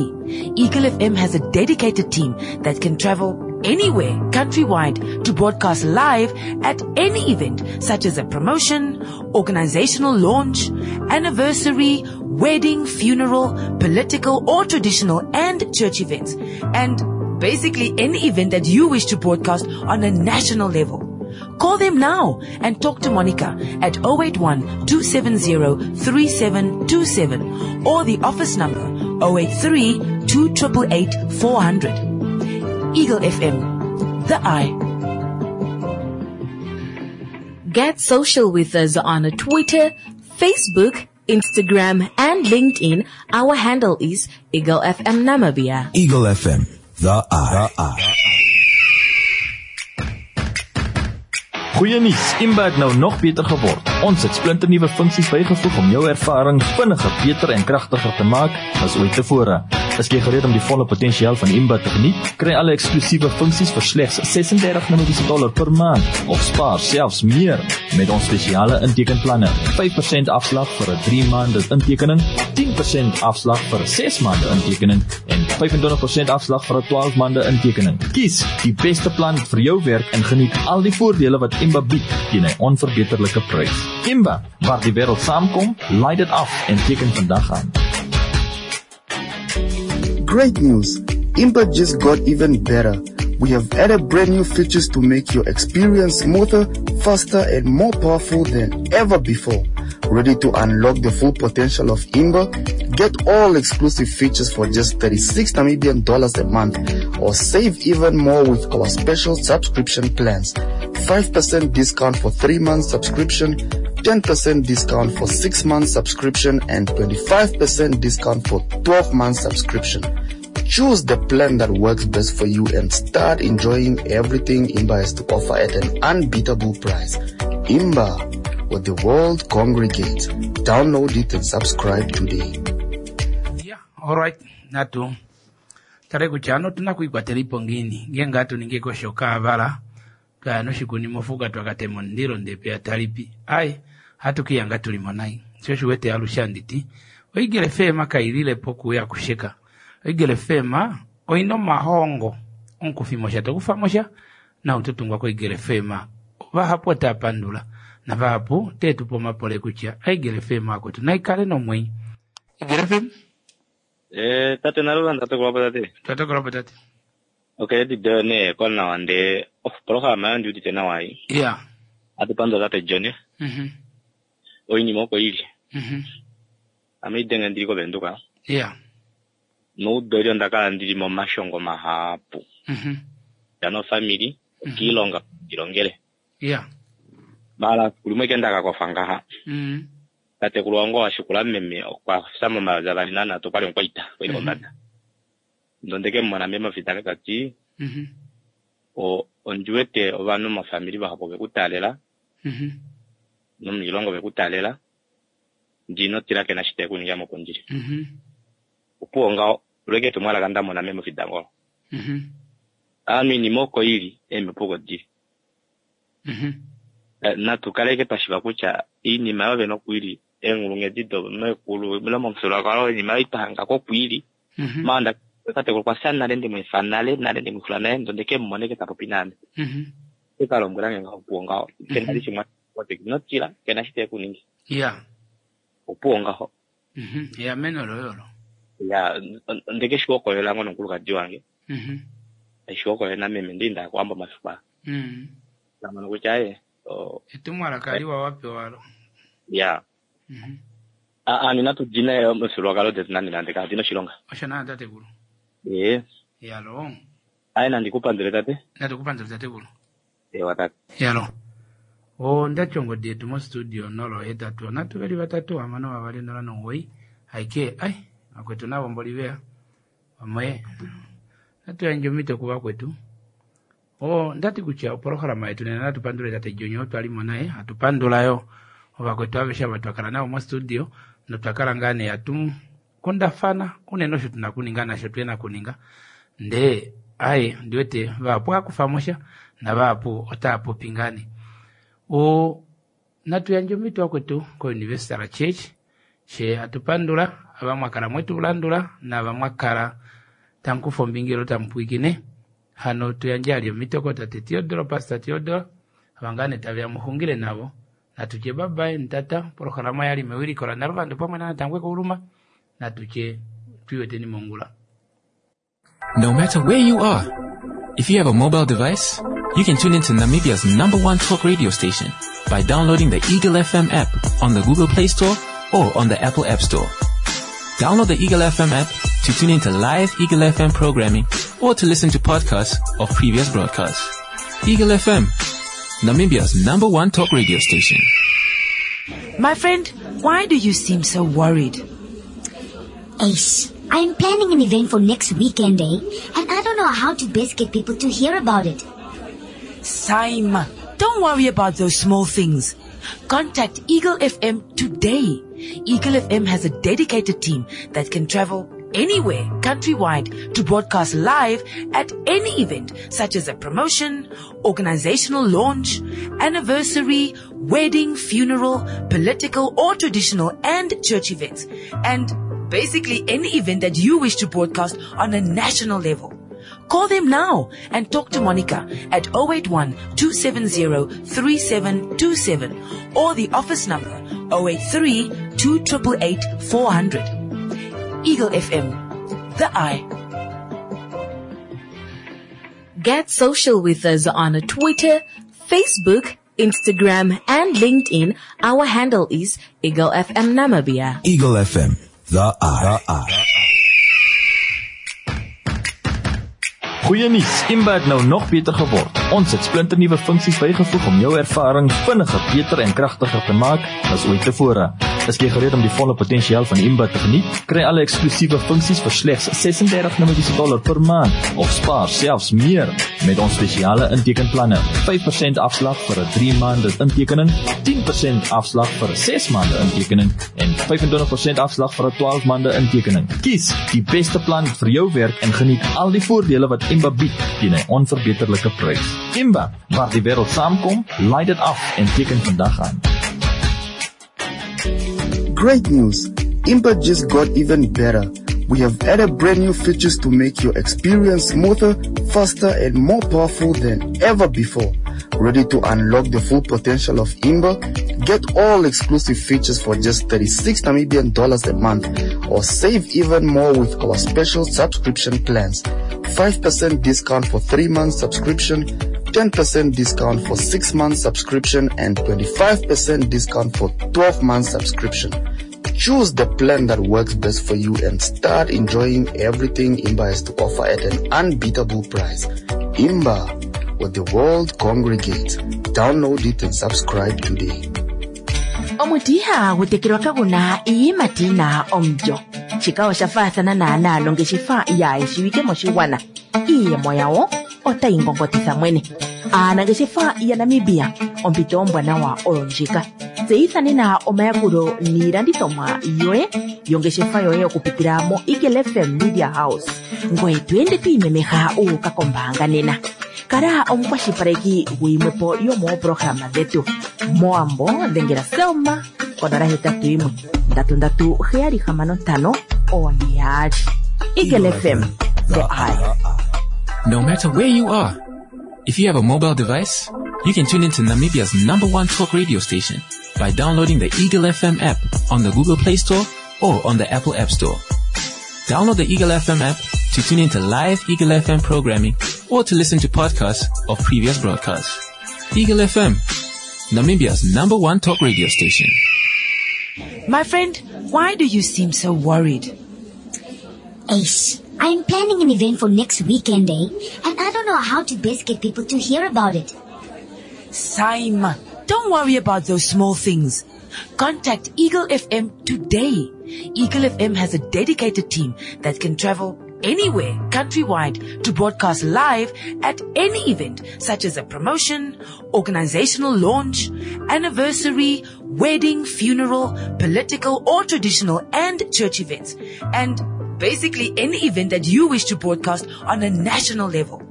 Eagle FM has a dedicated team that can travel anywhere countrywide to broadcast live at any event such as a promotion, organizational launch, anniversary, wedding, funeral, political or traditional and church events. And basically any event that you wish to broadcast on a national level. Call them now and talk to Monica at 081 270 3727 or the office number 083 2888 400. Eagle FM, the eye. Get social with us on Twitter, Facebook, Instagram, and LinkedIn. Our handle is Eagle FM Namibia. Eagle FM, the eye. The eye. Goeie nuus, Imba het nou nog beter geword. Ons het splinternuwe funksies bygevoeg om jou ervaring vinniger, beter en kragtiger te maak as ooit tevore. Is jy gereed om die volle potensiaal van Imba te geniet? Kry alle eksklusiewe funksies vir slegs 36 Namibiese dollar per maand of spaar selfs meer met ons spesiale intekenplanne. 5% afslag vir 'n 3 maande intekening, 10% afslag vir 'n 6 maande intekening en 25% afslag vir 'n 12 maande intekening. Kies die beste plan vir jou werk en geniet al die voordele wat Imba bied teen 'n onverbeterlike prys. Imba, waar die wêreld saamkom, laai dit af en teken vandag aan. Great news! Imba just got even better. We have added brand new features to make your experience smoother, faster, and more powerful than ever before. Ready to unlock the full potential of Imba? Get all exclusive features for just 36 Namibian dollars a month or save even more with our special subscription plans. 5% discount for 3 months subscription, 10% discount for 6 months subscription and 25% discount for 12 months subscription. Choose the plan that works best for you and start enjoying everything Imba has to offer at an unbeatable price. Imba, where the world congregates. Download it and subscribe today. Yeah, all right. Natu tale kutya ano otuna kwiikwatela ipo ngiini ngenge atu ningi ko shoka avala twaya noshikuni mofuka twakatema omundilo ndee peya talipi ai hatu kiiyanga tulimo nai sho osho wete alushe anditi oigele feema kailile po okuuya kusheka oigele feema oina omahongo omukufimosha tokufamosha nau totungwa koigele feema vahapu otava pandula navahapu teetupa omapole kutya oigele feema akwetu naikale nomwenyo igele feema Eh, tate Nalula, ndatokolwa po tate. Twatokolwa po tate. Okay, di nee konawa ndee opolohalama yo ndiudite nawa ei. Ya. Atu pandula tate John. Oinima oko ili. Ame idenge ndili koVenduka. Ya. Noudoli onda kala ndili momashongo mahapu. Ndana ofamili, okiilonga ndilongele. Ya. Mala kulimwe ke ndakakofa ngaha. Tatekulu wange washikula meme okwa fya momayovi avali nanhatu okwali omukwaita kwali kombada. Ndonde ke mumona meme ofitanga tati ondi wete ovanhu mofamili vahapu ove ku taalela nomuilongo ove ku taalela ndee ino tila kena eshi tave kuningi ame oko ndili. Opuwo ngaho lweke etumwalaka ndamona meme ofidangolo. Ovanhu oinima oko ili eemhepo oko dili. Natu kaleke twashiva kutya oinima yovene oko ili eenghulunghedi domekulu ile momufyuululwakalo oinima ei twahangako oko ili. Maanda tatekulu okwa fya nale ndemweefa nale nale ndemwixula nale ndee ondeke mumona ashike tapopi naame. Okalombwelange ngaho opuwo ngaho kena shimwe ino tila kena eshi tekuningi. Ya. Opuwo ngaho. Eameno loye olo. Ya ondeke shihokolela ngoo nomukulukadi wange. Aishihokolele nameme ndee inda kowambo omafiku aa. Ndamono kutya aaye Etumwalaka liwa wapewa olo. Ya. Ovanhu inatu dina omifyuululwakalo detu nande nande kadina oshilonga. Osho naana tatekulu. Ee. Yalo. Aaye nandi kupandule tate. Natu kupandule tatekulu. Ewa tate. Yalo. Ondati ongodi yetu mo studio 083 3 2 6 0 9 aike ai vakwetu navo mboli veya vamwe natu yandje omhito kuvakwetu. Ondati kutya opolohalama yetu nena natu pandule tate John oo twalimo naye hatu pandula yo ovakwetu aveshe ava twakala navo mo studio notwakala ngaa nee hatu kundafana unene osho tuna kuninga nasho tuhena kuninga ndee aye ondiwete vahapu ohakufamosha navahapu otaapopi ngaa nee. Natu yandje omhito vakwetu ko Universal Church she hatu pandula ava mwakala mwetu landula naava mwakala tamukufa ombinga ile tamupwiikine hano tuyandje ali omhito kotate Theodore, Pastor Theodore ava ngaa nee taveya muxungile navo natutye babaye ntata polohalama yali mewiliko la Naluvando pamwe naNatangwe Kouluma natutye twiiweteni mongula. No matter where you are, if you have a mobile device, you can tune into Namibia's number one talk radio station by downloading the Eagle FM app on the Google Play Store or on the Apple App Store. Download the Eagle FM app to tune into live Eagle FM programming or to listen to podcasts of previous broadcasts. Eagle FM, Namibia's number one talk radio station. My friend, why do you seem so worried? Ace, I'm planning an event for next weekend, eh? And I don't know how to best get people to hear about it. Saima, don't worry about those small things. Contact Eagle FM today. Eagle FM has a dedicated team that can travel anywhere countrywide to broadcast live at any event such as a promotion, organizational launch, anniversary, wedding, funeral, political or traditional and church events. And basically any event that you wish to broadcast on a national level. Call them now and talk to Monica at 081 270 3727 or the office number 083 2888 400. Eagle FM, the eye. Get social with us on Twitter, Facebook, Instagram, and LinkedIn. Our handle is Eagle FM Namibia. Eagle FM, the eye. The eye. Goeie nuus, Imba het nou nog beter geword. Ons het splinternuwe funksies bygevoeg om jou ervaring vinniger, beter en kragtiger te maak as ooit tevore. Is jy gereed om die volle potensiaal van Imba te geniet? Kry alle eksklusiewe funksies vir slegs 36 Namibiese dollar per maand of spaar selfs meer met ons spesiale intekenplanne. 5% afslag vir 'n 3 maande intekening, 10% afslag vir 'n 6 maande intekening en 25% afslag vir 'n 12 maande intekening. Kies die beste plan vir jou werk en geniet al die voordele wat Imba bied teen 'n onverbeterlike prys. Imba, waar die wêreld saamkom, laai dit af en teken vandag aan. Great news! Imba just got even better. We have added brand new features to make your experience smoother, faster, and more powerful than ever before. Ready to unlock the full potential of Imba? Get all exclusive features for just 36 Namibian dollars a month or save even more with our special subscription plans. 5% discount for 3 months subscription, 10% discount for 6 months subscription and 25% discount for 12 months subscription. Choose the plan that works best for you and start enjoying everything Imba has to offer at an unbeatable price. Imba, where the world congregates. Download it and subscribe today. Omuti ihagu tekelwa kagu na iiyimati yi na omulyo. Shika osha faathana naanaa nongeshefa yaayishiwike moshigwana. Iiyemo yawo otayi ngongotitha mwene. Aanangeshefa yaNamibia, ompito ombwanawa oyo ndjika. Tseyitha nena omayakulo niilandithomwa yoye yongeshefa yoye okupitila moEagle FM Media House. Ngoye to ende to imemeha u uka kombaanga nena. Kala omukwashilipaleki guyimwepo yomooprograma dhetu. Mowambo dhengela Selma konola hetatu yimwe ndatu ndatu heyali hamano ntano one yaali. Eagle FM, the eye. No matter where you are, if you have a mobile device, you can tune into Namibia's number one talk radio station by downloading the Eagle FM app on the Google Play Store or on the Apple App Store. Download the Eagle FM app to tune into live Eagle FM programming or to listen to podcasts of previous broadcasts. Eagle FM, Namibia's number one talk radio station. My friend, why do you seem so worried? Ace, I'm planning an event for next weekend, eh? And I don't know how to best get people to hear about it. Saima, don't worry about those small things. Contact Eagle FM today. Eagle FM has a dedicated team that can travel anywhere countrywide to broadcast live at any event such as a promotion, organizational launch, anniversary, wedding, funeral, political or traditional and church events. And basically any event that you wish to broadcast on a national level.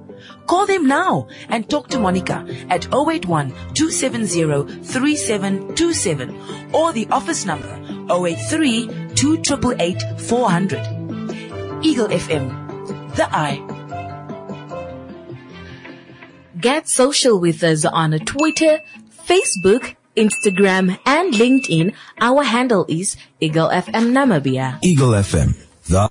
Call them now and talk to Monica at 081 270 3727 or the office number 083 2888 400. Eagle FM, the eye. Get social with us on Twitter, Facebook, Instagram, and LinkedIn. Our handle is Eagle FM Namibia. Eagle FM, the